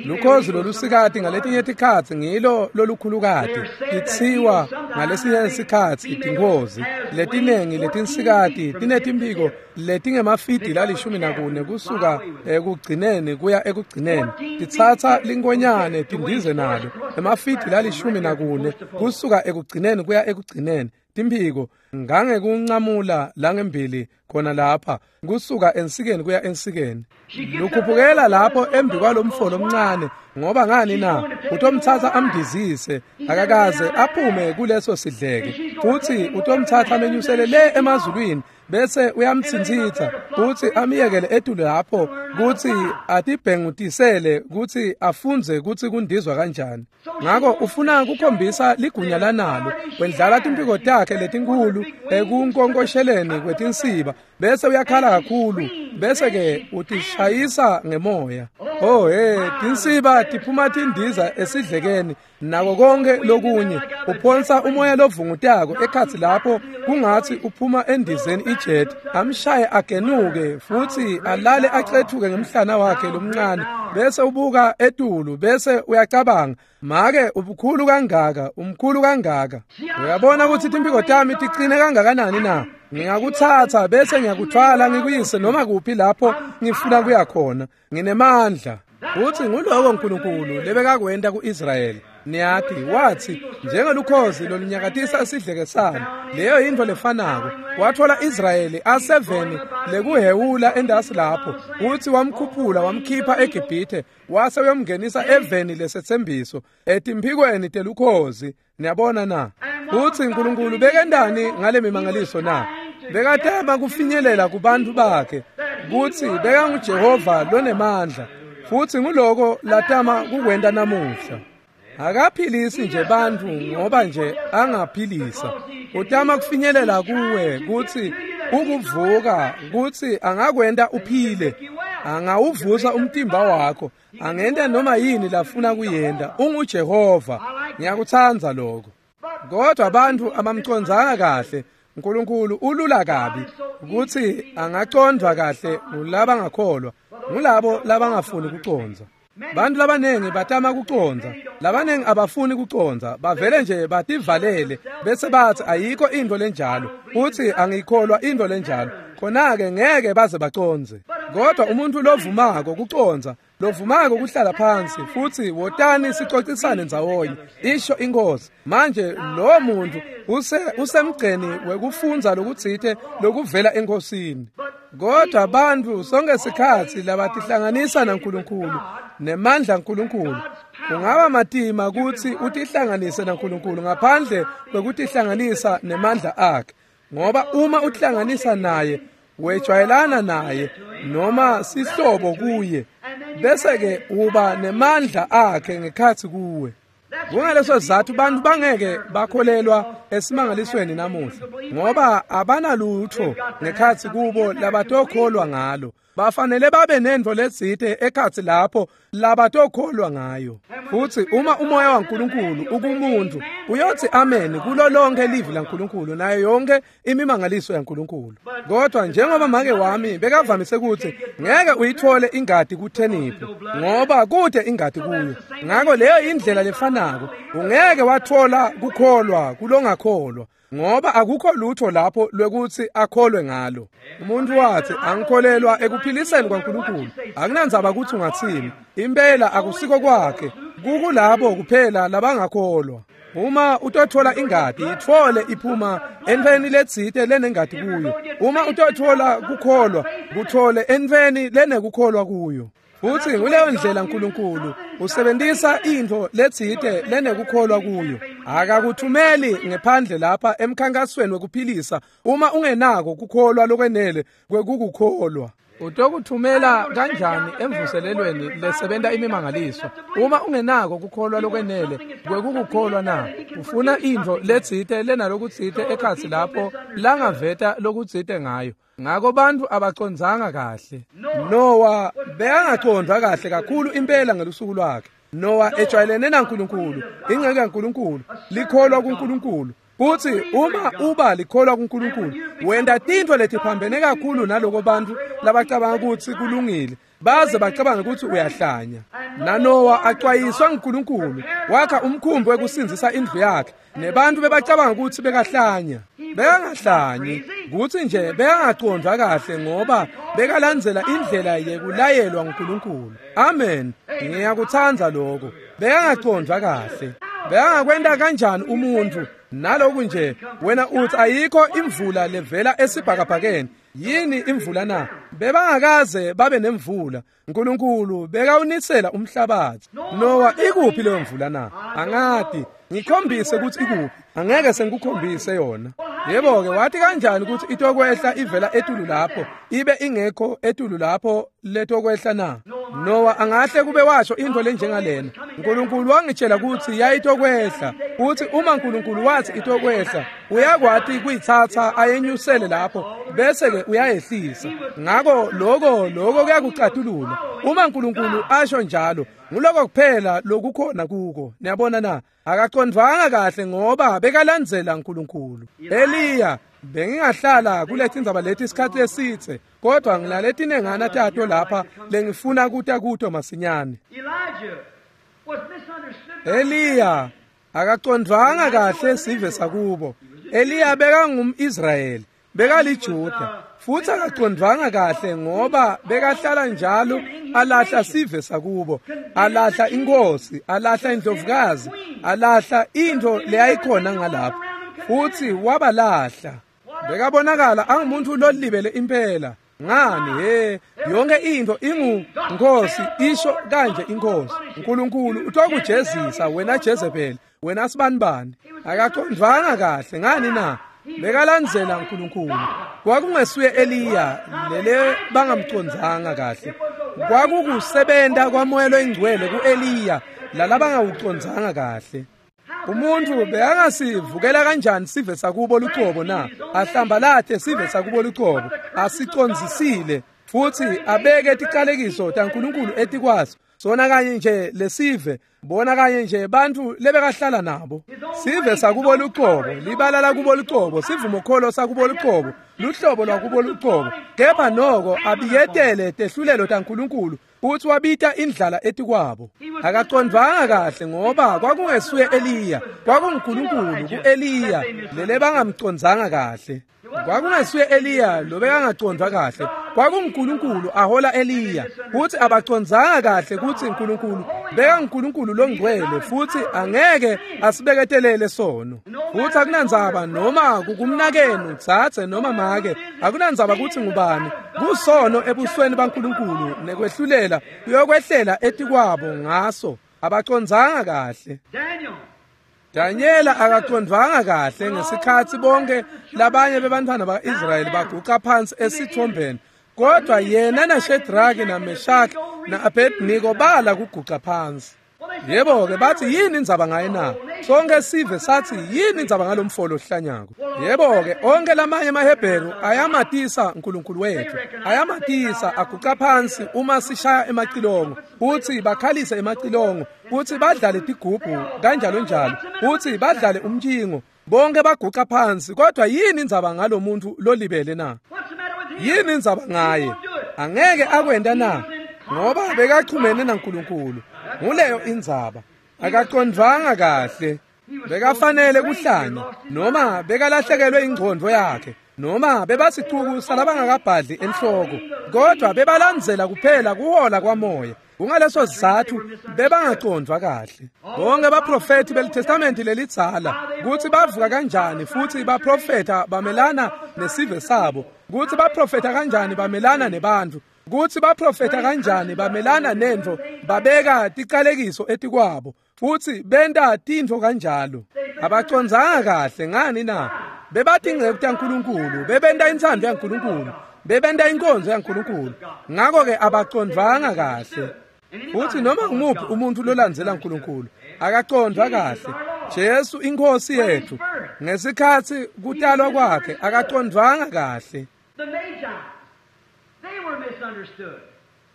Lukhozi lolusikati ngaletinye tikhatsi ngilo lolukhulukati, titsiwa ngalesinye sikhatsi tinkhozi. Letinengi letinsikati tinetimphiko letingemafidi lalishumi nakune kusuka ekugcineni kuya ekugcineni. Titsatsa linkonyane tindize nalo, emafidi lalishumi nakune kusuka ekugcineni kuya ekugcineni. Timphiko ngangekunqamula langembili khona lapha kusuka ensikeni kuya ensikeni. Lukhuphukela lapho embi kwalomfo lomncane ngoba ngani na utomthatha amdizise akakaze aphume kuleso sidleke futhi utomthatha amenyusele le emazulwini bese uyamthinthitha kuthi amiyekele etulu lapho kuthi atibhengutisele kuthi afunze kuthi kundizwa kanjani. Ngakho ufuna kukhombisa ligunya lanalo wendlala timpiko takhe letinkulu ekunkonkosheleni kwetinsiba bese uyakhala kakhulu bese ke utishayisa ngemoya. Oh hey, tinsiba tiphuma tindiza esidlekeni nako konke lokunye uphonsa umoya lovungutako ekhatsi lapho kungathi uphuma endizeni ijet amshaye agenuke futhi alale acethuke ngemhlana wakhe lomncane bese ubuka etulu bese uyacabanga make ubukhulu kangaka umkhulu kangaka. Uyabona ukuthi timpiko tami tiqine kangakanani na? Ngingakuthatha bese ngiyakuthwala ngikuyise noma kuphi lapho ngifuna kuya khona, nginemandla. Uthi nguloko uNkulunkulu lebekakwenta kuIsrayeli. Niyathi wathi njengelukhozi lolunyakatisa isidleke salo, leyo yintfo lefanako. Wathola Israyeli aseveni lekuhewula endasi lapho, uthi wamkhuphula wamkhipha eGibhithe wase uyomngenisa eveni lesethembiso etimphikweni telukhozi. Niyabona na? Uthi uNkulunkulu bekendani ngale mimangaliso na? Bekatema kufinyelela kubantu bakhe kuthi bekanguJehova lonemandla futhi nguloko latama kukwenta namuhla. Akaphilisi nje bantu ngoba nje angaphilisa. Utama kufinyelela kuwe kuthi ukuvuka kuthi angakwenta uphile, angawuvusa umtimba wakho, angenta noma yini lafuna kuyenta. UnguJehova. Ngiyakutsandza lokho. Kodwa abantu abamcondzanga kahle. uNkulunkulu ulula kabi ukuthi angacondwa kahle ngulabangakholwa, ngulabo labangafuni kucondza. Bantu labanengi batama kucondza, labanengi abafuni kucondza, bavele nje bativalele bese bathi ayikho into lenjalo, uthi angikholwa into lenjalo. Khona-ke ngeke baze bacondze. Kodwa umuntu lovumako kucondza, lovumako kuhlala phansi futhi wotani sicocisane ndzawonye, isho inkosi. Manje lo muntu use usemgceni wekufundza lokutsite lokuvela enkosini. Kodwa abantu sonke sikhatsi labatihlanganisa naNkulunkulu nemandla kaNkulunkulu, kungaba matima kutsi utihlanganise naNkulunkulu ngaphandle kwekutihlanganisa nemandla akhe, ngoba uma utihlanganisa naye wejwayelana naye noma sihlobo kuye, bese ke uba nemandla akhe ngekhatsi kuwe. Kungaleso sizathu bantu bangeke bakholelwa esimangalisweni namuhla, ngoba abanalutho ngekhatsi kubo labatokholwa ngalo. Bafanele babe nento letsite ekhatsi lapho labatokholwa ngayo. Futhi uma umoya waNkulunkulu ukumuntu uyothi amen kulo lonke livi laNkulunkulu nayo yonke imimangaliso yaNkulunkulu. Kodwa njengoba make wami bekavamise ukuthi ngeke uyithole ingadi kutheniphu ngoba kude ingadi kuyo, ngakho leyo indlela lefanako ungeke wathola kukholwa kulongakholwa ngoba akukho lutho lapho lwekuthi akholwe ngalo. Umuntu wathi angikholelwa ekuphiliseni kwaNkulunkulu, akunandzaba ukuthi ungathini, impela akusiko kwakhe, kukulabo kuphela labangakholwa. Uma utothola ingadi ithole iphuma entweni letsite lenengadi kuyo. Uma utothola kukholwa kuthole entweni lenekukholwa kuyo. Futhi nguleyo ndlela uNkulunkulu usebenzisa into letsite lenekukholwa kuyo. Akakuthumeli ngephandle lapha emkhankasweni wekuphilisa uma ungenako kukholwa lokwenele kwekukukholwa. Utokuthumela kanjani emvuselelweni lesebenta imimangaliso uma ungenako kukholwa lokwenele kwekukukholwa na? Ufuna into letsite lenalokutsite ekhatsi lapho langaveta lokutsite ngayo. Ngakho bantu abacondzanga kahle. Noah bekangacondwa kahle kakhulu impela ngelusuku lwakhe. Noah ejwayelene naNkulunkulu, ingceke kaNkulunkulu, likholwa kuNkulunkulu. Kuthi uma uba likholwa kuNkulunkulu wenta tintfo letiphambene kakhulu naloko bantu labacabanga ukuthi kulungile, baze bacabanga ukuthi uyahlanya. NaNoah acwayiswa nguNkulunkulu, wakha umkhumbi wekusindzisa indlu yakhe, nebantu bebacabanga ukuthi bekahlanya. Bekangahlanyi, kuthi nje bekangacondwa kahle ngoba bekalandzela indlela yekulayelwa nguNkulunkulu. Amen. Ngiyakutsandza lokho. Bekangacondwa kahle. Bekangakwenta kanjani umuntfu naloku nje wena uthi ayikho imvula levela esibhakabhakeni? Yini imvula na? Bebangakaze babe nemvula. uNkulunkulu bekawunisela umhlabathi. Noah, ikuphi leyo mvula na? Angati. Ngikhombise ukuthi ikuphi. Angeke sengikukhombise yona. Yebo ke, wathi kanjani ukuthi itokwehla ivela etulu lapho ibe ingekho etulu lapho letokwehla na? Noah angahle kube washo into lenjengalena. uNkulunkulu wangitshela ukuthi yayitokwehla. Uthi uma uNkulunkulu wathi itokwehla, uyakwati kuyithatha ayenyusele lapho bese ke uyayehlisa. Ngako lokho lokho kuyakucatulula. Uma uNkulunkulu asho njalo, nguloko kuphela lokukhona kuko. Niyabona na? Akaqondvanga kahle ngoba bekalandzela uNkulunkulu. Eliya, bengingahlala kulethi indzaba lethi isikhathi esitse, kodwa ngilalethinengana tato lapha lengifuna kuta kuto masinyane. Eliya akaqondvanga kahle sive sakubo. Eliya bekangumIsrayeli, bekaliJuda, futhi akaqondvanga kahle ngoba bekahlala njalo alahla sive sakubo, alahla inkosi, alahla indlovukazi, alahla into leyayikhona ngalapho, futhi wabalahla. Bekabonakala angumuntu lolibele impela. Ngani he, yonke into ingu Nkosi isho kanje inkosi. uNkulunkulu utokujezisa wena Jezebel, wena sibanibani. Akaqondvanga kahle ngani na? Bekalandzela uNkulunkulu. Kwakungesuye Eliya lele bangamcondzanga kahle. Kwakukusebenta kwaMoya loyiNgcwele kuEliya lalabangawucondzanga kahle. Umuntu bekangasivukela kanjani sive sakubo lucobo na? Ahlambalate sive sakubo lucobo, asicondzisile futhi abeke ticalekiso taNkulunkulu etikwaso. Sona kanye nje lesive, bona kanye nje bantu lebekahlala nabo. Sive sakubo lucobo, libala lakubo lucobo, sivumokholo sakubo lucobo, luhlobo lwakubo lucobo. Kepha noko abiyetele tehlulelo taNkulunkulu futhi wabita indlala etikwabo. Akaqondvanga kahle ngoba kwakungesuye Eliya, kwakunguNkulunkulu kuEliya lele bangamcondzanga kahle. Kwakungesuye Eliya lobekangacondvwa kahle, kwakunguNkulunkulu ahola Eliya. Futhi abacondzanga kahle kutsi uNkulunkulu bekanguNkulunkulu longcwele futhi angeke asibeketelele sono. Futhi akunandzaba noma kukumnakenu dzadze noma make, akunandzaba kutsi ngubani, kusono ebusweni baNkulunkulu nekwehlulela kuyokwehlela etikwabo ngaso. Abacondzanga kahle. Daniela akaqondvanga kahle ngesikhatsi bonke labanye bebantfwana ba-Israyeli baguca phansi esithombeni, kodwa yena naShedraki naMeshaki na-Abednego bala kuguca phansi. Yebo ke, bathi yini indzaba ngaye na? Sonke sive sathi yini indzaba ngalomfolo ohlanyako? Yebo ke, onke lamanye amaHebheru ayamatisa uNkulunkulu wethu, ayamatisa aguca phansi uma sishaya emacilongo, futhi bakhalise emacilongo, futhi badlale tigubhu kanjalo njalo, futhi badlale umntshingo. Bonke baguca phansi, kodwa yini indzaba ngalomuntu lolibele na? Yini indzaba ngaye? Angeke akwenta na? Ngoba bekachumene naNkulunkulu. Nguleyo indzaba. Akaqondvanga kahle. Bekafanele kuhlanya, noma bekalahlekelwe ingqondo yakhe, noma bebasicuku salabangakabhadli enhloko, kodwa bebalandzela kuphela kuhola kwamoya. Kungaleso sizathu bebangacondvwa kahle. Bonke baprofeti beliTestamenti lelidzala kutsi bavuka kanjani futhi baprofeta bamelana nesive sabo, kutsi baprofeta kanjani bamelana nebantfu, kutsi baprofeta kanjani bamelana nentfo, babeka ticalekiso etikwabo futhi benta tintfo kanjalo. Abacondzanga kahle ngani na? Bebatingceku taNkulunkulu, bebenta intsandvo yaNkulunkulu, bebenta inkonzo yaNkulunkulu. Ngako ke abacondvanga kahle. Futhi noma ngumuphi umuntu lolandzela uNkulunkulu akacondvwa kahle. Jesu inkosi yethu ngesikhatsi kutalwa kwakhe akacondvanga kahle.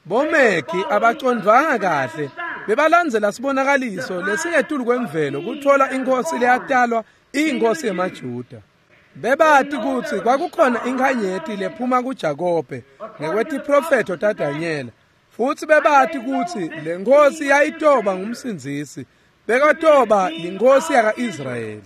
Bomegi abacondvanga kahle, bebalandzela sibonakaliso lesingetulu kwemvelo kuthola inkosi leyatalwa iyinkosi yemaJuda. Bebati kutsi kwakukhona inkhanyeti lephuma kuJakobe ngekwetiprofetho taDanyela, futhi bebati kutsi le nkosi yayitoba ngumsindzisi, bekatoba yinkosi yaka-Israyeli.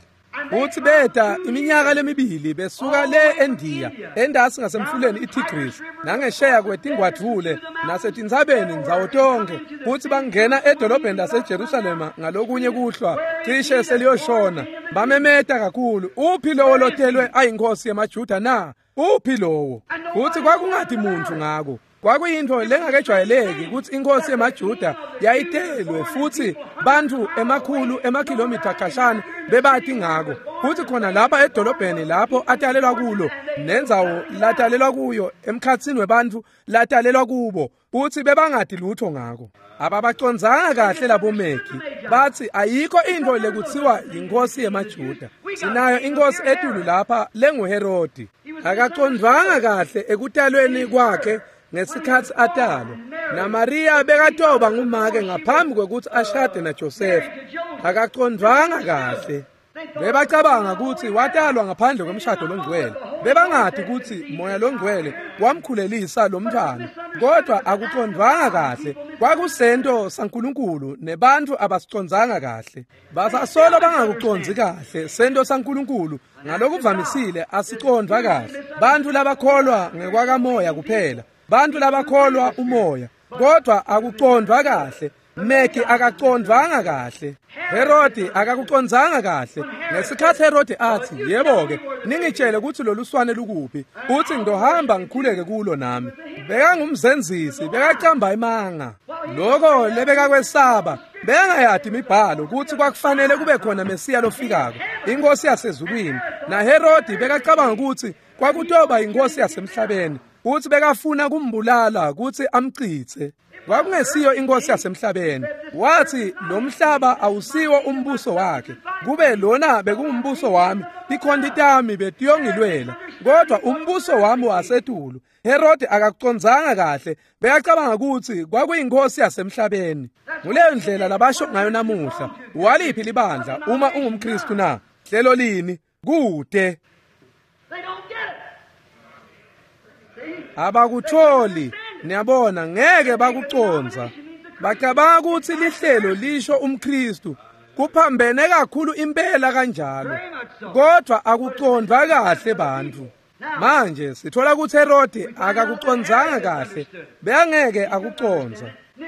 Futsi beta iminyaka lemibili besuka le eNdiya, endasi ngasemfuleni iTigris, nangesheya kwetingwadvule nasetintsabeni ndzawo tonkhe, futsi bangena edolobheni laseJerusalema ngalokunye kuhlwa cishe seliyoshona. Bamemeta kakhulu, uphi lowo lotelwe ayinkosi yemaJuda na? Uphi lowo? Futsi kwakungati muntfu ngako. Kwakuyintfo lengakejwayeleki kutsi inkosi yemaJuda yayitelwe, futsi bantfu emakhulu emakhilomitha khashana bebati ngako. Futsi khona lapha edolobheni lapho atalelwa kulo, nendzawo latalelwa kuyo emkhatsini webantfu latalelwa kubo, futsi bebangati lutho ngako. Ababacondzanga kahle labo Megi. Batsi ayikho intfo lekutsiwa yinkosi yemaJuda. Sinayo inkosi etulu lapha lenguHerodi. Akacondvanga kahle ekutalweni kwakhe ngesikhatsi atalwa. NaMaria bekatoba ngumake ngaphambi kwekutsi ashade naJosefa. Akacondvanga kahle. Bebacabanga kutsi watalwa ngaphandle kwemshado longcwele. Bebangati kutsi Moya longcwele wamkhulelisa lo mntfwana, kodwa akucondvanga kahle. Kwakusento saNkulunkulu nebantfu abasicondzanga kahle. Basasolo bangakucondzi kahle sento saNkulunkulu, ngalokuvamisile asicondvwa kahle. Bantfu labakholwa ngekwakamoya kuphela, bantfu labakholwa umoya, kodwa akucondvwa kahle. Megi akacondvanga kahle. Herodi akakucondzanga kahle. Ngesikhatsi Herodi atsi, yebo-ke, ningitshele kutsi lolu swane lukuphi, utsi ngizohamba ngikhuleke kulo nami. Bekangumzenzisi, bekacamba imanga. Loko lebekakwesaba, bekangayati imibhalo kutsi kwakufanele kube khona Mesiya lofikako, inkosi yasezulwini. NaHerodi bekacabanga kutsi kwakutoba inkosi yasemhlabeni, utsi bekafuna kumbulala kutsi amcitse. Kwakungesiyo inkosi yasemhlabeni. Watsi lo mhlaba awusiwo umbuso wakhe. Kube lona bekungumbuso wami, tikhonti tami betiyongilwela, kodwa umbuso wami wasetulu. Herodi akakucondzanga kahle, bekacabanga kutsi kwakuyinkosi yasemhlabeni. Nguleyo ndlela labasho ngayo namuhla. Waliphi libandla uma ungumKristu na? Hlelo lini? Kude. Abakutholi. Niyabona, ngeke bakucondza. Bacabanga kutsi lihlelo lisho umKristu. Kuphambene kakhulu impela kanjalo, kodwa akucondvwa kahle bantfu. Manje sithola kutsi Herodi akakucondzanga kahle, bekangeke akucondza.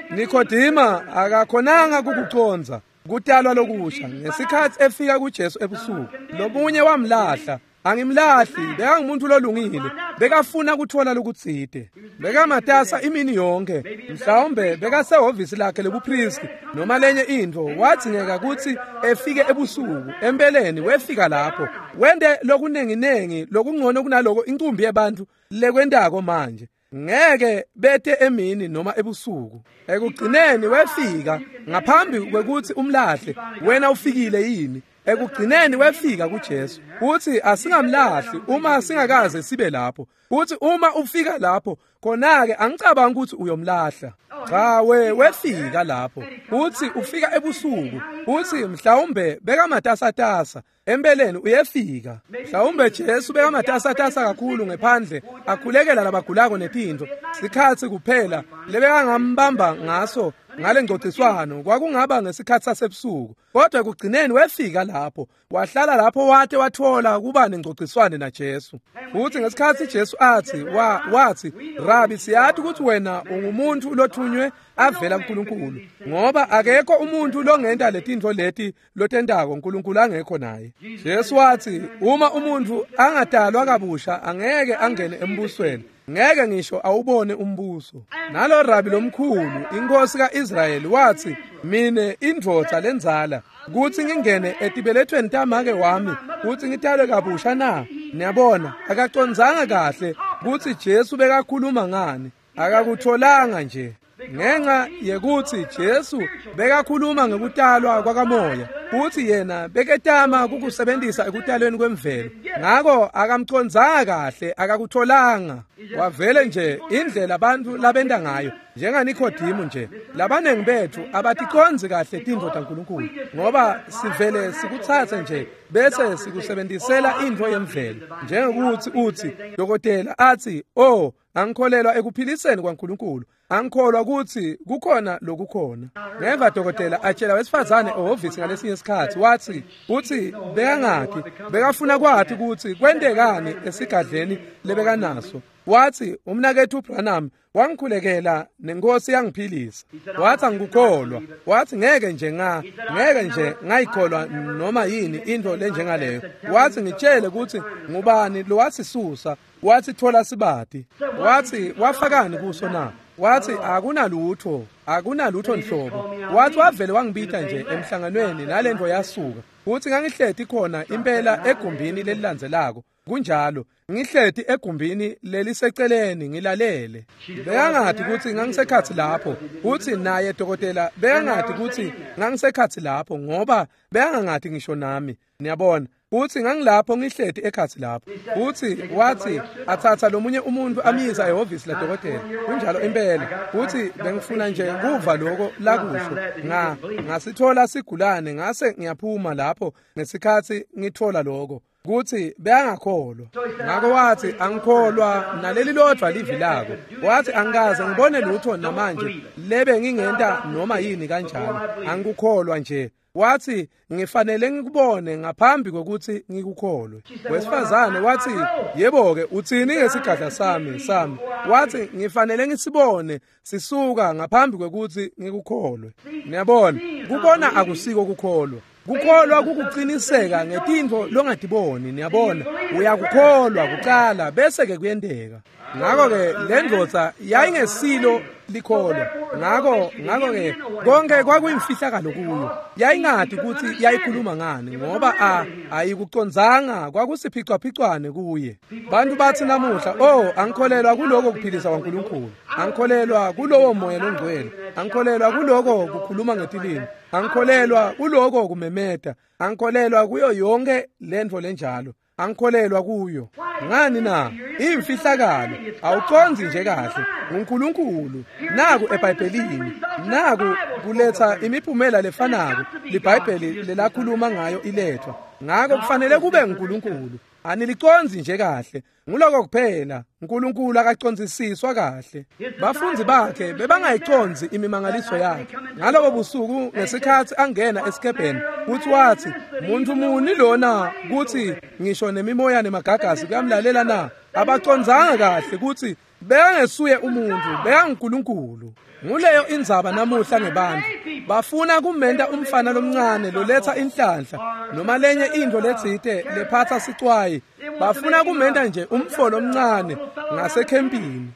Nikodima akakhonanga kukucondza kutalwa lokusha ngesikhatsi efika kuJesu ebusuku. Lomunye wamlahla. Angimlahli, bekangumuntu lolungile, bekafuna kuthola lokutsite. Bekamatasa imini yonke, mhlawumbe bekasehhovisi lakhe lebupristi noma lenye intfo. Wadzingeka kutsi efike ebusuku. Empeleni wefika lapho, wente lokunenginengi lokungcono kunaloko incumbi yebantfu lekwentako manje. Ngeke bete emini noma ebusuku. Ekugcineni wefika ngaphambi kwekutsi umlahle. Wena ufikile yini? Ekugcineni wefika kuJesu. Uthi asingamlahli uma singakaze sibe lapho. Uthi uma ufika lapho, khona-ke angicabanga ukuthi uyomlahla. Cha, we wefika lapho. Uthi ufika ebusuku. Uthi mhlawumbe bekamatasatasa. Empeleni uyefika. Mhlawumbe Jesu bekamatasatasa kakhulu ngephandle, akhulekela labagulako netintfo. Sikhatsi kuphela lebekangambamba ngaso ngale ngcociswano kwakungaba ngesikhatsi sasebusuku. Kodwa ekugcineni wefika lapho, wahlala lapho wate wathola kuba nengcociswane naJesu. Futhi ngesikhatsi Jesu athi wa wathi, Rabi, siyathi ukuthi wena ungumuntu lothunywe avela kuNkulunkulu, ngoba akekho umuntu longenta letintfo leti lotentako uNkulunkulu angekho naye. Jesu wathi uma umuntu angadalwa kabusha angeke angene embusweni, ngeke ngisho awubone umbuso. Nalo rabi lomkhulu inkosi kaIsrayeli wathi, mine indvodza lenzala kuthi ngingene etibelethweni tamake wami kuthi ngitalwe kabusha na? Niyabona, akacondzanga kahle kutsi Jesu bekakhuluma ngani. Akakutholanga nje. Ngenxa yekutsi Jesu bekakhuluma ngekutalwa kwakamoya, futhi yena beketama kukusebenzisa ekutalweni kwemvelo. Ngako akamcondzanga kahle, akakutholanga. Wavele nje indlela abantu labenta ngayo, NjengaNikodemu nje, labanengi bethu abaticondzi kahle tintfo taNkulunkulu, ngoba sivele sikutsatse nje bese sikusebenzisela intfo yemvelo. Njengekuthi uthi dokotela athi, "Oh, angikholelwa ekuphiliseni kwaNkulunkulu, angikholwa ukuthi kukhona lokukhona." Ngeva dokotela atshela wesifazane ehhovisi ngalesinye isikhathi, wathi uthi bekangakhi, bekafuna kwathi ukuthi kwentekani esigadleni lebekanaso. Wathi umnakethu Branham wangikhulekela nenkosi yangiphilisa. Wathi angikukholwa. Wathi ngeke nje nga ngeke nje ngayikholwa noma yini into lenjengaleyo. Wathi ngitshele ukuthi ngubani lo wasisusa. Wathi thola sibati. Wathi wafakani kuso na? Wathi akunalutho, akunalutho nhlobo. Wathi wavele wangibita nje emhlanganweni nalento yasuka. Uthi ngangihleti khona impela egumbini lelilandzelako. Kunjalo, ngihleti egumbini leliseceleni ngilalele. Bekangathi ukuthi ngangisekhathi lapho. Uthi naye dokotela bekangathi ukuthi ngangisekhathi lapho ngoba bekangathi ngisho nami. Niyabona? Uthi ngangilapho ngihleti ekhathi lapho. Uthi wathi athatha lomunye umuntu amyisa ehhovisi la dokotela. Kunjalo impela. Uthi bengifuna nje kuva lokho lakusho. Nga ngasithola sigulane ngase ngiyaphuma lapho ngesikhathi ngithola lokho. Kuthi beyangakholwa. Ngakho wathi angikholwa naleli lodwa livi lako. Wathi angikaze ngibone lutho namanje lebe ngingenta noma yini kanjalo. Angikukholwa nje. Wathi ngifanele ngikubone ngaphambi kokuthi ngikukholwe. Wesifazane wathi yebo ke uthini ngesigadla sami sami? Wathi ngifanele ngisibone sisuka ngaphambi kokuthi ngikukholwe. Niyabona, kubona akusiko kukholwa. Kukholwa kukuqiniseka ngetintfo longatiboni. Niyabona, uyakukholwa kuqala bese ke kuyenteka. Ngakho ke le ndvodza yayingesilo likholwa. Ngakho ngakho ke konke kwakuyimfihlakalo kuyo. Yayingathi ukuthi yayikhuluma ngani ngoba a ayikucondzanga, kwakusiphicwaphicwane kuye. Bantu bathi namuhla, "Oh, angikholelwa kuloko kuphilisa kwaNkulunkulu. Angikholelwa kulowo moya longcwele. Angikholelwa kuloko kukhuluma ngetilimi. Angikholelwa kuloko kumemeta. Angikholelwa kuyo yonke lento lenjalo. Angikholelwa kuyo." Ngani na? Imfihlakalo awucondzi nje kahle. uNkulunkulu naku eBhayibhelini, naku kuletha imiphumela lefanako liBhayibheli lelakhuluma ngayo ilethwa. Ngakho kufanele kube nguNkulunkulu. Anilicondzi nje kahle. Nguloko kuphela. uNkulunkulu akacondzisiswa kahle. Bafundzi bakhe bebangayicondzi imimangaliso yakhe. Ngalobo busuku ngesikhathi angena esikebheni, uthi wathi, "Muntu muni lona kuthi ngisho nemimoya nemagagasi kuyamlalela na?" Abacondzanga kahle ukuthi bekangesuye umuntu, bekanguNkulunkulu. Nguleyo indzaba namuhla ngebantu. Bafuna kumenta umfana lomncane loletha inhlanhla noma lenye into letsite lephatha sicwayi. Bafuna kumenta nje umfolo omncane ngasekhempini.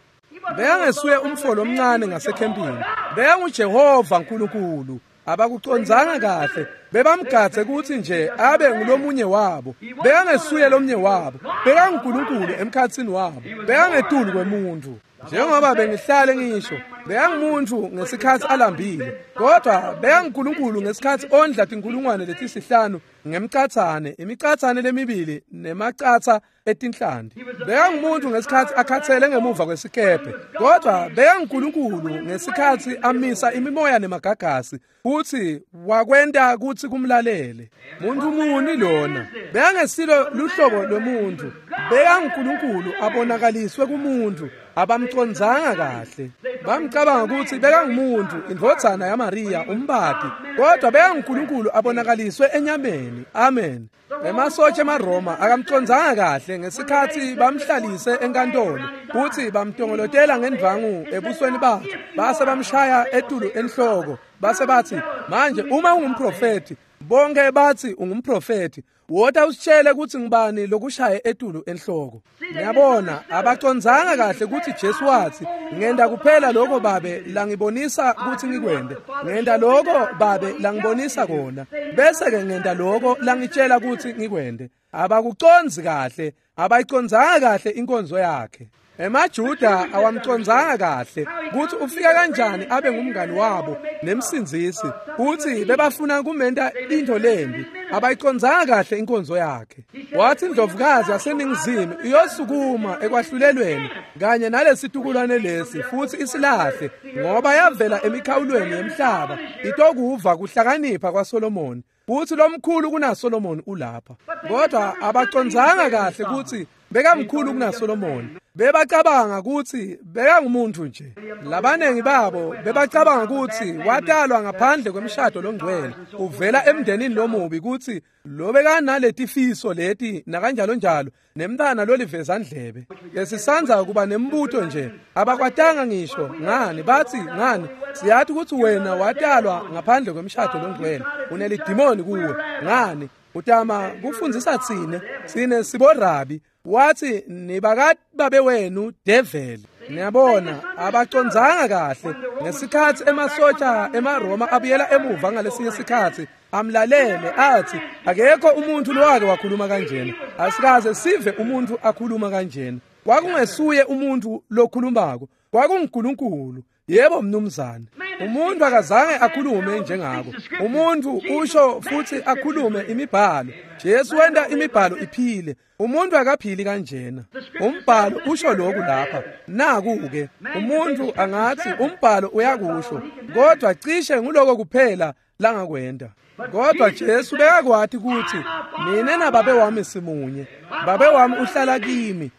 Bekangesuye umfolo omncane ngasekhempini. BekanguJehova uNkulunkulu. Abakucondzanga kahle. Bebamgadze ukuthi nje abe ngulomunye wabo. Bekangesuye lomnye wabo. BekanguNkulunkulu emkhatsini wabo. Bekangetulu kwemuntu. Njengoba bengihlale ngisho, bekangumuntu ngesikhathi alambile, kodwa bekanguNkulunkulu ngesikhathi ondla tinkulungwane letisihlanu ngemcathane, imicathane lemibili nemacatha etinhlanti. Bekangumuntu ngesikhathi akhathele ngemuva kwesikebhe, kodwa bekanguNkulunkulu ngesikhathi amisa imimoya nemagagasi futhi wakwenta kuthi kumlalele. Muntu muni lona? Bekangesilo luhlobo lwemuntu. BekanguNkulunkulu abonakaliswe kumuntu. Abamcondzanga kahle. Bamcabanga ukuthi bekangumuntu, indvodzana yaMaria umbati, kodwa bekanguNkulunkulu abonakaliswe enyameni. Amen. Emasotsha emaRoma akamcondzanga kahle ngesikhathi bamhlalise enkantolo futhi bamtongolotela ngendvangu ebusweni bakhe, base bamshaya etulu enhloko, base bathi, "Manje uma ungumprofeti, bonke bathi ungumprofeti, wota usitshele ukuthi ngibani lokushaye etulu enhloko." Ngiyabona abacondzanga kahle ukuthi Jesu wathi, "Ngenda kuphela lokho babe langibonisa ukuthi ngikwende. Ngenda lokho babe langibonisa kona. Bese ke ngenda lokho langitshela ukuthi ngikwende." Abakucondzi kahle, abayicondzanga kahle inkonzo yakhe. EmaJuda awamcondzanga kahle ukuthi ufika kanjani abe ngumngani wabo nemsindzisi. Uthi bebafuna kumenta into lembi, Abayicondzanga kahle inkonzo yakhe. Wathi indlovukazi yaseningizimu iyosukuma ekwahlulelweni kanye nalesitukulwane lesi futhi isilahle, ngoba yavela emikhawulweni yemhlaba itokuva kuhlakanipha kwaSolomoni, futhi lomkhulu kunaSolomoni ulapha. Kodwa abacondzanga kahle ukuthi bekamkhulu kunaSolomoni. Bebacabanga ukuthi bekangumuntu nje. Labanengi babo bebacabanga ukuthi watalwa ngaphandle kwemshado longcwele, uvela emndenini lomubi, ukuthi lo bekanaletifiso leti nakanjalo njalo, nemntana lolivezandlebe. Lesisanza kuba nembuto nje, abakwatanga ngisho ngani. Bathi ngani, siyathi ukuthi wena watalwa ngaphandle kwemshado longcwele, unelidimoni kuwe. Ngani utama kufundzisa tsine, tsine siborabi. Wathi nibakababe wenu devil. Niyabona, abacondzanga kahle. Ngesikhathi emasotsha emaRoma abuyela emuva ngalesinye isikhathi, amlalele athi akekho umuntu lowake wakhuluma kanjena, asikaze sive umuntu akhuluma kanjena. Kwakungesuye umuntu lokhulumako, kwakunguNkulunkulu. Yebo mnumzane, umuntu akazange akhulume njengako. Umuntu usho futhi akhulume imibhalo. Jesu wenta imibhalo iphile. Umuntu akaphili kanjena. Umbhalo usho lokhu lapha. Naku-ke umuntu angathi umbhalo uyakusho, kodwa cishe nguloko kuphela langakwenda. Kodwa Jesu bekakwati ukuthi mina nababe wami simunye, babe wami uhlala kimi,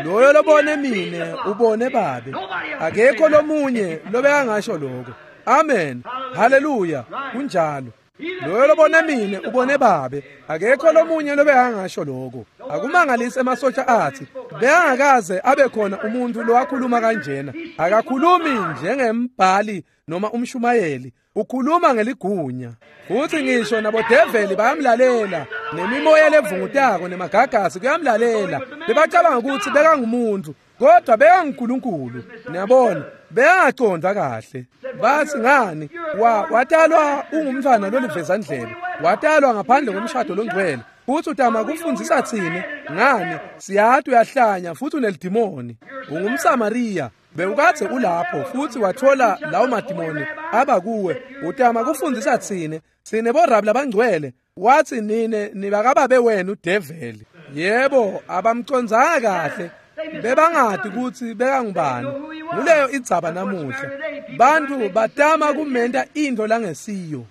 loyo lobone mine ubone babe. Akekho lomunye lobekangasho lokho. Amen, haleluya, kunjalo. Loyo lobone mine ubone babe, akekho lomunye lobekangasho lokho. Akumangalisi emasotsha athi bekangakaze abe khona umuntu lowakhuluma kanjena. Akakhulumi njengembhali noma umshumayeli, ukhuluma ngeligunya. Futhi ngisho nabodeveli bayamlalela, nemimoya levungutako nemagagasi kuyamlalela. Bebacabanga ukuthi bekangumuntu, kodwa bekanguNkulunkulu. Niyabona, bekangaconda kahle. Bathi ngani, wa watalwa ungumntwana lolivezandlebe, watalwa ngaphandle komshado longcwele, futhi utama kufundzisa tsine. Ngani, siyathi uyahlanya futhi unelidimoni. UngumSamariya, bewukadze ulapho futhi wathola lawo madimoni aba kuwe. Utama kufundzisa tsine, tsine borabi labangcwele. Wathi nine nibakababe wenu develi. Yebo, abamcondzanga kahle, bebangati ukuthi bekangubani. Nguleyo idzaba namuhla, bantu batama kumenta into langesiyo.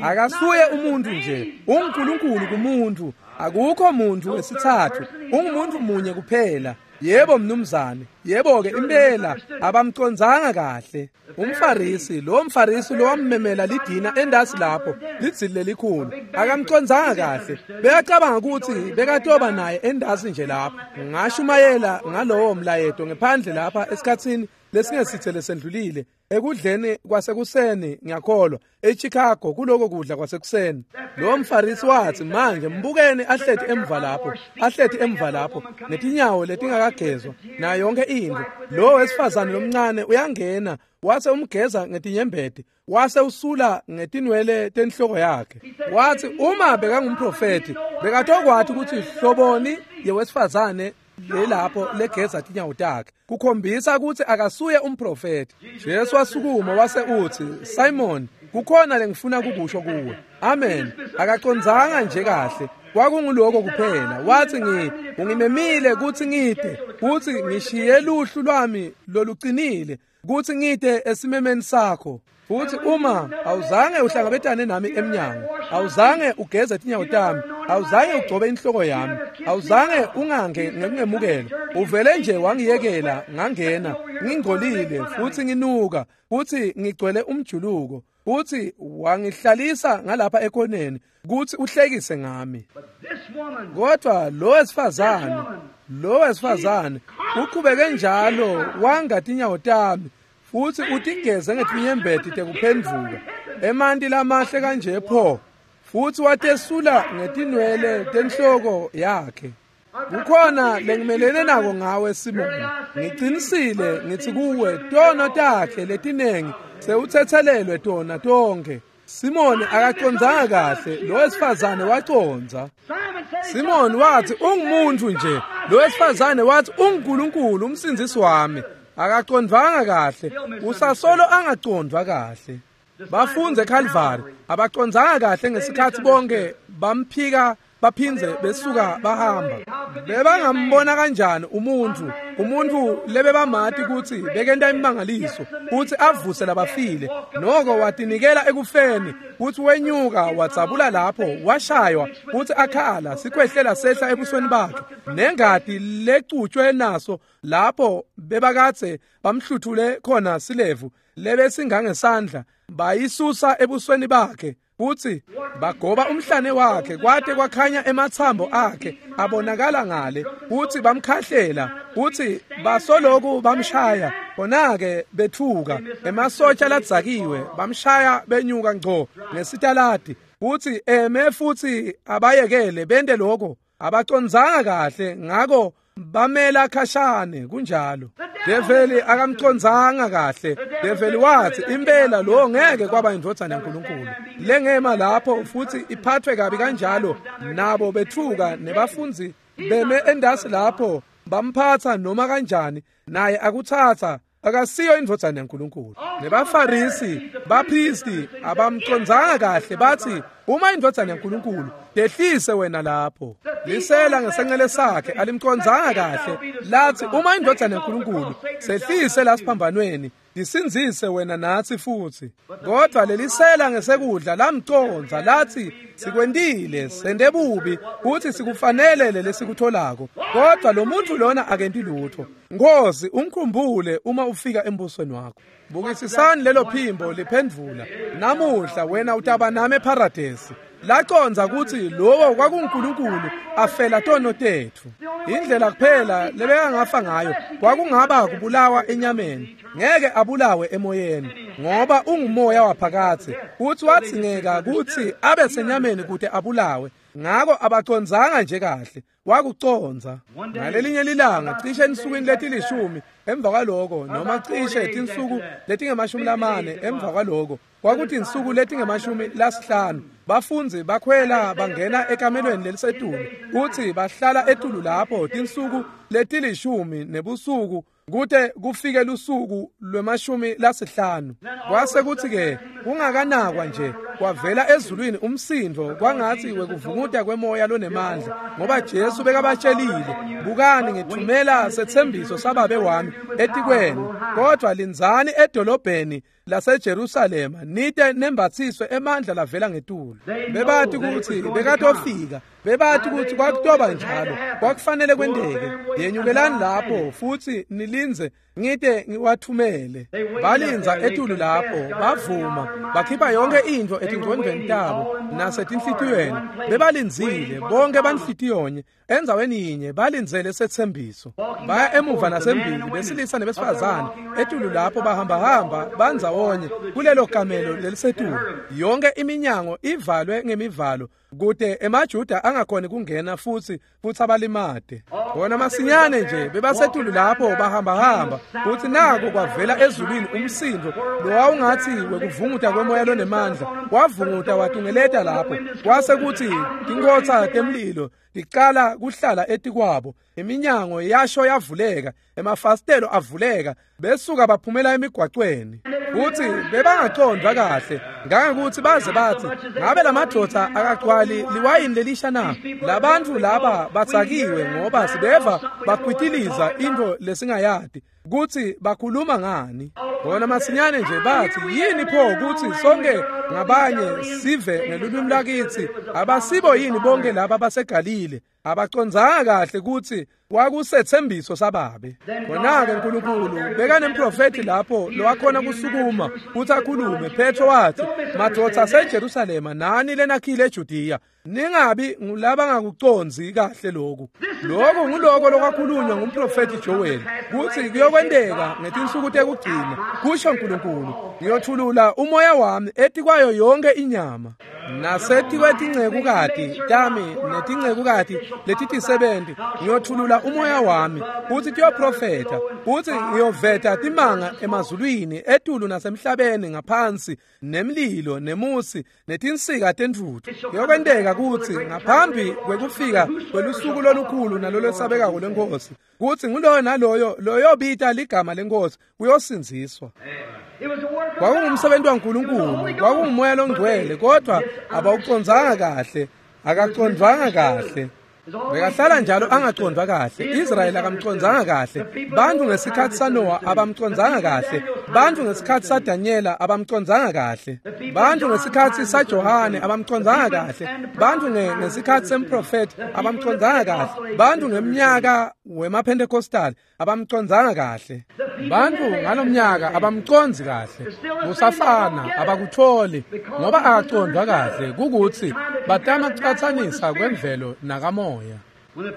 Akasuye umuntu nje, unguNkulunkulu kumuntu. Akukho muntu wesithathu, ungumuntu munye kuphela. Yebo mnumzane, yebo ke impela abamcondzanga kahle. Umfarisi, lo mfarisi lo wammemela lidina endasi lapho, lidzili lelikhulu, akamcondzanga kahle. Bekacabanga ukuthi bekatoba naye endasi nje lapho. Ngashumayela ngalowo mlayeto ngephandle lapha esikhatsini lesingesithe lesendlulile, ekudleni kwasekuseni, ngiyakholwa eChicago, kuloko kudla kwasekuseni. Lo mfarisi wathi, manje mbukeni ahleti emva lapho, ahleti emva lapho netinyawo letingakagezwa nayo yonke into. Lo wesifazane lomncane uyangena, wase umgeza ngetinyembeti, wase usula ngetinwele tenhloko yakhe. Wathi uma bekangumprofeti, bekatokwathi ukuthi hloboni yewesifazane lelapho legeza tinyawo takhe, kukhombisa ukuthi akasuye umprofeti. Jesu wasukuma wase uthi, Simon, kukhona lengifuna kukusho kuwe. Amen. Akacondzanga nje kahle, kwakunguloko kuphela. Wathi ngi ungimemile ukuthi ngide, kuthi ngishiye luhlu lwami loluqinile, kuthi ngide esimemeni sakho. Futhi uma awuzange uhlangabetane nami emnyango, awuzange ugeze tinyawo tami, awuzange ugcobe inhloko yami, awuzange ungange ngekungemukela, uvele nje wangiyekela ngangena ngingcolile futhi nginuka futhi ngigcwele umjuluko, futhi wangihlalisa ngalapha ekoneni kuthi uhlekise ngami. Kodwa lo wesifazane, lo wesifazane uqhubeke njalo wanga tinyawo tami futhi utigeze ngetinyembeti tekuphendvuka, emanti lamahle kanje pho, futhi watesula ngetinwele tenhloko yakhe. Kukhona lengimelene nako ngawe Simoni, ngiqinisile ngithi kuwe, tono takhe letinengi sewuthethelelwe tona tonke. Simoni akacondzanga kahle, lo wesifazane wacondza. Simoni wathi ungumuntu nje, lo wesifazane wathi unguNkulunkulu umsindzisi wami. Akacondvanga kahle, usasolo angacondvwa kahle. Bafundze eCalvary abacondzanga kahle ngesikhatsi bonke bamphika baphindze besuka bahamba. Bebangambona kanjani umuntfu umuntfu lebebamati kutsi bekenta imangaliso kutsi avuse labafile, noko watinikela ekufeni, kutsi wenyuka wadzabula lapho washaywa kutsi akhala sikhwehlela sehla ebusweni bakhe nengati lecutshwe naso lapho bebakatse bamhluthule khona silevu lebesingangesandla bayisusa ebusweni bakhe, kutsi bagoba umhlane wakhe kwate kwakhanya ematsambo akhe abonakala ngale, kutsi bamkhahlela, kutsi basoloku bamshaya khona-ke bethuka emasotsha ladzakiwe bamshaya benyuka ngco ngesitaladi, kutsi eme futsi abayekele bente lokho. Abacondzanga kahle ngako bamela khashane. Kunjalo Develi akamcondzanga kahle. Develi wathi impela lo ngeke kwaba indvodzana yaNkulunkulu lengema lapho futhi iphathwe kabi kanjalo. Nabo bethuka nebafundzi beme endasi lapho bamphatha noma kanjani, naye akuthatha akasiyo indvodzana yaNkulunkulu. Nebafarisi baphristi abamcondzanga kahle, bathi uma indvodzana yaNkulunkulu dehlise wena lapho. Lisela ngesencele sakhe alimcondzanga kahle, lathi uma indvodzana yaNkulunkulu sehlise lasiphambanweni lisindzise wena natsi futhi. Kodwa lelisela ngesekudla lamcondza, lathi sikwentile sente bubi futhi sikufanele lesikutholako, kodwa lo muntu lona akenti lutho. Nkosi ungikhumbule uma ufika embusweni wakho. Bukisisani lelo phimbo liphendvula, namuhla wena utaba nami eParadesi. Lacondza kutsi lowo kwakunguNkulunkulu afela tono tetfu. Indlela kuphela lebekangafa ngayo kwakungaba kubulawa enyameni, ngeke abulawe emoyeni, ngoba ungumoya waphakatsi. Uthi watsingeka kutsi abe senyameni kute abulawe, ngako abacondzanga nje kahle. Wakucondza. Ngalelinye lilanga cishe ensukwini letilishumi emva kwaloko, noma cishe tinsuku letingemashumi lamane emva kwaloko, kwakuthi insuku letingemashumi lasihlanu, bafundzi bakhwela bangena ekamelweni lelisetulu, kutsi bahlala etulu lapho tinsuku letilishumi nebusuku kute kufike lusuku lwemashumi lasihlanu. Kwase kutsi-ke kungakanakwa nje kwavela ezulwini umsindo kwangatsi wekuvunguta kwemoya lonemandla, ngoba Jesu bekabatshelile, bukani ngithumela setsembiso sababe wami etikwenu, kodwa lindzani edolobheni laseJerusalema nite nembatsiswe emandla lavela ngetulu. Bebati kutsi bekatofika, bebati kutsi kwakutoba njalo, kwakufanele kwenteke. Yenyukelani lapho futsi nilindze ngite ngiwathumele. Balindza etulu lapho, bavuma, bakhipha yonke intfo etingcondvweni tabo nasetinhlitiyweni. Bebalindzile bonke banhlitiyonye endzaweni yinye, balindzele setsembiso. Baya emuva nasembili, besilisa nebesifazane etulu lapho bahambahamba bandzawonye kulelo kamelo lelisetulu. Yonke iminyango ivalwe ngemivalo kute emaJuda angakhoni kungena futsi futsi abalimate. Bona masinyane nje bebasetulu lapho bahambahamba, futsi nako kwavela ezulwini umsindo lowawungatsi wekuvunguta kwemoya lonemandla, wavunguta watungeleta lapho. Kwase kutsi tinkhotsa temlilo ticala kuhlala etikwabo, iminyango yasho yavuleka, emafasitelo avuleka, besuka baphumela emigwacweni. Futsi bebangacondvwa kahle ngangekutsi baze batsi ngabe lamadvodza akagcwali liwayini lelisha na? Labantfu laba batsakiwe ngoba sibeva bakwitiliza intfo lesingayati kutsi bakhuluma ngani. Bona masinyane nje batsi yini pho kutsi sonke ngabanye sive ngelulwimi lakitsi? Abasibo yini bonke laba baseGalile? Abacondzanga kahle kutsi kwakusetsembiso sababe. Khona-ke Nkulunkulu bekanemprofethi lapho lowakhona kusukuma kutsi akhulume. Petro wathi, madvodza aseJerusalema nani lenakhile eJudiya, ningabi ngulabangakucondzi kahle loku. Lokhu nguloko lokwakhulunywa ngumprofethi Joel, kutsi kuyokwenteka ngetinsuku tekugcina, kusho Nkulunkulu, ngiyothulula umoya wami etikwayo yonke inyama, nasetikwetingcekukati tami netincekukati letitisebenti ngiyothulula umoya wami, kutsi tiyoprofetha, kutsi ngiyoveta timanga emazulwini etulu nasemhlabeni ngaphansi, nemlilo nemusi netinsika tentfutfu. Kuyokwenteka kutsi ngaphambi kwekufika kwelusuku lolukhulu nalolwesabekako lweNkhosi, kutsi nguloyo naloyo loyobita ligama leNkhosi uyosindziswa. Kwakungumsebenzi waNkulunkulu, kwakungumoya longcwele, kodwa abawucondzanga kahle, akacondvanga kahle. Bekahlala njalo angacondvwa kahle. Israyeli akamcondzanga kahle. Bantfu ngesikhatsi saNoah abamcondzanga kahle. Bantfu ngesikhatsi saDanyela abamcondzanga kahle. Bantfu ngesikhatsi saJohane abamcondzanga kahle. Bantfu ngesikhatsi semprofeti abamcondzanga kahle. Bantfu ngemnyaka wemaPentecostal abamcondzanga kahle. Bantfu ngalomnyaka abamcondzi kahle. Kusafana abakutholi ngoba akacondvwa kahle kukutsi batama kucatsanisa kwemvelo nakamoya.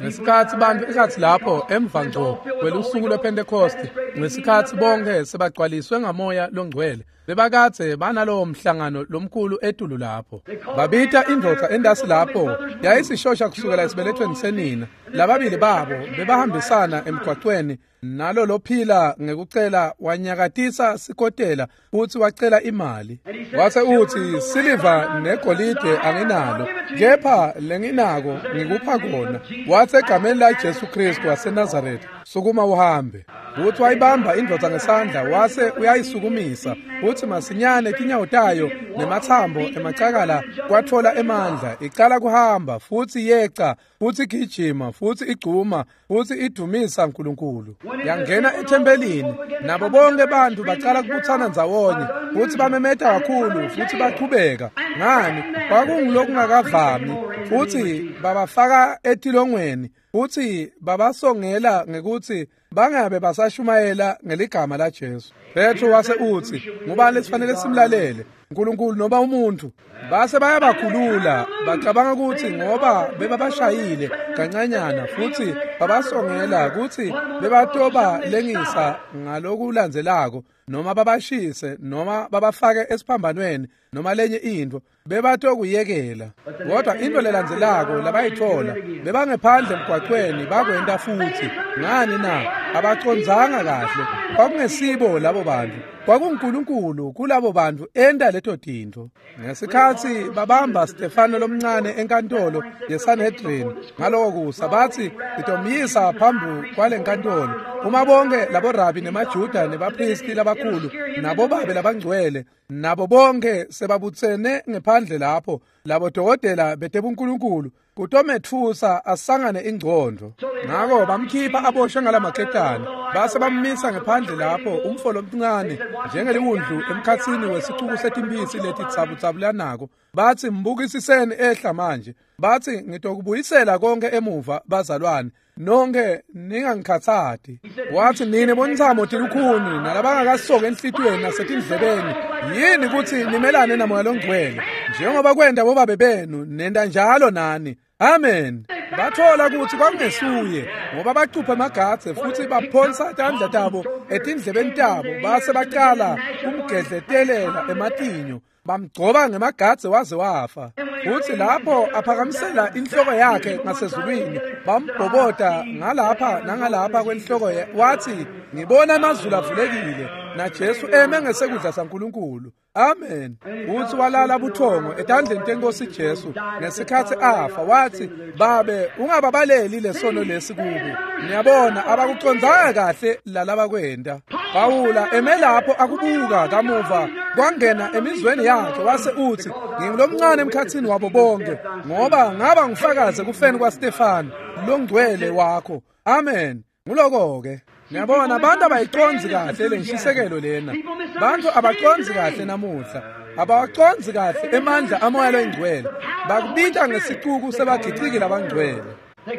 Ngesikhatsi bantfu ekhatsi lapho emva ngco kwelusuku lwePentecost, ngesikhatsi bonke sebagcwaliswe ngamoya longcwele, bebakadze banalowo mhlangano lomkhulu etulu lapho. Babita indvodza endasi lapho yayisishosha kusukela esibelethweni senina. Lababili babo bebahambisana emgwacweni nalo lophila ngekucela wanyakatisa sikotela futsi wacela imali. Wase utsi, siliva negolide anginalo, kepha lenginako ngikupha kona. Watsi egameni la Jesu Kristu waseNazaretha, sukuma uhambe. Futsi wayibamba indvodza ngesandla wase uyayisukumisa, futsi masinyane tinyawo tayo nematsambo emacakala kwatfola emandla, icala kuhamba futsi yeca futsi igijima futsi igcuma futsi idumisa uNkulunkulu. Yangena ethempelini, nabo bonke bantu bacala kubutsana ndzawonye futsi bamemeta kakhulu futsi bachubeka. Ngani? Kwakungulokungakavami. Futsi babafaka etilongweni futsi babasongela ngekutsi bangabe basashumayela ngeligama la Jesu. Petro wase utsi, ngubani lesifanele simlalele, uNkulunkulu noma umuntu? Base bayabakhulula, bacabanga kutsi ngoba bebabashayile kancanyana futsi babasongela kutsi bebatoba lengisa ngalokulandzelako, noma babashise noma babafake esiphambanweni noma lenye intfo, bebatokuyekela. Kodwa intfo lelandzelako labayitfola, bebangephandle emgwacweni bakwenta futsi. Ngani na? Abacondzanga kahle. Kwakungesibo labo bantfu, kwakunguNkulunkulu kulabo bantfu enta leto tintfo. Ngesikhatsi babamba Stefano lomncane enkantolo yeSanhedrin ngaloko kusa, batsi sitomyisa phambi kwalenkantolo. Uma bonke labo rabi nemaJuda nebaphristi labakhulu nabobabe labangcwele nabo bonke sebabutsene ngephandle lapho, labo dokotela betebunkulunkulu kutometfusa asangane ingcondvo. Ngako bamkhipha aboshwe ngalamaketane, base bammisa ngephandle lapho umfo lomncane njengeliwundlu emkhatsini wesicuku setimphisi letitsabutsabulanako. Batsi, mbukisiseni ehla manje. Batsi, ngitokubuyisela konke emuva bazalwane, nonke ningangikhatsati. Watsi, nine bontsamo tilukhuni nalabangakasoki enhlitiyweni nasetindlebeni, yini kutsi nimelane namoya longcwele njengoba kwenta bobabe benu, nenta njalo nani. Amen. Bathola kutsi kwakungesuye, ngoba bacupha emagadze futsi baphonsa tandla tabo etindlebeni tabo, base bacala kumgedletelela ematinyo, bamgcoba ngemagadze waze wafa. Futsi lapho aphakamisela inhloko yakhe ngasezulwini, bambhobota ngalapha nangalapha kwenhloko, wathi, ngibona amazulu avulekile naJesu eme ngesekudla saNkulunkulu. Amen. Uthi walala buthongo etandleni tenkosi Jesu ngesikhatsi afa. Wathi, babe ungababaleli lesono lesi kubo. Niyabona abakucondzanga kahle lalabakwenta. Pawula eme lapho akubuka kamuva kwangena emizweni yakhe, wase uthi, ngingulomncane emkhatsini wabo bonke, ngoba ngaba ngufakazi kufeni kwaStefano longcwele wakho. Amen. Nguloko-ke. Niyabona abantu abayicondzi kahle lenshisekelo lena. Bantu abacondzi kahle namuhla, abawacondzi kahle emandla amoya longcwele. Bakubita ngesicuku sebagiciki labangcwele,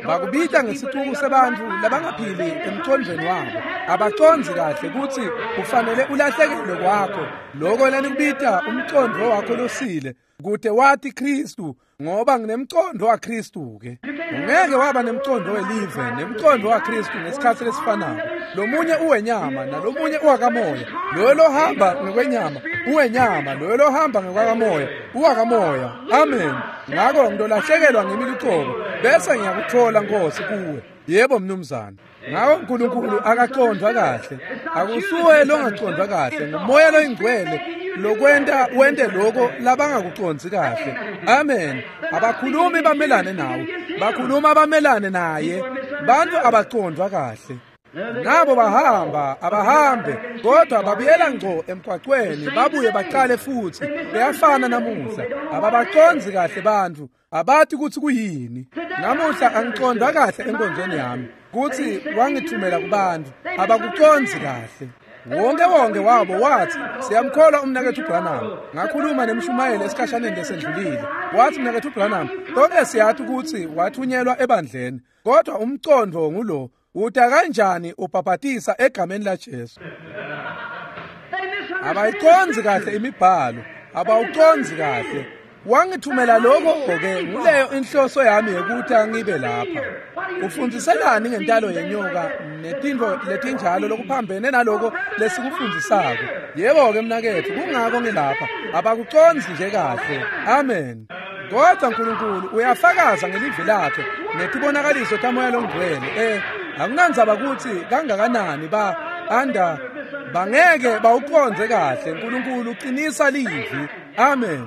bakubita ngesicuku sebantfu labangaphili emcondvweni wabo. Abacondzi kahle kutsi kufanele ulahlekelwe kwakho loko lenikubita umcondvo wakho losile, kute wati Kristu, ngoba nginemcondvo waKristu ke. Ungeke waba nemcondvo welive nemcondvo waKristu ngesikhatsi lesifanako. Lomunye uwenyama nalomunye uwakamoya. Loyo lohamba ngekwenyama uwenyama, loyo lohamba ngekwakamoya uwakamoya. Amen. Ngako ngitolahlekelwa ngimi lucobo, bese ngiyakutfola Nkosi kuwe. Yebo mnumzane. Ngako uNkulunkulu akacondvwa kahle. Akusuwe longacondvwa kahle, ngumoya loyingcwele lokwenta wente lokho labangakucondzi kahle. Amen. Abakhulumi bamelane nawe, bakhuluma bamelane naye. Bantu abacondvwa kahle. Nabo bahamba abahambe kodwa babuyela ngco emgwaqweni babuye baqale futhi. Beyafana namuhla, ababacondzi kahle bantfu, abathi kutsi kuyini. Namuhla angicondwa kahle enkonzweni yami kutsi wangithumela kubantu, abakucondzi kahle. Wonke wonke wabo wathi siyamkholwa umnaketfu Branham. Ngakhuluma nemshumayeli esikhashaneni lesendlulile, wathi mnaketfu Branham, konke siyathi kutsi wathunyelwa ebandleni, kodwa umcondvo ngulo, uta kanjani ubhabhatisa egameni laJesu? Abayicondzi kahle imibhalo, abawucondzi kahle. Wangithumela lokho-ke, nguleyo inhloso yami yokuthi angibe lapha. Ufundziselani ngentalo yenyoka netintfo letinjalo lokuphambene naloko lesikufundzisako? Yebo-ke mnaketfu, kungako ngilapha. Abakucondzi nje kahle. Amen. Kodwa Nkulunkulu uyafakaza ngelivi lakhe netibonakaliso taMoya Longcwele. Eh, akunandzaba kutsi kangakanani ba anda bangeke bawucondze kahle. Nkulunkulu uqinisa livi. Amen.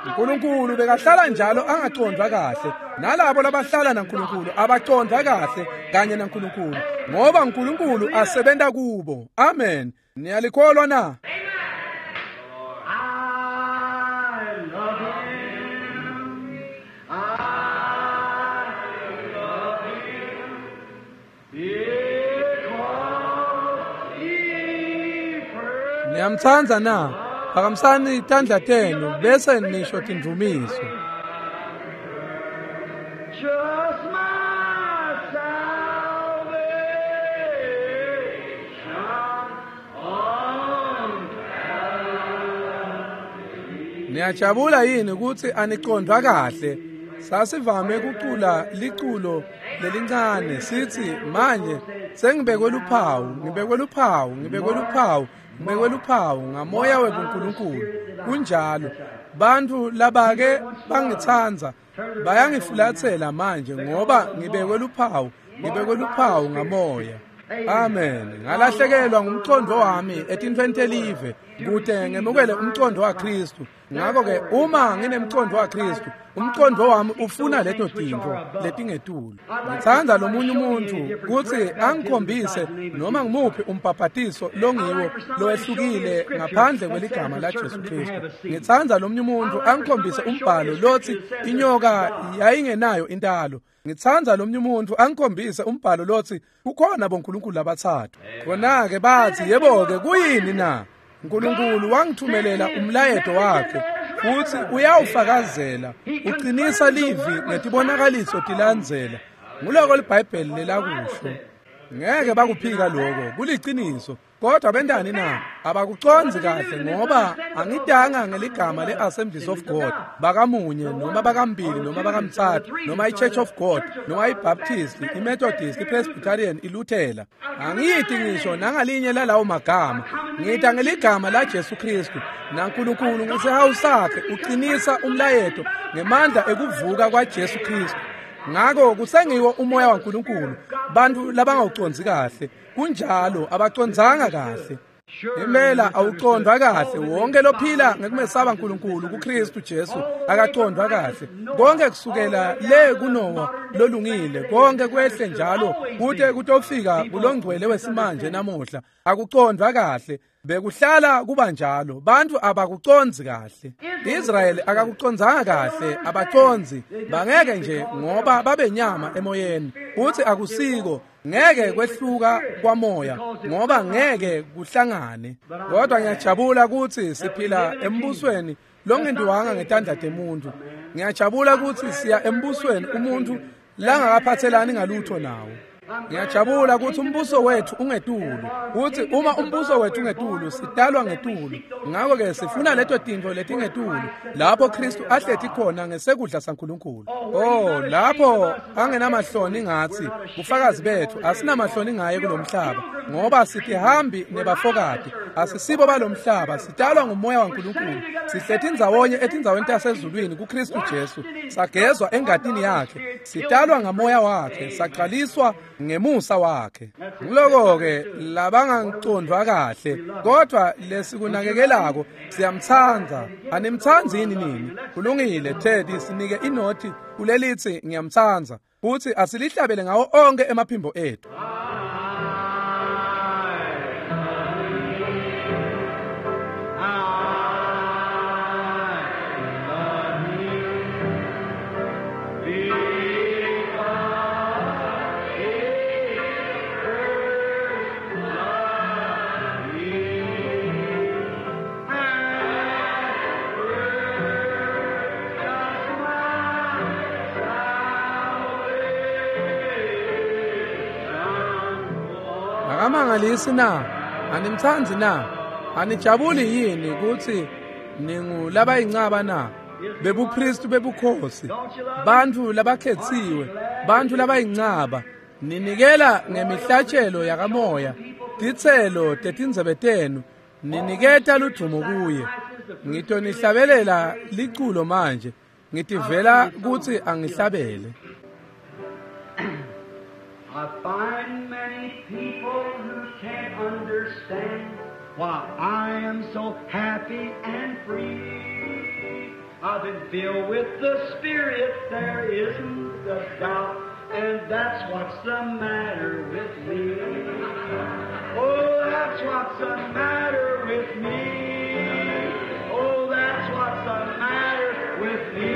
Nkulunkulu bekahlala njalo angacondvwa kahle, nalabo labahlala naNkulunkulu abacondvwa kahle kanye naNkulunkulu, ngoba Nkulunkulu asebenta kubo. Amen. Niyalikholwa na? I love him. I love him. Because he first Niyamtsandza na? Phakamisani tandla tenu bese nisho tindvumiso. just my salvation on Niyajabula yini kutsi anicondvwa kahle? Sasivame kucula liculo lelincane sithi manje sengibekwe luphawu, ngibekwe luphawu, ngibekwe luphawu, ngibekwe luphawu ngamoya webuNkulunkulu. Kunjalo. Bantfu labake bangitsandza bayangifulatsela manje ngoba ngibekwe luphawu, ngibekwe luphawu ngamoya. Amen. Ngalahlekelwa ngumcondvo wami etintfweni telive kute ngemukele umcondvo waKhristu. Ngakho-ke uma nginemcondvo waKhristu, umcondvo wami ufuna leto tintfo letingetulu. Ngitsandza lomunye umuntfu kutsi angikhombise noma ngimuphi umbhabhatiso longiwo lowehlukile ngaphandle kweligama laJesu Khristu. Ngitsandza lomunye umuntfu angikhombise umbhalo lotsi inyoka yayingenayo intalo. Ngitsandza lomunye umuntfu angikhombise umbhalo lotsi kukhona bonkulunkulu labatsatfu. Khona-ke batsi, yebo-ke kuyini na? Nkulunkulu wangithumelela umlayeto wakhe futsi uyawufakazela, uqinisa livi ngetibonakaliso tilandzela. Nguloko liBhayibheli lelakusho. Ngeke bakuphika lokho, kuliciniso. Kodwa bentani na? Abakucondzi kahle ngoba angidanga ngeligama le-Assemblies of God, bakamunye noma bakambili noma bakamtsatfu noma i-Church of God noma i-Baptist, i-Methodist, i-Presbyterian, iLuthela. Angiyiti ngisho nangalinye lalawo magama. Ngita ngeligama laJesu Khristu, naNkulunkulu ngesihawu sakhe uqinisa umlayeto ngemandla ekuvuka kwaJesu Khristu. Ngako kusengiwo umoya waNkulunkulu, bantu labangawucondzi kahle. Kunjalo, abacondzanga kahle. Impela awucondvwa kahle. Wonke lophila ngekumesaba Nkulunkulu kuKhristu Jesu akacondvwa kahle. Konke kusukela le kuNowa lolungile, konke kwehle njalo kute kutofika kulongcwele wesimanje namuhla, akucondvwa kahle. Bekuhlala kuba njalo, bantu abakucondzi kahle. Israyeli akakucondzanga kahle, abacondzi bangeke nje ngoba babenyama emoyeni. Uthi akusiko, ngeke kwehluka kwamoya ngoba ngeke kuhlangane. Kodwa ngiyajabula kutsi siphila embusweni longentiwanga ngetandla temuntu. Ngiyajabula kutsi siya embusweni umuntu langakaphathelani ngalutho nawo. Ngiyajabula kutsi umbuso wethu ungetulu, kutsi uma umbuso wethu ungetulu sidalwa ngetulu. Ngakho-ke sifuna leto tintfo letingetulu lapho Khristu ahleti khona ngesekudla saNkulunkulu. Oh, lapho angenamahloni ngatsi, bufakazi betfu asinamahloni ngaye kulomhlaba, ngoba sitihambi nebafokati, asisibo balomhlaba, sidalwa ngumoya waNkulunkulu. Sihleti ndzawonye etindzaweni tasezulwini kuKhristu Jesu, sagezwa engatini yakhe, sidalwa ngamoya wakhe, saqaliswa ngemusa wakhe. Nguloko-ke labangacondvwa kahle, kodwa lesikunakekelako siyamtsandza. Animtsandzi yini nini? Kulungile, Teddy, sinike inothi kulelitsi ngiyamtsandza, futsi asilihlabele ngawo onke emaphimbo ethu. I Akamangalisi na? Animtsandzi na? Anijabuli yini kutsi ningulabayincaba na? BebuKristu bebukhosi, bantfu labakhetsiwe, bantfu labayincaba, ninikela ngemihlatshelo yakamoya, titselo tetindzebe tenu, niniketa ludvumo kuye. Ngitonihlabelela liculo manje, ngitivela kutsi angihlabele. I find many people who can't understand why I am so happy and free. I've been filled with the Spirit, there isn't a doubt, and that's what's the matter with me. Oh, that's what's the matter with me. Oh, that's what's the matter with me.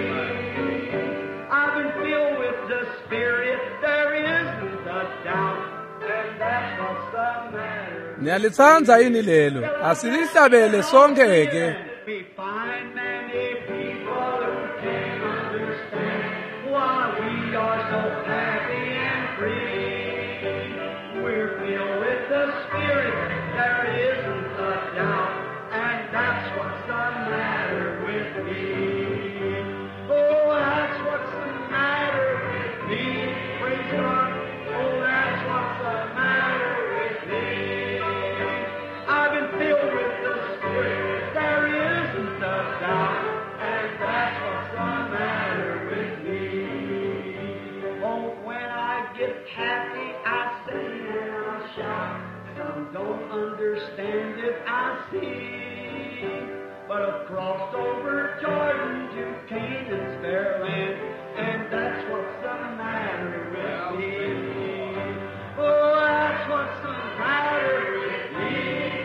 I've been filled with the Spirit, there isn't a doubt, and that's what's the matter. Niyalitsandza yini lelo? Asilihlabele sonke ke. We find many people who can't understand why we are so happy and free. We're filled with the Spirit, there isn't a doubt, and that's what's the matter with me. Oh, that's what's the matter with me. Praise God. Oh, that's what's the matter with me. I've been filled with the Spirit, there isn't a doubt, and that's what's the matter with me. Oh, when I get happy, I sing and I shout. Some don't understand it, I see. But I've crossed over Jordan to Canaan's fair land, and that's what's the matter with me. Oh, that's what's the matter with me.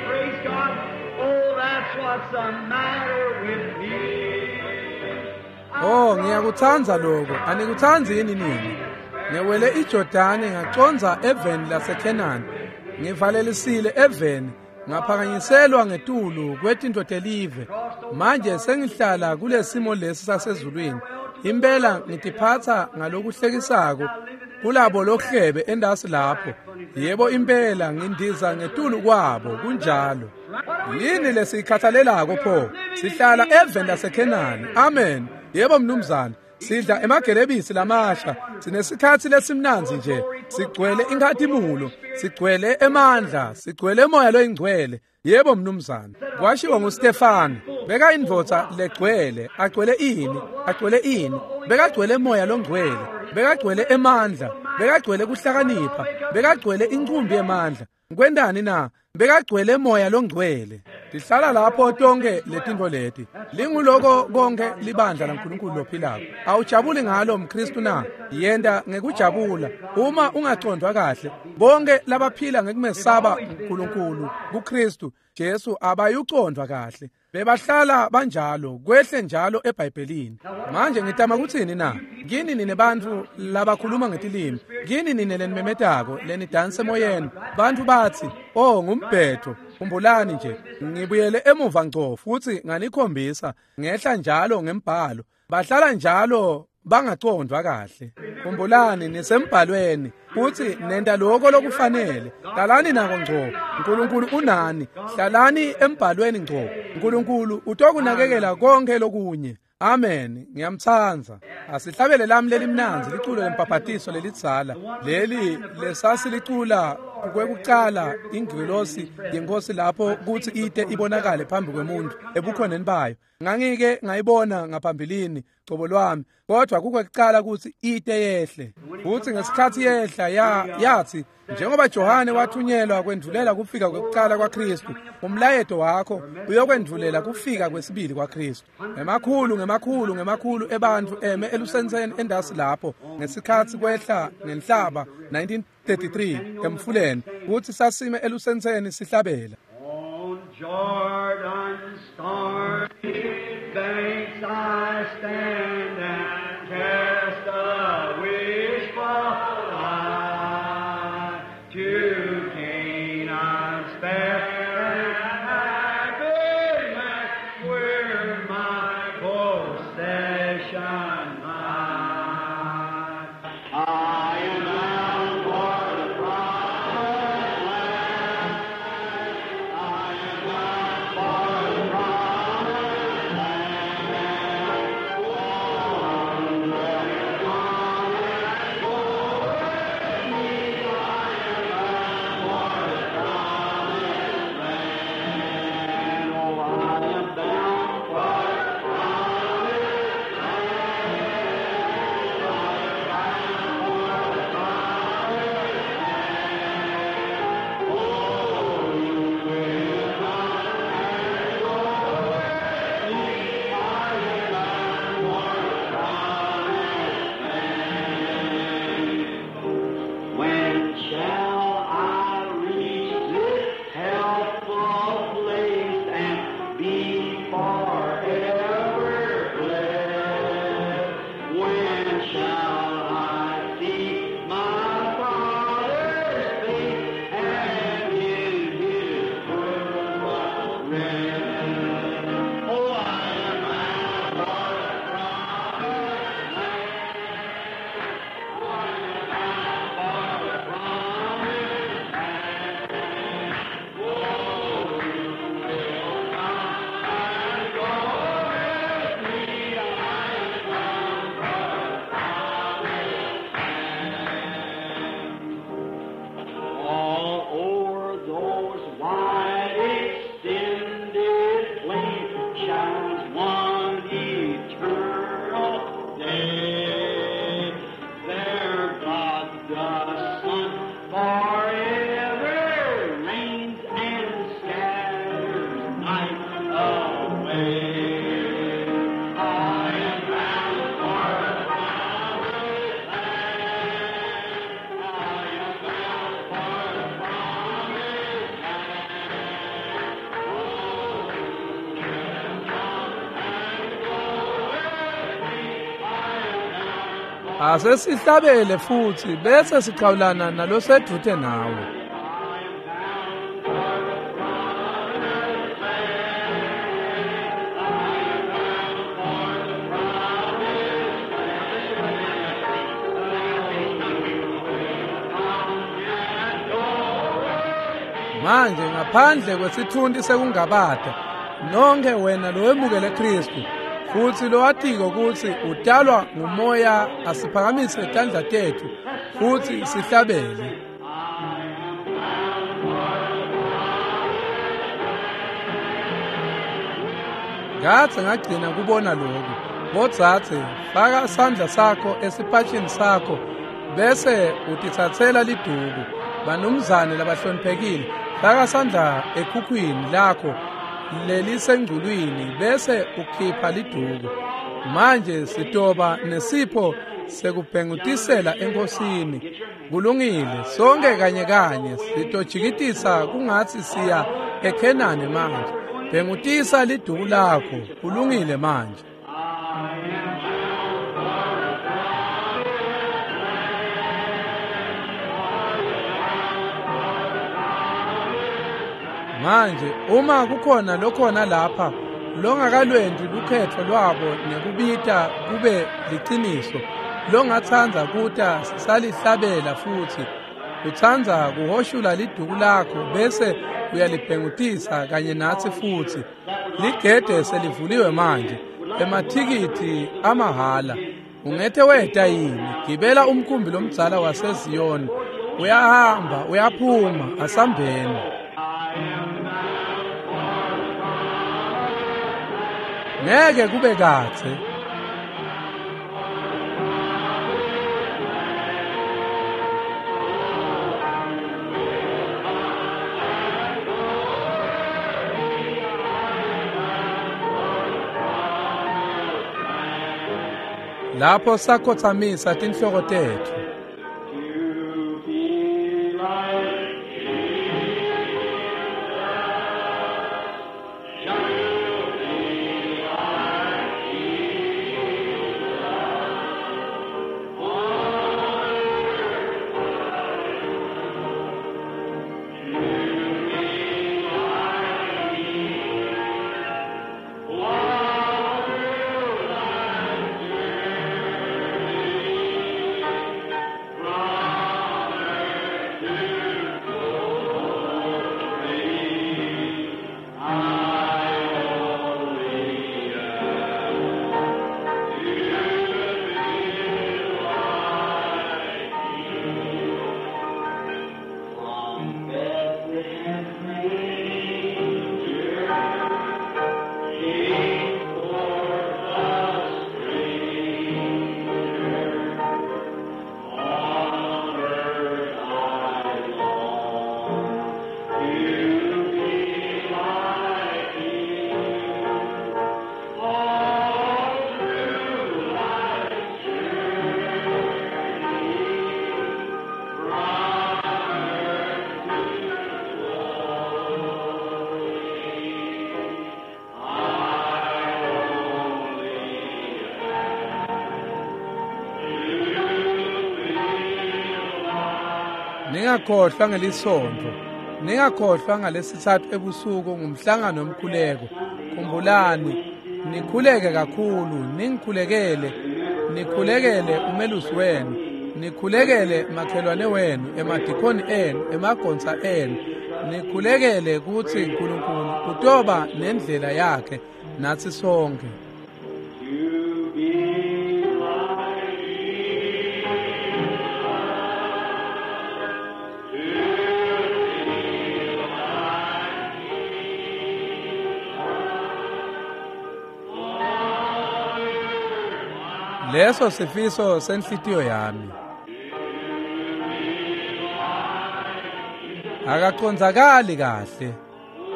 Praise God. Oh, that's what's the matter with me. Oh, ngiyakutsandza lokho. Anikutsanzi yini nini? Ngewele iJordani ngacondza eveni laseKhenani. Ngivalelisile eveni, ngaphakanyiselwa ngetulu kwetinto telive. Manje sengihlala kulesimo lesi sasezulwini. Impela ngitiphatsa ngalokuhlekisako kulabo lohlebe endasi lapho. Yebo impela ngindiza ngetulu kwabo kunjalo. Yini lesiyikhathalelako pho? Sihlala eveni laseKhenani. Amen. Yebo mnumzane. Sidla emagelebisi lamasha, sinesikhatsi lesimnandzi nje, sigcwele inkhatimulo, sigcwele emandla, sigcwele moya loyingcwele. Yebo mnumzane. Kwashiwo nguStefano, beka indvodza legcwele, agcwele ini, agcwele ini, bekagcwele moya longcwele, bekagcwele emandla, bekagcwele kuhlakanipha, bekagcwele incumbi yemandla. Kwendani na? Bekagcwele moya longcwele. Tihlala lapho tonke letinto leti. Linguloko konke libandla laNkulunkulu lophilako. Awujabuli ngalo mKristu na? Yenda ngekujabula. Uma ungacondwa kahle, bonke labaphila ngekumesaba uNkulunkulu kuKristu Jesu abayucondwa kahle. Bebahlala banjalo, kwehle njalo eBhayibhelini. Manje ngitama kutsini na? Kini nine bantfu labakhuluma ngetilimi, kini nine lenimemetako, lenidansa emoyeni. Bantfu batsi, "Oh, ngumbhetho." Khumbulani nje, ngibuyele emuva ngco futhi nganikhombisa ngehla njalo ngembhalo. Bahlala njalo bangacondwa kahle. Khumbulani nisembhalweni futhi nenta lokho lokufanele. Hlalani nako ngco. uNkulunkulu unani. Hlalani embhalweni ngco. uNkulunkulu utokunakekela konke lokunye. Amen. Ngiyamtsandza. Asihlabele lami lelimnandzi liculo lempapatiso lelidzala. Leli lesasilicula kwekucala ingilosi yenkosi lapho kuthi ite ibonakale phambi kwemuntu ebukhoneni bayo. Ngangike ngayibona ngaphambilini cobo lwami, kodwa kukwekucala kuthi ite yehle. Futhi ngesikhathi yehla ya yathi njengoba Johane wathunyelwa kwendvulela kufika kwekucala kwaKristu, umlayeto wakho uyokwendvulela kufika kwesibili kwaKristu. Emakhulu ngemakhulu ngemakhulu ebantfu eme elusenseni endasi lapho ngesikhathi kwehla ngenhlaba nineteen thirty-three emfuleni, kuthi sasime elusenseni sihlabela. On Jordan's stormy banks I stand and cast a wishful eye to Canaan's fair and happy land, where my possession lies. I am bound for the promised land. Asesihlabele futsi bese sichawulana nalosedvute nawe. Manje ngaphandle kwesitfunti sekungabata, nonke wena lowemukele Kristu futsi lowatiko kutsi utalwa ngumoya, asiphakamise tandla tetfu futsi sihlabele. Ngatsi ngagcina kubona lokhu. Bodzadze, faka sandla sakho esipatshini sakho bese utitsatsela liduku. Banumzane labahloniphekile, faka sandla ekhukhwini lakho lelisengculwini bese ukhipha liduku. Manje sitoba nesipho sekubhengutisela enkosini. Kulungile, sonke kanye kanye sitojikitisa kungatsi siya eKhenani manje. Bhengutisa liduku lakho. Kulungile manje. Manje uma kukhona lokhona lapha longakalwendi lukhetfo lwabo nekubita kube liciniso, longatsandza kuta salihlabela futsi utsandza kuhoshula liduku lakho bese uyalibhengutisa kanye natsi futsi, ligede selivuliwe manje, emathikithi amahhala. Ungethe weta yini? Gibela umkhumbi lomdzala waseZiyoni, uyahamba uyaphuma, asambeni. Ngeke kube kadze. Lapho sakhotsamisa tinhloko tetfu. Ningakhohlwa ngelisonto, ningakhohlwa ngalesithathu ebusuku ngumhlangano womkhuleko. Khumbulani, nikhuleke kakhulu, ningikhulekele, nikhulekele umelusi wenu, nikhulekele makhelwane wenu, emadikhoni enu, emagonsa enu, nikhulekele kutsi uNkulunkulu utoba nendlela yakhe natsi sonke. Leso sifiso senhlitiyo yami. Akacondzakali kahle.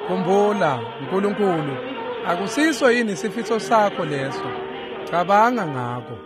Khumbula, uNkulunkulu akusiso yini sifiso sakho leso? Cabanga ngako.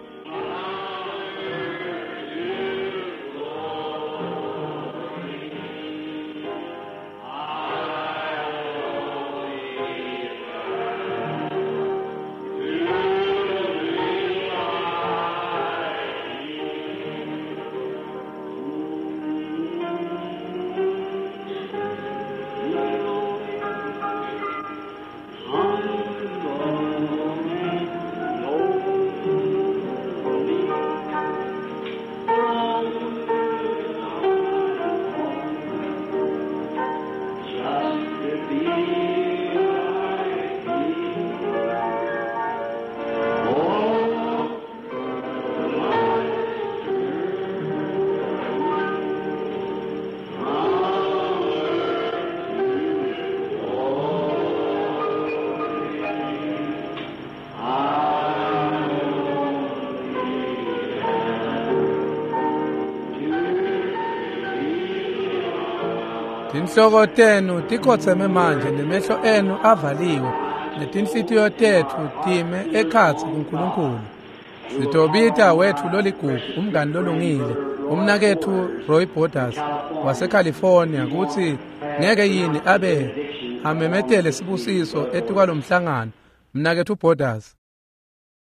Tinhloko tenu tikhotseme manje nemehlo enu avaliwe netinhlitiyo tetfu time ekhatsi kuNkulunkulu. Sitobita wetfu loligugu, umngani lolungile, umnaketfu Roy Borders waseCalifornia, kutsi ngeke yini abe amemetele sibusiso etikwalomhlangano. Mnaketfu Borders.